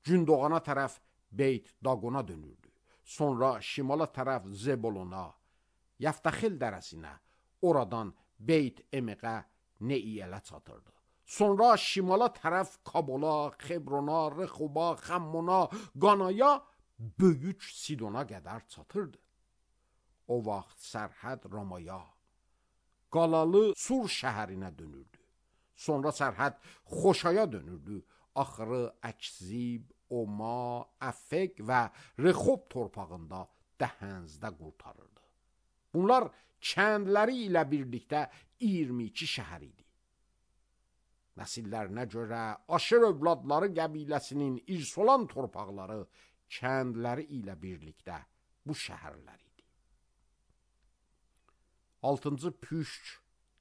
Speaker 1: Gündoğana tərəf Beyt Daqona dönürdü. Sonra şimala tərəf Zebolona, Yəftəxil dərəsinə, oradan Beyt Emeqə, Neiyələ çatırdı. Sonra şimala tərəf Kabola, Xebrona, Rexoba, Xəmmona, Qanaya, Böyük Sidona qədər çatırdı. O vaxt sərhəd Ramaya, Qalalı Sur şəhərinə dönürdü. Sonra sərhəd Xoşaya dönürdü. Axırı Əkzib, Oma, Əfək və Rexob torpağında Dəhənzdə qurtarırdı. Bunlar kəndləri ilə birlikdə iyirmi iki şəhər idi. Nəsillərinə görə Aşer övladları qəbiləsinin irs olan torpaqları, kəndləri ilə birlikdə bu şəhərlər idi. Altıncı püşk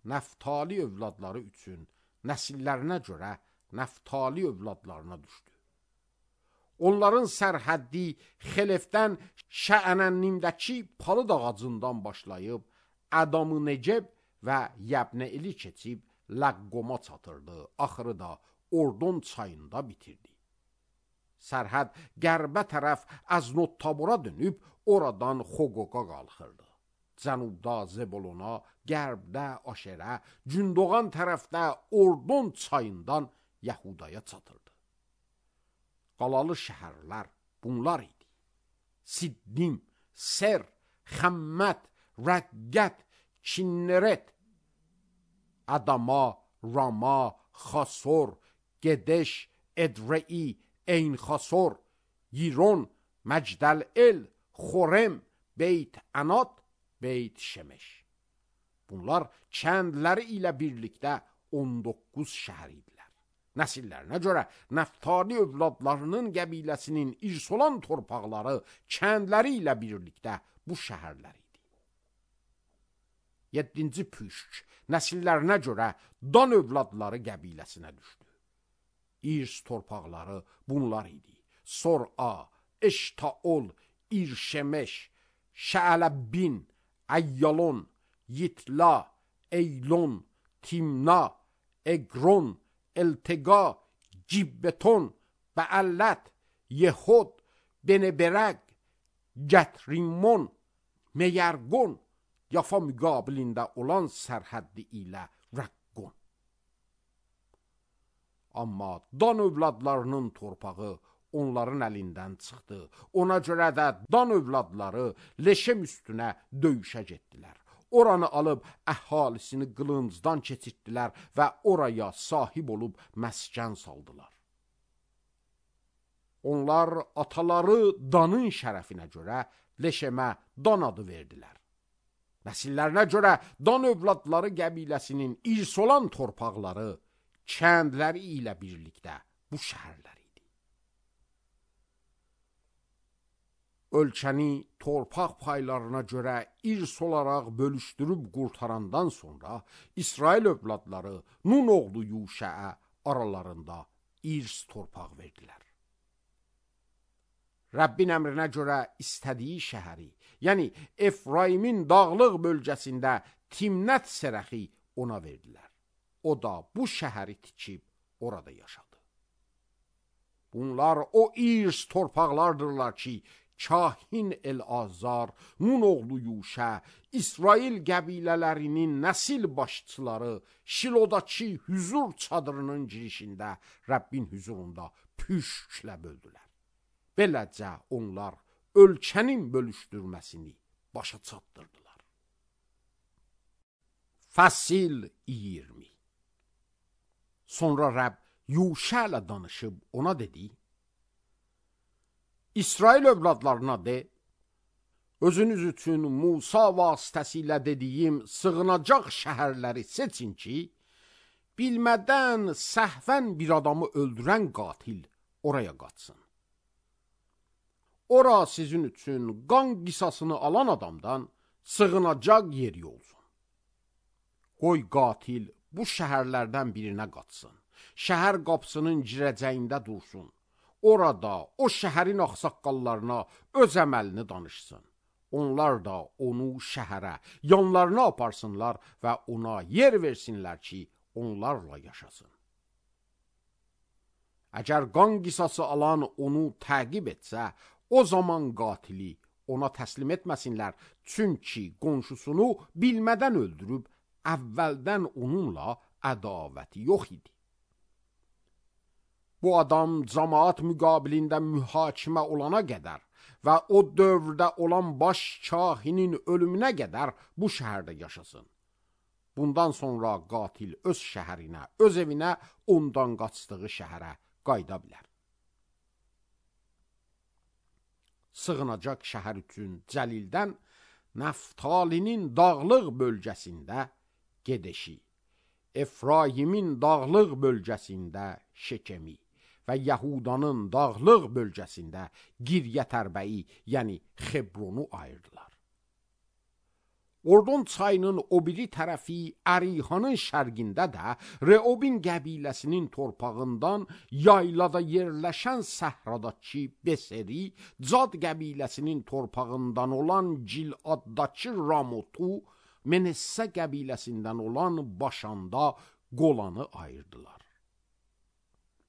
Speaker 1: Nəftali övladları üçün nəsillərinə görə Nəftali övladlarına düşdü. Onların sərhəddi Xelefdən Şəənənnimdəki palıd ağacından başlayıb Ədam-ı Neceb və Yəbnəili keçib Ləqqoma çatırdı. Axırı da Ordon çayında bitirdi. Sərhəd qərbə tərəf Əznot Tabora dönüb oradan Xoqoqa qalxırdı. Cənubda Zebolona, qərbdə Aşerə, Gündoğan tərəfdə Ordon çayından Yəhudaya çatırdı. Qalalı şəhərlər bunlar idi. Siddim, Ser, Xəmmət, Rəqqət, Kinneret, Adama, Rama, Xasor, Gedeş, Edrei, Eyn-Xasor, Yiron, Məcdəl-El, Xorem, Beyt Ənad, Beyt Şemeş. Bunlar kəndləri ilə birlikdə on doqquz şəhər idilər. Nəsillərinə görə Nəftali övladlarının qəbiləsinin irs olan torpaqları, kəndləri ilə birlikdə bu şəhərlər idi. Yeddinci püşk nəsillərinə görə Dan övladları qəbiləsinə düşdü. İrs torpaqları bunlar idi. Sor-a, Eştaol, İrşemeş, Şəələbbin, Əyyalon, Yitla, Eylon, Timna, Egron, Eltega, Gibbeton, Beallət, Yehud, Beneberək, Gətrimon, Meyərqon, Yafa müqabilində olan sərhəddi ilə Rəqqon. Amma Dan övladlarının torpağı onların əlindən çıxdı. Ona görə də Dan övladları Leşem üstünə döyüşə getdilər. Oranı alıb əhalisini qılıncdan keçirtdilər və oraya sahib olub məskən saldılar. Onlar ataları Danın şərəfinə görə Leşemə Dan adı verdilər. Nəsillərinə görə Dan övladları qəbiləsinin irs olan torpaqları, kəndləri ilə birlikdə bu şəhərlər idi. Ölkəni torpaq paylarına görə irs olaraq bölüşdürüb qurtarandan sonra İsrail övladları Nun oğlu Yuşəə aralarında irs torpaq verdilər. Rəbbin əmrinə görə istədiyi şəhəri, yəni Efraimin dağlıq bölgəsində Timnət Serəxi ona verdilər. O da bu şəhəri tikib orada yaşadı. Bunlar o irs torpaqlardırlar ki, Kahin El-Azar, Nun oğlu Yuşə, İsrail qəbilələrinin nəsil başçıları Şilodakı hüzur çadırının girişində Rəbbin hüzurunda püşklə böldülər. Beləcə onlar ölkənin bölüşdürməsini başa çatdırdılar. Fəsil iyirmi. Sonra Rəbb Yuşə ilə danışıb ona dedi: İsrail övladlarına de, özünüz üçün Musa vasitəsilə dediyim sığınacaq şəhərləri seçin ki, bilmədən səhvən bir adamı öldürən qatil oraya qaçsın. Ora sizin üçün qan qisasını alan adamdan sığınacaq yeri olsun. Qoy qatil bu şəhərlərdən birinə qaçsın. Şəhər qapısının girəcəyində dursun. Orada o şəhərin ağsaqqallarına öz əməlini danışsın. Onlar da onu şəhərə, yanlarına aparsınlar və ona yer versinlər ki, onlarla yaşasın. Əgər qan qisası alan onu təqib etsə, o zaman qatili ona təslim etməsinlər, çünki qonşusunu bilmədən öldürüb, əvvəldən onunla ədavəti yox idi. Bu adam cəmaat müqabilində mühakimə olana qədər və o dövrdə olan baş kahinin ölümünə qədər bu şəhərdə yaşasın. Bundan sonra qatil öz şəhərinə, öz evinə, ondan qaçdığı şəhərə qayıda bilər. Sığınacaq şəhər üçün Cəlildən Nəftalinin dağlıq bölgəsində Gedeşi, Efraimin dağlıq bölgəsində Şekemi və Yahudanın dağlıq bölgəsində Giryətərbəyi, yəni Xebronu ayırdılar. Ordon çayının o biri tərəfi Ərihanın şərqində də Reobin qəbiləsinin torpağından yaylada yerləşən səhradakı Beseri, Cad qəbiləsinin torpağından olan Giladdakı Ramotu, Menessə qəbiləsindən olan Başanda Qolanı ayırdılar.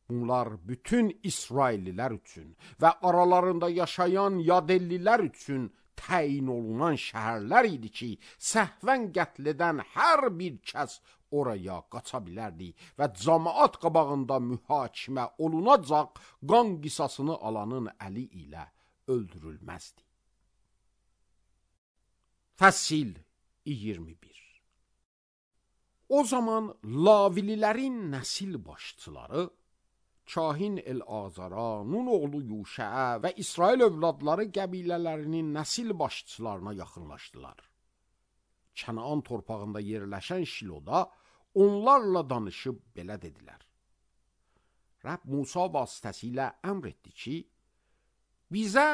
Speaker 1: Bunlar bütün İsraillilər üçün və aralarında yaşayan Yadellilər üçün təyin olunan şəhərlər idi ki, səhvən qətl edən hər bir kəs oraya qaça bilərdi və cəmaat qabağında mühakimə olunacaq qan qisasını alanın əli ilə öldürülməzdi. Fəsil iyirmi bir. O zaman Lavililərin nəsil başçıları Kahin El-Azara, Nun oğlu Yuşəə və İsrail övladları qəbilələrinin nəsil başçılarına yaxınlaşdılar. Kənaan torpağında yerləşən Şiloda onlarla danışıb belə dedilər: Rəbb Musa vasitəsilə əmr etdi ki, bizə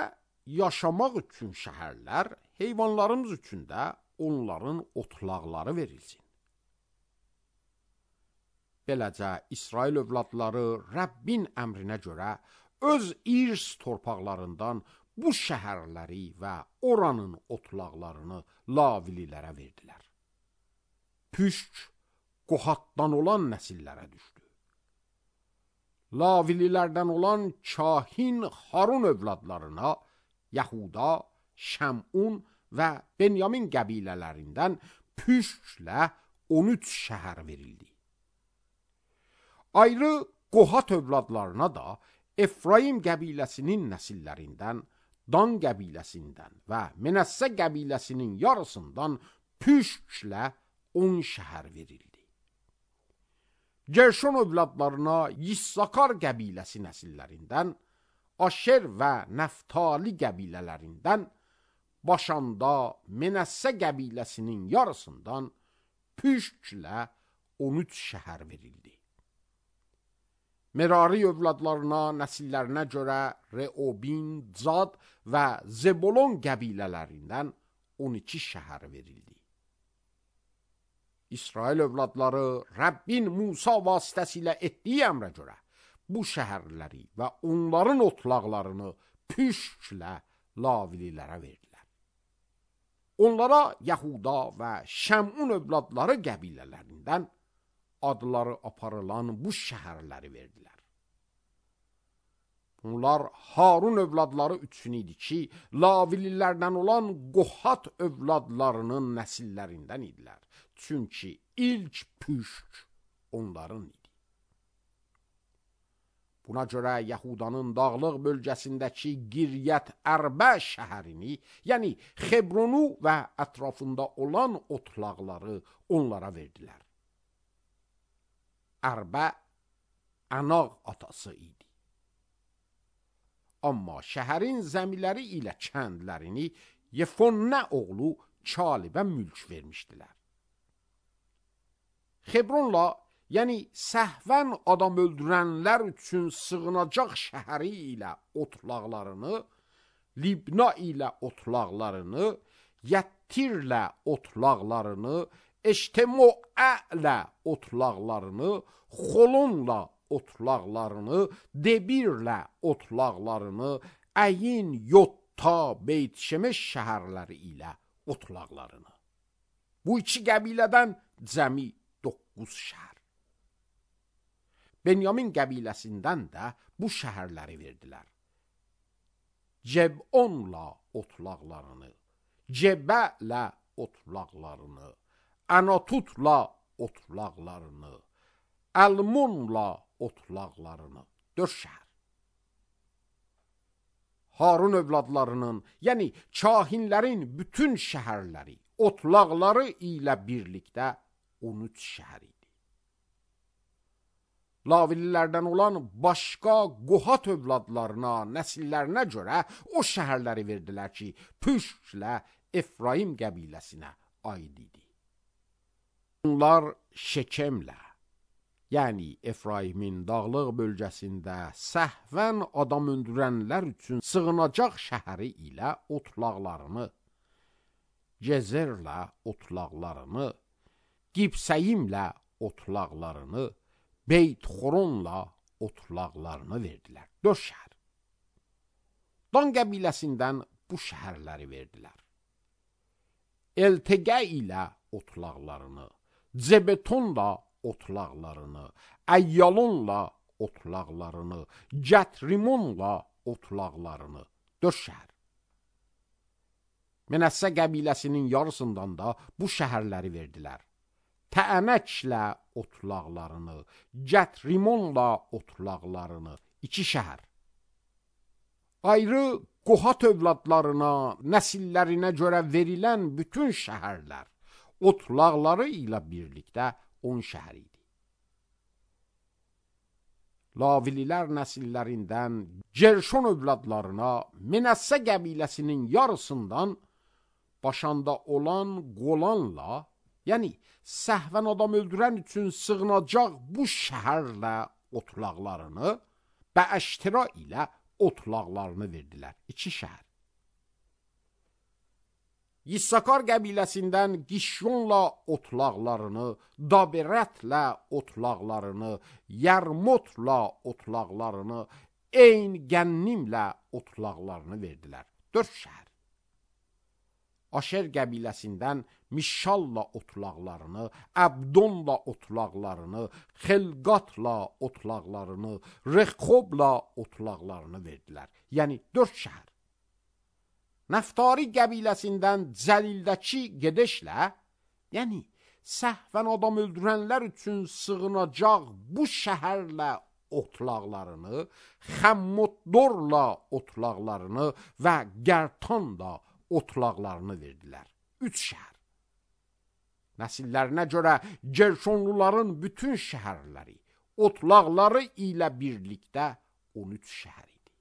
Speaker 1: yaşamaq üçün şəhərlər, heyvanlarımız üçün də onların otlaqları verilsin. Beləcə, İsrail övladları Rəbbin əmrinə görə öz irs torpaqlarından bu şəhərləri və oranın otlaqlarını Lavililərə verdilər. Püşk Qohatdan olan nəsillərə düşdü. Lavililərdən olan Kahin Harun övladlarına Yahuda, Şəmun və Benyamin qəbilələrindən püşklə on üç şəhər verildi. Ayrı Qohat övladlarına da Efraim qəbiləsinin nəsillərindən, Dan qəbiləsindən və Menəssə qəbiləsinin yarısından püşklə on şəhər verildi. Gerşon övladlarına Yissakar qəbiləsi nəsillərindən, Aşer və Nəftali qəbilələrindən, Başanda Menəssə qəbiləsinin yarısından püşklə on üç şəhər verildi. Merari övladlarına nəsillərinə görə Reobin, Cad və Zebolon qəbilələrindən on iki şəhər verildi. İsrail övladları Rəbbin Musa vasitəsilə etdiyi əmrə görə bu şəhərləri və onların otlaqlarını püşklə lavililərə verdilər. Onlara Yahuda və Şəmun övladları qəbilələrindən adları aparılan bu şəhərləri verdilər. Bunlar Harun övladları üçün idi ki, lavililərdən olan Qohat övladlarının nəsillərindən idilər. Çünki ilk püşk onların idi. Buna görə Yahudanın dağlıq bölgəsindəki Giryət Ərbə şəhərini, yəni Xebronu və ətrafında olan otlaqları onlara verdilər. Ərbə Ənaq atası idi. Amma şəhərin zəmiləri ilə kəndlərini Yefonnə oğlu Kalibə mülk vermişdilər. Xebronla, yəni səhvən adam öldürənlər üçün sığınacaq şəhəri ilə otlaqlarını, Libna ilə otlaqlarını, Yəttirlə otlaqlarını, Eştemoələ otlaqlarını, Xolonla otlaqlarını, Debirlə otlaqlarını, Əyin, Yotta, Beyt-Şemeş şəhərləri ilə otlaqlarını. Bu iki qəbilədən cəmi doqquz şəhər. Benyamin qəbiləsindən də bu şəhərləri verdilər. Cebonla otlaqlarını, Cebələ otlaqlarını, Anatutla otlaqlarını, Əlmonla otlaqlarını, dörd şəhər. Harun övladlarının, yəni kahinlərin bütün şəhərləri, otlaqları ilə birlikdə on üç şəhər idi. Lavililərdən olan başqa Qohat övladlarına, nəsillərinə görə o şəhərləri verdilər ki, püşklə Efraim qəbiləsinə aid idi. Bunlar Şekemlə, yəni Efraimin dağlıq bölgəsində səhvən adam öldürənlər üçün sığınacaq şəhəri ilə otlaqlarını, Gezerlə otlaqlarını, Qibsəyimlə otlaqlarını, Beyt-Xoronla otlaqlarını verdilər. Dörd şəhər. Dan qəbiləsindən bu şəhərləri verdilər. Eltegə ilə otlaqlarını, Zebetonla otlaqlarını, Əyyalonla otlaqlarını, Gətrimonla otlaqlarını, dörd şəhər. Menəssə qəbiləsinin yarısından da bu şəhərləri verdilər. Təənəklə otlaqlarını, Gətrimonla otlaqlarını, iki şəhər. Ayrı Qohat övladlarına, nəsillərinə görə verilən bütün şəhərlər, otlaqları ilə birlikdə on şəhər idi. Lavililər nəsillərindən Gerşon övladlarına Menəssə qəbiləsinin yarısından Başanda olan Qolanla, yəni səhvən adam öldürən üçün sığınacaq bu şəhərlə otlaqlarını və Əştira ilə otlaqlarını verdilər. İki şəhər. Yissakar qəbiləsindən Gişyonla otlaqlarını, Daberətlə otlaqlarını, Yərmotla otlaqlarını, Eyn Gənnimlə otlaqlarını verdilər. Dörd şəhər. Aşer qəbiləsindən Mişalla otlaqlarını, Əbdonla otlaqlarını, Xelqatla otlaqlarını, Rexobla otlaqlarını verdilər. Yəni dörd şəhər. Nəftari qəbiləsindən Cəlildəki gedişlə, yəni səhvən adam öldürənlər üçün sığınacaq bu şəhərlə otlaqlarını, Xəmmotdorla otlaqlarını və Gərtanla otlaqlarını verdilər. Üç şəhər. Nəsillərinə görə Gerşonluların bütün şəhərləri, otlaqları ilə birlikdə on üç şəhər idi.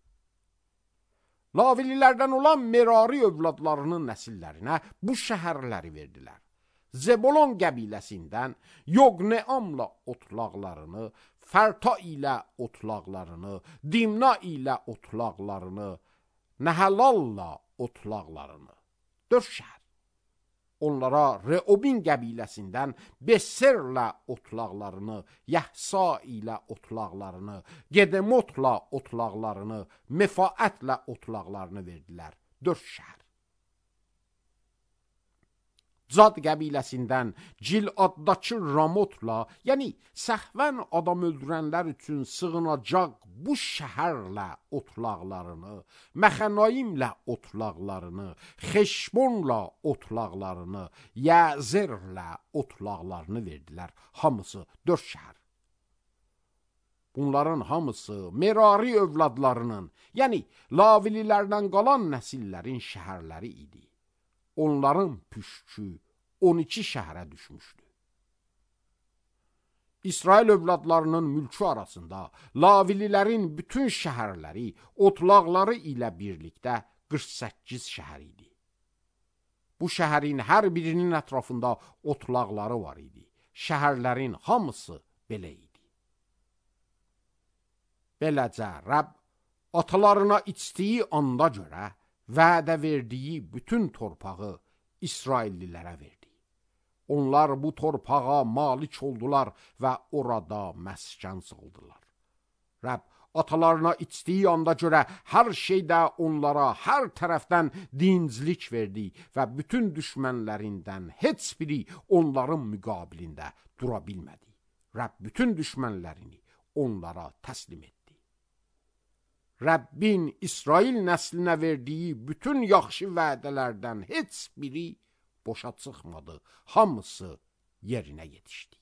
Speaker 1: Lavililərdən olan Merari övladlarının nəsillərinə bu şəhərləri verdilər. Zebolon qəbiləsindən Yoqneamla otlaqlarını, Fərta ilə otlaqlarını, Dimna ilə otlaqlarını, Nəhəlalla otlaqlarını, dörd şəhər. Onlara Reobin qəbiləsindən Beserlə otlaqlarını, Yəhsa ilə otlaqlarını, Gedemotla otlaqlarını, Mefaətlə otlaqlarını verdilər. Dörd şəhər. Cad qəbiləsindən Ciladdakı Ramotla, yəni səhvən adam öldürənlər üçün sığınacaq bu şəhərlə otlaqlarını, Məxənayimlə otlaqlarını, Xeşbonla otlaqlarını, Yəzerlə otlaqlarını verdilər. Hamısı dörd şəhər. Bunların hamısı Merari övladlarının, yəni Lavililərdən qalan nəsillərin şəhərləri idi. Onların püşkü on iki şəhərə düşmüşdü. İsrail övladlarının mülkü arasında Lavililərin bütün şəhərləri, otlaqları ilə birlikdə qırx səkkiz şəhər idi. Bu şəhərin hər birinin ətrafında otlaqları var idi. Şəhərlərin hamısı belə idi. Beləcə Rəbb atalarına içdiyi anda görə vədə verdiyi bütün torpağı İsraillilərə verdi. Onlar bu torpağa malik oldular və orada məskən saldılar. Rəbb atalarına içdiyi anda görə hər şeydə onlara hər tərəfdən dinclik verdi və bütün düşmənlərindən heç biri onların müqabilində dura bilmədi. Rəbb bütün düşmənlərini onlara təslim etdi. Rəbbin İsrail nəslinə verdiyi bütün yaxşı vədələrdən heç biri boşa çıxmadı. Hamısı yerinə yetişdi.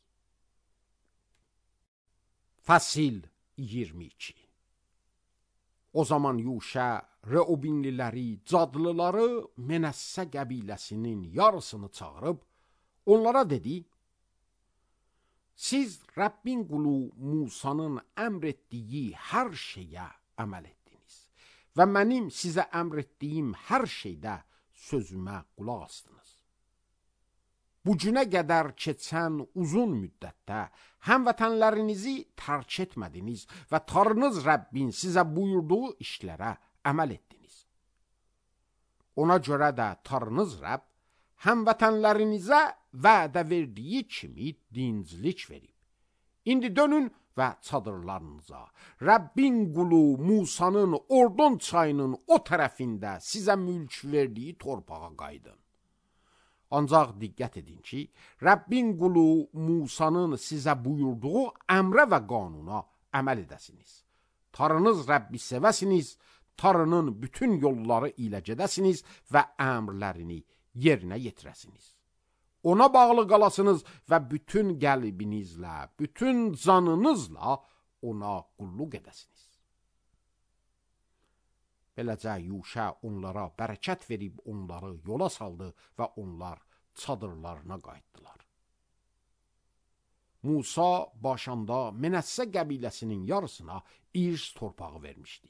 Speaker 1: Fəsil iyirmi iki. O zaman Yuşa Reobinliləri, Cadlıları, Menəssə qəbiləsinin yarısını çağırıb onlara dedi: Siz Rəbbin qulu Musanın əmr etdiyi hər şeyə əməl etdiniz və mənim sizə əmr etdiyim hər şeydə sözümə qulaq astınız. Bu günə qədər keçən uzun müddətdə həmvətənlərinizi tərk etmədiniz və Tanrınız Rəbbin sizə buyurduğu işlərə əməl etdiniz. Ona görə də Tanrınız Rəbb həmvətənlərinizə vədə verdiyi kimi dinclik verib. İndi dönün və çadırlarınıza, Rəbbin qulu Musanın Ordon çayının o tərəfində sizə mülk verdiyi torpağa qaydın. Ancaq diqqət edin ki, Rəbbin qulu Musanın sizə buyurduğu əmrə və qanuna əməl edəsiniz. Tanrınız Rəbbi sevəsiniz, Tanrının bütün yolları ilə gedəsiniz və əmrlərini yerinə yetirəsiniz. Ona bağlı qalasınız və bütün qəlbinizlə, bütün canınızla ona qulluq edəsiniz. Beləcə Yuşa onlara bərəkət verib onları yola saldı və onlar çadırlarına qayıtdılar. Musa başında Menəssə qəbiləsinin yarısına irs torpağı vermişdi.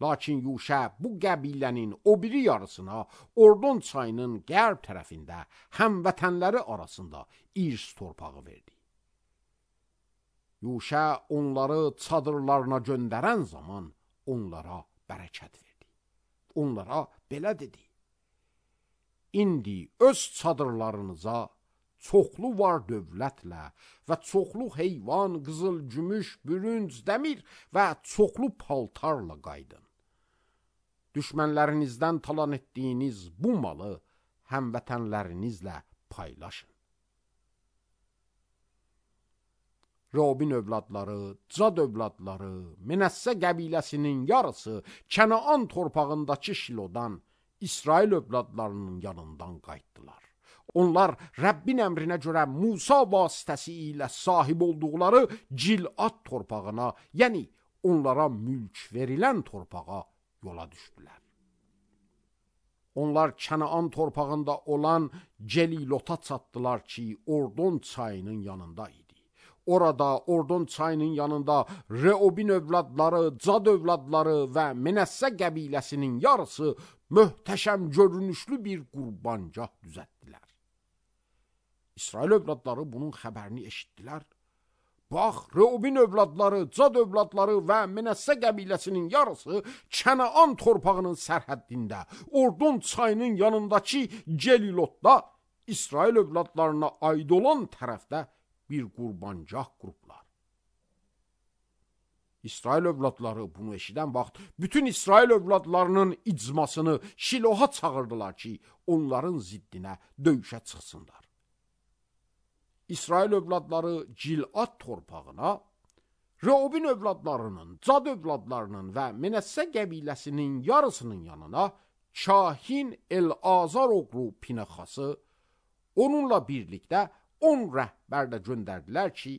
Speaker 1: Lakin Yuşa bu qəbilənin o biri yarısına Ordon çayının qərb tərəfində həmvətənləri arasında irs torpağı verdi. Yuşa onları çadırlarına göndərən zaman onlara bərəkət verdi. Onlara belə dedi: İndi öz çadırlarınıza çoxlu var dövlətlə və çoxlu heyvan, qızıl, gümüş, bürünc, dəmir və çoxlu paltarla qaydın. Düşmənlərinizdən talan etdiyiniz bu malı həmvətənlərinizlə paylaşın. Robin övladları, Cad övladları, Menəssə qəbiləsinin yarısı Kənaan torpağındakı Şilodan İsrail övladlarının yanından qayıtdılar. Onlar Rəbbin əmrinə görə Musa vasitəsi ilə sahib olduqları Cilad torpağına, yəni onlara mülk verilən torpağa yola düşdülər. Onlar Kənaan torpağında olan Celilota çatdılar ki, Ordon çayının yanında idi. Orada Ordon çayının yanında Reobin övladları, Cad övladları və Menəssə qəbiləsinin yarısı möhtəşəm görünüşlü bir qurbancah düzəltdilər. İsrail övladları bunun xəbərini eşitdilər. Bax, Reobin övladları, Cad övladları və Menəssə qəbiləsinin yarısı Kənaan torpağının sərhəddində, Ordon çayının yanındakı Celilotda İsrail övladlarına aid olan tərəfdə bir qurbancah qurublar. İsrail övladları bunu eşidən vaxt bütün İsrail övladlarının icmasını Şiloha çağırdılar ki, onların ziddinə döyüşə çıxsınlar. İsrail övladları Cilad torpağına, Reobin övladlarının, Cad övladlarının və Menəssə qəbiləsinin yarısının yanına kahin El-Azar oğlu Pinəxası, onunla birlikdə on rəhbər də göndərdilər ki,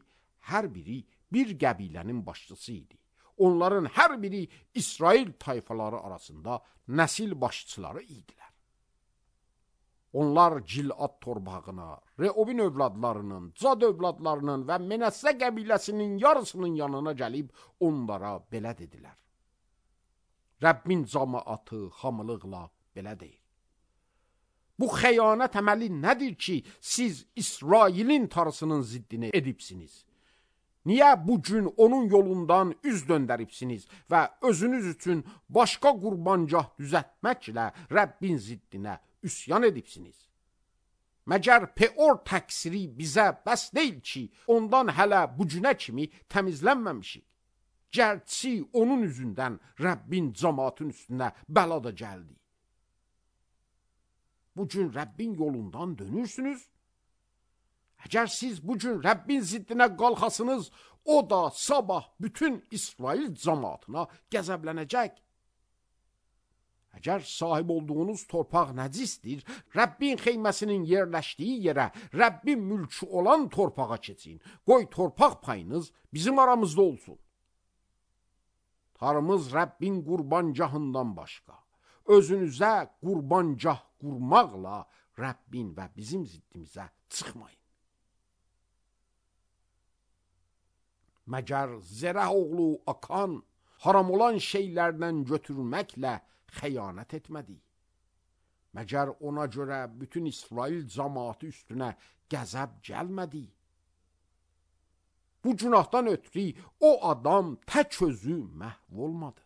Speaker 1: hər biri bir qəbilənin başçısı idi. Onların hər biri İsrail tayfaları arasında nəsil başçıları idilər. Onlar Cilad torpağına, Reobin övladlarının, Cad övladlarının və Menəssə qəbiləsinin yarısının yanına gəlib onlara belə dedilər. Rəbbin cəmaatı hamılıqla belə deyir. Bu xəyanət əməli nədir ki, siz İsrailin tarısının ziddini edibsiniz? Niyə bu gün onun yolundan üz döndəribsiniz və özünüz üçün başqa qurbancah düzəltməklə Rəbbin ziddinə üsyan edibsiniz? Məgər Peor təqsiri bizə bəs deyil ki, ondan hələ bu günə kimi təmizlənməmişik. Gərçi onun üzündən Rəbbin cəmaatın üstünə bəla da gəldi. Bu gün Rəbbin yolundan dönürsünüz. Əgər siz bu gün Rəbbin ziddinə qalxasınız, o da sabah bütün İsrail cəmaatına qəzəblənəcək. Əgər sahib olduğunuz torpaq nəcisdir, Rəbbin xeyməsinin yerləşdiyi yerə, Rəbbin mülkü olan torpağa keçin. Qoy torpaq payınız bizim aramızda olsun. Tarımız Rəbbin qurbancahından başqa. Özünüzə qurbancah qurmaqla Rəbbin və bizim ziddimizə çıxmayın. Məgər Zərəh oğlu Akan haram olan şeylərdən götürməklə xəyanət etmədi? Məgər ona görə bütün İsrail cəmaatı üstünə qəzəb gəlmədi? Bu günahdan ötürü o adam tək özü məhv olmadı.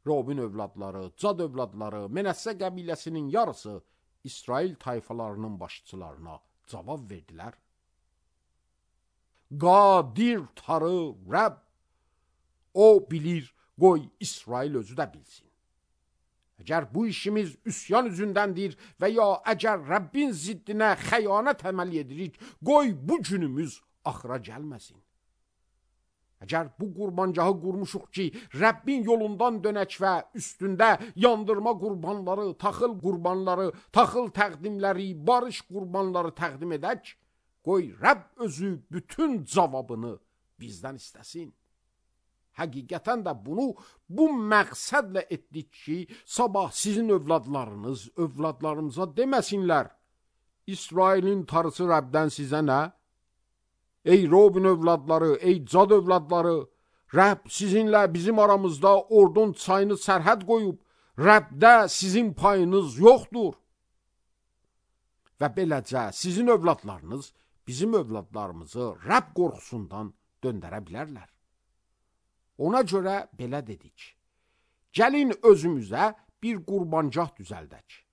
Speaker 1: Robin övladları, Cad övladları, Menəssə qəbiləsinin yarısı İsrail tayfalarının başçılarına cavab verdilər. Qadir tarı Rəbb, o bilir, qoy İsrail özü də bilsin. Əgər bu işimiz üsyan üzündəndir və ya əgər Rəbbin ziddinə xəyanət əməl edirik, qoy bu günümüz axıra gəlməsin. Əgər bu qurbancahı qurmuşuq ki, Rəbbin yolundan dönək və üstündə yandırma qurbanları, taxıl qurbanları, taxıl təqdimləri, barış qurbanları təqdim edək, qoy Rəbb özü bütün cavabını bizdən istəsin. Həqiqətən də bunu bu məqsədlə etdik ki, sabah sizin övladlarınız övladlarımıza deməsinlər, İsrailin tarısı Rəbdən sizə nə? Ey Robin övladları, ey Cad övladları, Rəbb sizinlə bizim aramızda Ordon çayını sərhəd qoyub, Rəbdə sizin payınız yoxdur. Və beləcə sizin övladlarınız bizim övladlarımızı Rəbb qorxusundan döndərə bilərlər. Ona görə belə dedik, gəlin özümüzə bir qurbancah düzəldək.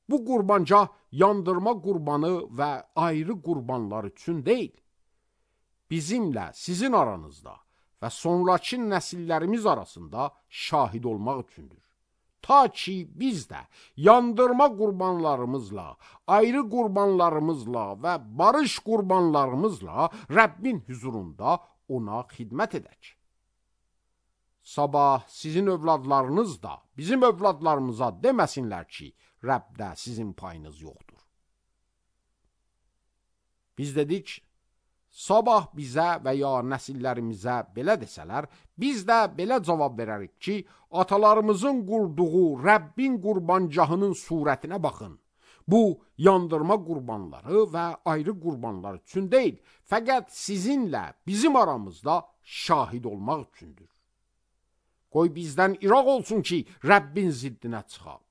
Speaker 1: Bu qurbancah yandırma qurbanı və ayrı qurbanlar üçün deyil, bizimlə sizin aranızda və sonraki nəsillərimiz arasında şahid olmaq üçündür. ta ki biz də yandırma qurbanlarımızla, ayrı qurbanlarımızla və barış qurbanlarımızla Rəbbin huzurunda ona xidmət edək. Sabah sizin övladlarınız da bizim övladlarımıza deməsinlər ki, Rəbdə sizin payınız yoxdur. Biz dedik, sabah bizə və ya nəsillərimizə belə desələr, biz də belə cavab verərik ki, atalarımızın qurduğu Rəbbin qurbancahının surətinə baxın. Bu, yandırma qurbanları və ayrı qurbanlar üçün deyil, fəqət sizinlə bizim aramızda şahid olmaq üçündür. Qoy bizdən iraq olsun ki, Rəbbin ziddinə çıxaq.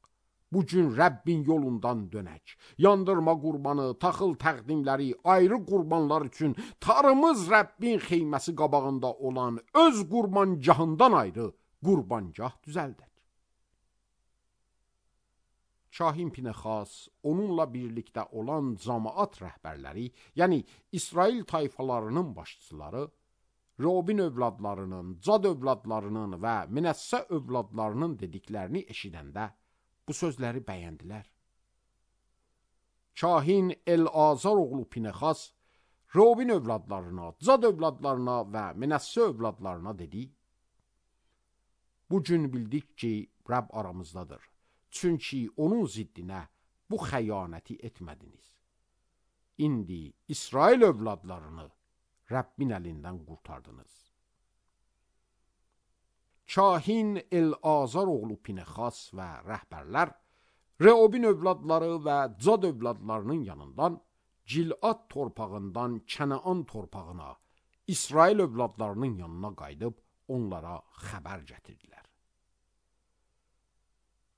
Speaker 1: Bu gün Rəbbin yolundan dönək. Yandırma qurbanı, taxıl təqdimləri, ayrı qurbanlar üçün tarımız Rəbbin xeyməsi qabağında olan öz qurbancahından ayrı qurbancah düzəldək. Kahin Pinexas, onunla birlikdə olan cəmaat rəhbərləri, yəni İsrail tayfalarının başçıları, Robin övladlarının, Cad övladlarının və Minəssə övladlarının dediklərini eşidəndə bu sözləri bəyəndilər. Kahin El-Azar oğlu Pinexas, Robin övladlarına, Cad övladlarına və Minəssə övladlarına dedi, bu gün bildik ki, Rəbb aramızdadır. Çünki onun ziddinə bu xəyanəti etmədiniz. İndi İsrail övladlarını Rəbbin əlindən qurtardınız. Kahin El-Azar oğlu Pinexas və rəhbərlər Reobin övladları və Cad övladlarının yanından Cilad torpağından Kənaan torpağına, İsrail övladlarının yanına qayıdıb onlara xəbər gətirdilər.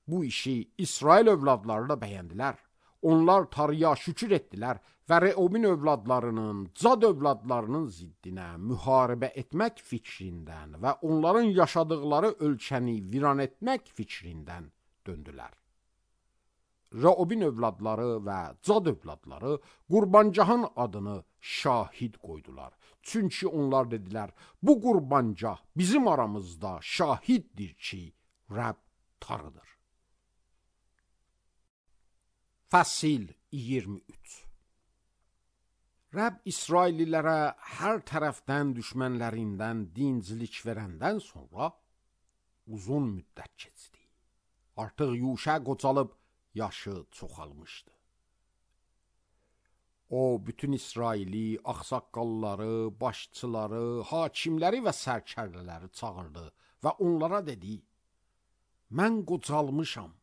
Speaker 1: Bu işi İsrail övladları da bəyəndilər. Onlar tarıya şükür etdilər və Reobin övladlarının, Cad övladlarının ziddinə müharibə etmək fikrindən və onların yaşadıkları ölkəni viran etmək fikrindən döndülər. Reobin övladları və Cad övladları qurbancahın adını şahid qoydular. Çünki onlar dedilər, bu qurbancah bizim aramızda şahiddir ki, Rəbb tarıdır. Fəsil iyirmi üç. Rəbb İsraillilərə hər tərəfdən düşmənlərindən dincilik verəndən sonra uzun müddət keçdi. Artıq Yuşa qocalıb yaşı çoxalmışdı. O, bütün İsraili, ağsaqqalları, başçıları, hakimləri və sərkərdələri çağırdı və onlara dedi, mən qocalmışam,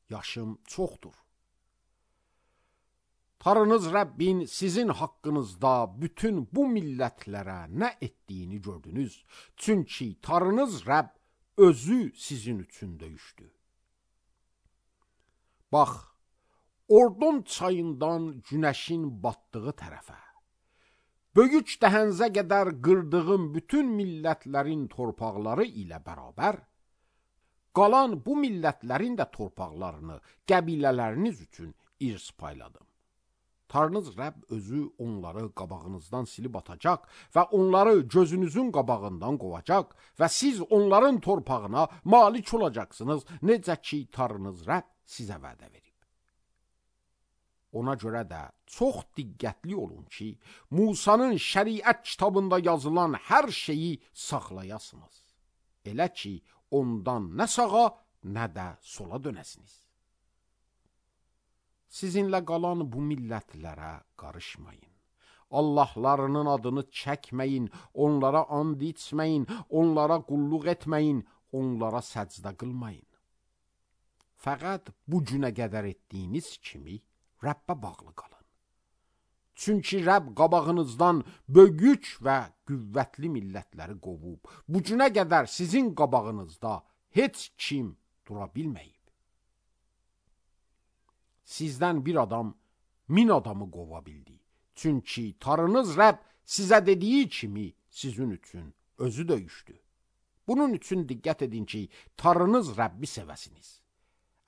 Speaker 1: yaşım çoxdur. Tarınız Rəbbin sizin haqqınızda bütün bu millətlərə nə etdiyini gördünüz. Çünki tarınız Rəbb özü sizin üçün döyüşdü. Bax, Ordon çayından günəşin batdığı tərəfə, böyük dəhənzə qədər qırdığım bütün millətlərin torpaqları ilə bərabər, qalan bu millətlərin də torpaqlarını qəbilələriniz üçün irs payladım. Tanrınız Rəbb özü onları qabağınızdan silib atacaq və onları gözünüzün qabağından qovacaq və siz onların torpağına malik olacaqsınız, necə ki Tanrınız Rəbb sizə vədə verib. Ona görə də çox diqqətli olun ki, Musanın şəriət kitabında yazılan hər şeyi saxlayasınız. Elə ki, ondan nə sağa, nə də sola dönəsiniz. Sizinlə qalan bu millətlərə qarışmayın. Allahlarının adını çəkməyin, onlara and içməyin, onlara qulluq etməyin, onlara səcdə qılmayın. Fəqət bu günə qədər etdiyiniz kimi Rəbbə bağlı qalın. Çünki Rəbb qabağınızdan böyük və qüvvətli millətləri qovub, bu günə qədər sizin qabağınızda heç kim dura bilməyib. Sizdən bir adam min adamı qova bildi. Çünki Tanrınız Rəbb sizə dediyi kimi sizin üçün özü döyüşdü. Bunun üçün diqqət edin ki, Tanrınız Rəbbi sevəsiniz.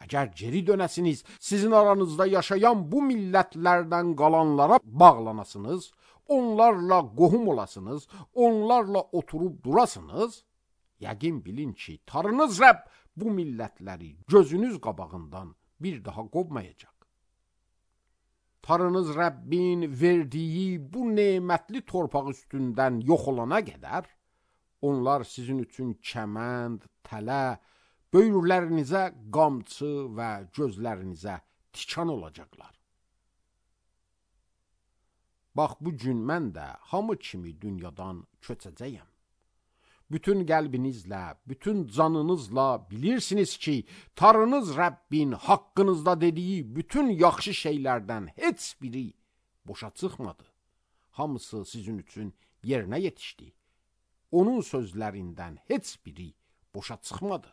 Speaker 1: Əgər geri dönəsiniz, sizin aranızda yaşayan bu millətlərdən qalanlara bağlanasınız, onlarla qohum olasınız, onlarla oturub durasınız, yəqin bilin ki, Tanrınız Rəbb bu millətləri gözünüz qabağından bir daha qovmayacaq. Tanrınız Rəbbin verdiyi bu nemətli torpaq üstündən yox olana qədər, onlar sizin üçün kəmənd, tələ, böyürlərinizə qamçı və gözlərinizə tikan olacaqlar. Bax, bu gün mən də hamı kimi dünyadan köçəcəyəm. Bütün qəlbinizlə, bütün canınızla bilirsiniz ki, Tanrınız Rəbbin haqqınızda dediyi bütün yaxşı şeylərdən heç biri boşa çıxmadı. Hamısı sizin üçün yerinə yetişdi. Onun sözlərindən heç biri boşa çıxmadı.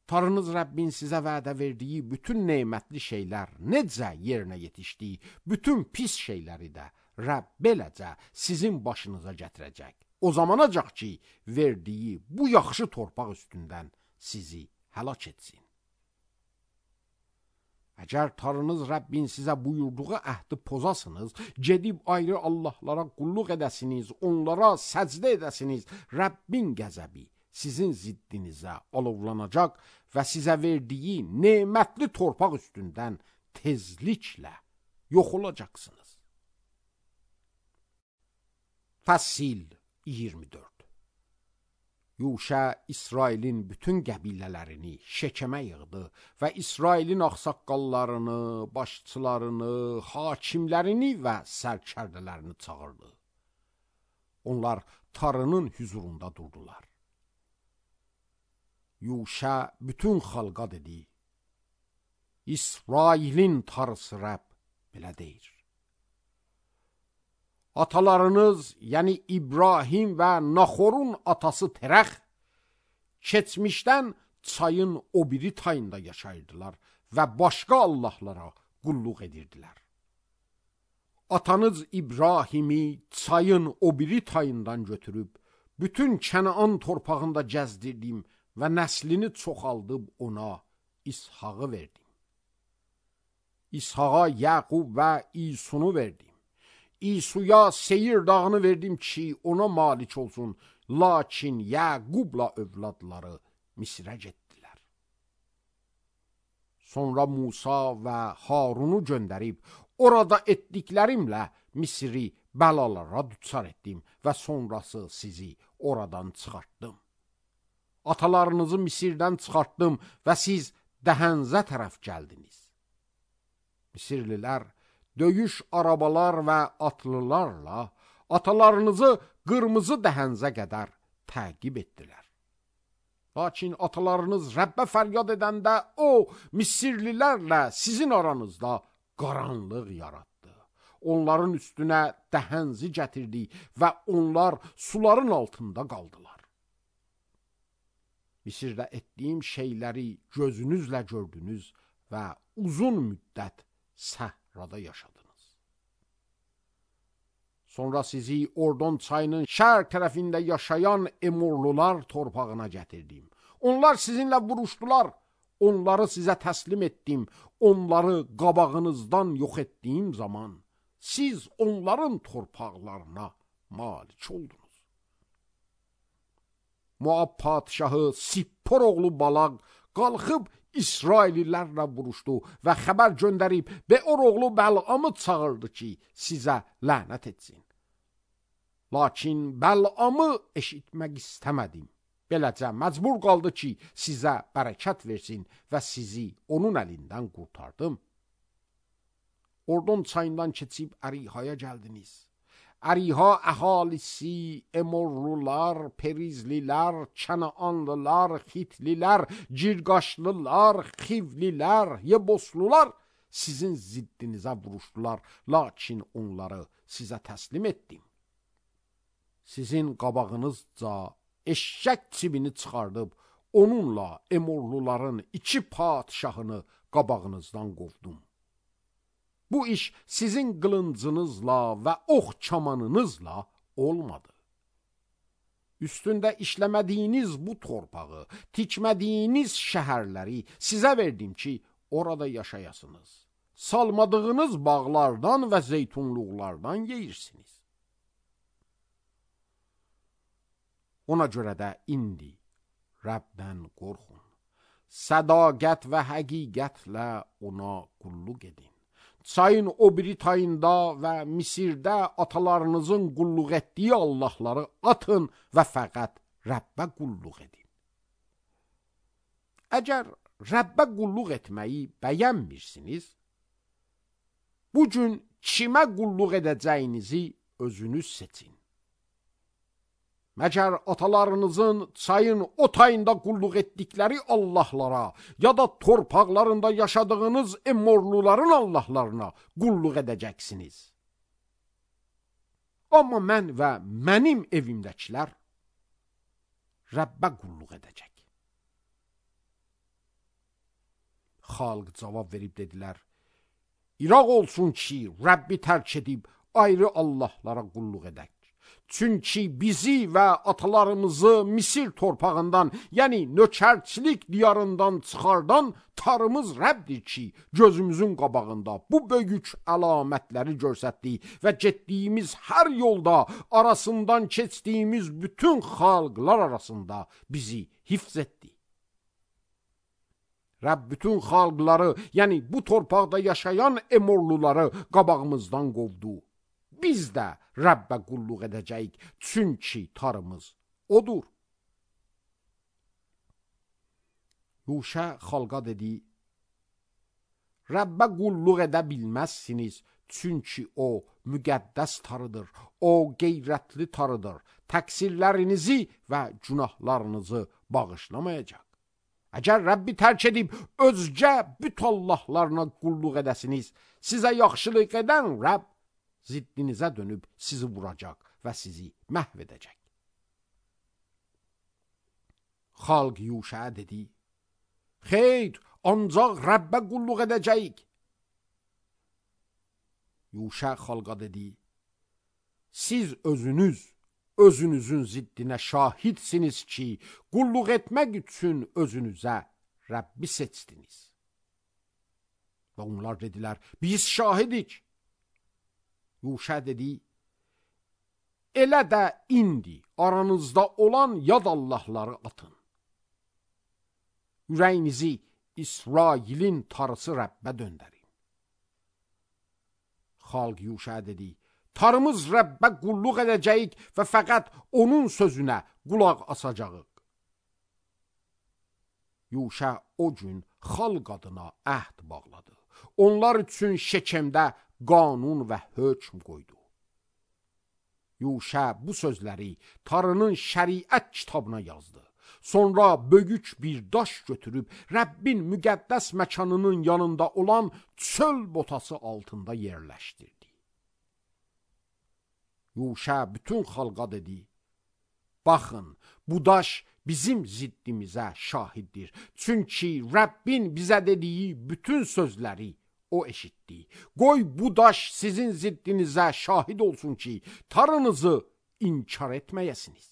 Speaker 1: Tanrınız Rəbbin sizə vədə verdiyi bütün nemətli şeylər necə yerinə yetişdi, bütün pis şeyləri də Rəbb beləcə sizin başınıza gətirəcək. O zamanacaq ki, verdiyi bu yaxşı torpaq üstündən sizi həlak etsin. Əgər Tanrınız Rəbbin sizə buyurduğu əhdi pozasınız, gedib ayrı Allahlara qulluq edəsiniz, onlara səcdə edəsiniz, Rəbbin qəzəbi sizin ziddinizə alovlanacaq və sizə verdiyi nemətli torpaq üstündən tezliklə yox olacaqsınız. Fəsil iyirmi dörd. Yuşa İsrailin bütün qəbilələrini Şekemə yığdı və İsrailin ağsaqqallarını, başçılarını, hakimlərini və sərkərdələrini çağırdı. Onlar Tanrının hüzurunda durdular. Yuşa bütün xalqa dedi: İsrailin Tanrısı Rəbb belə deyir. Atalarınız, yəni İbrahim və Naxorun atası Terəx, keçmişdən çayın o biri tayında yaşayırdılar və başqa Allahlara qulluq edirdilər. Atanız İbrahimi çayın o biri tayından götürüb, bütün Kənaan torpağında gəzdirdim və nəslini çoxaldıb ona İshağı verdim. İshağa Yaqub və İsunu verdim. İsuya Seyir dağını verdim ki, ona malik olsun, lakin Yaqubla övladları Misrə getdilər. Sonra Musa və Harunu göndərib, orada etdiklərimlə Misri bəlalara düçar etdim və sonrası sizi oradan çıxartdım. Atalarınızı Misirdən çıxartdım və siz Dəhənzə tərəf gəldiniz. Misirlilər döyüş arabalar və atlılarla atalarınızı qırmızı Dəhənzə qədər təqib etdilər. Lakin atalarınız Rəbbə fəryad edəndə o, Misirlilərlə sizin aranızda qaranlıq yaratdı. Onların üstünə dəhənzi gətirdi və onlar suların altında qaldılar. Misirdə etdiyim şeyləri gözünüzlə gördünüz və uzun müddət səhrada yaşadınız. Sonra sizi Ordon çayının şərq tərəfində yaşayan Emorlular torpağına gətirdim. Onlar sizinlə vuruşdular, onları sizə təslim etdim. Onları qabağınızdan yox etdiyim zaman siz onların torpaqlarına malik oldunuz. Moab padişahı Sippor oğlu Balaq qalxıb İsraillilərlə vuruşdu və xəbər göndərib Beor oğlu Bəl'amı çağırdı ki, sizə lənət etsin. Lakin Bəl'amı eşitmək istəmədim. Beləcə məcbur qaldı ki, sizə bərəkət versin və sizi onun əlindən qurtardım. Ordon çayından keçib Ərihaya gəldiniz. Əriha əhalisi, Emorlular, Perizlilər, Kənaanlılar, Xitlilər, Cirqaşlılar, Xivlilər, Yeboslular sizin ziddinizə vuruşdular, lakin onları sizə təslim etdim. Sizin qabağınızca eşşək çibini çıxardıb, onunla Emorluların iki padişahını qabağınızdan qovdum. Bu iş sizin qılıncınızla və ox kamanınızla olmadı. Üstündə işləmədiyiniz bu torpağı, tikmədiyiniz şəhərləri sizə verdim ki, orada yaşayasınız. Salmadığınız bağlardan və zeytunluqlardan yeyirsiniz. Ona görə də indi Rəbdən qorxun. Sədaqət və həqiqətlə ona qulluq edin. Çayın o biri tayında və Misirdə atalarınızın qulluq etdiyi Allahları atın və fəqət Rəbbə qulluq edin. Əgər Rəbbə qulluq etməyi bəyənmirsiniz, bu gün kimə qulluq edəcəyinizi özünüz seçin. Məgər atalarınızın çayın o tayında qulluq etdikləri Allahlara ya da torpaqlarında yaşadığınız emorluların Allahlarına qulluq edəcəksiniz. Amma mən və mənim evimdəkilər Rəbbə qulluq edəcək. Xalq cavab verib dedilər, İraq olsun ki, Rəbbi tərk edib ayrı Allahlara qulluq edək. Çünki bizi və atalarımızı Misir torpağından, yəni nökərçilik diyarından çıxardan Tanrımız Rəbdir ki, gözümüzün qabağında bu böyük əlamətləri göstərdi və getdiyimiz hər yolda arasından keçdiyimiz bütün xalqlar arasında bizi hifz etdi. Rəbb bütün xalqları, yəni bu torpaqda yaşayan emorluları qabağımızdan qovdu. Biz də Rəbbə qulluq edəcəyik, çünki Tanrımız odur. Yuşa xalqa dedi, Rəbbə qulluq edə bilməzsiniz, çünki o müqəddəs Tanrıdır, o qeyrətli Tanrıdır, təqsirlərinizi və günahlarınızı bağışlamayacaq. Əgər Rəbbi tərk edib özgə büt Allahlarına qulluq edəsiniz, sizə yaxşılıq edən Rəbb ziddinizə dönüb sizi vuracaq və sizi məhv edəcək. Xalq Yuşaya dedi, xeyr, ancaq Rəbbə qulluq edəcəyik. Yuşa xalqa dedi, siz özünüz, özünüzün ziddinə şahidsiniz ki, qulluq etmək üçün özünüzə Rəbbi seçdiniz. Və onlar dedilər, biz şahidik. Yuşa dedi, elə də indi aranızda olan yad Allahları atın. Ürəyinizi İsrailin Tanrısı Rəbbə döndərin. Xalq Yuşa dedi, Tanrımız Rəbbə qulluq edəcəyik və fəqət onun sözünə qulaq asacağıq. Yuşa o gün xalq adına əhd bağladı. Onlar üçün Şekemdə qanun və hökm qoydu. Yuşa bu sözləri Tanrının şəriət kitabına yazdı. Sonra böyük bir daş götürüb Rəbbin müqəddəs məkanının yanında olan çöl botası altında yerləşdirdi. Yuşa bütün xalqa dedi, baxın, bu daş bizim ziddimizə şahiddir. Çünki Rəbbin bizə dediyi bütün sözləri o eşitdi. Qoy bu daş sizin ziddinizə şahid olsun ki, Tanrınızı inkar etməyəsiniz.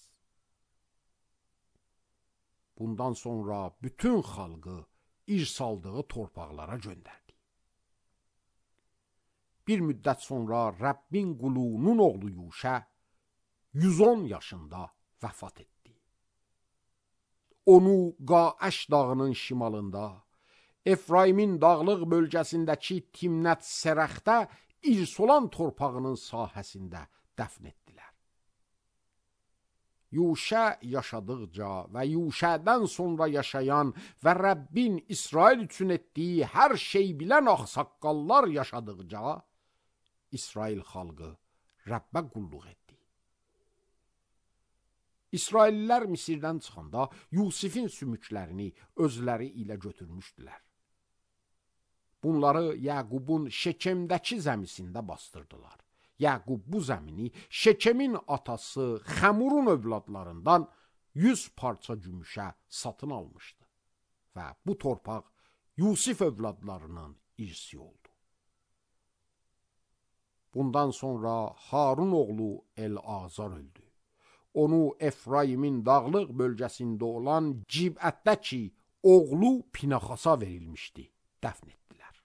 Speaker 1: Bundan sonra bütün xalqı irz aldığı torpaqlara göndərdi. Bir müddət sonra Rəbbin qulunun oğlu Yuşa yüz on yaşında vəfat etdi. Onu Qaəş dağının şimalında, Efraimin dağlıq bölgəsindəki Timnət Serəxdə irz olan torpağının sahəsində dəfn etdilər. Yuşa yaşadıqca və Yuşadan sonra yaşayan və Rəbbin İsrail üçün etdiyi hər şey bilən ağsaqqallar yaşadıqca, İsrail xalqı Rəbbə qulluq etdi. İsraillilər Misirdən çıxanda Yusifin sümüklərini özləri ilə götürmüşdülər. Bunları Yaqubun Şekemdəki zəmisində bastırdılar. Yaqub bu zəmini Şekemin atası Xəmurun övladlarından yüz parça gümüşə satın almışdı. Və bu torpaq Yusif övladlarının irsi oldu. Bundan sonra Harun oğlu El-Azar öldü. Onu Efraimin dağlıq bölgəsində olan Cibətdəki oğlu Pinaxasa verilmişdi, dəfn etdilər.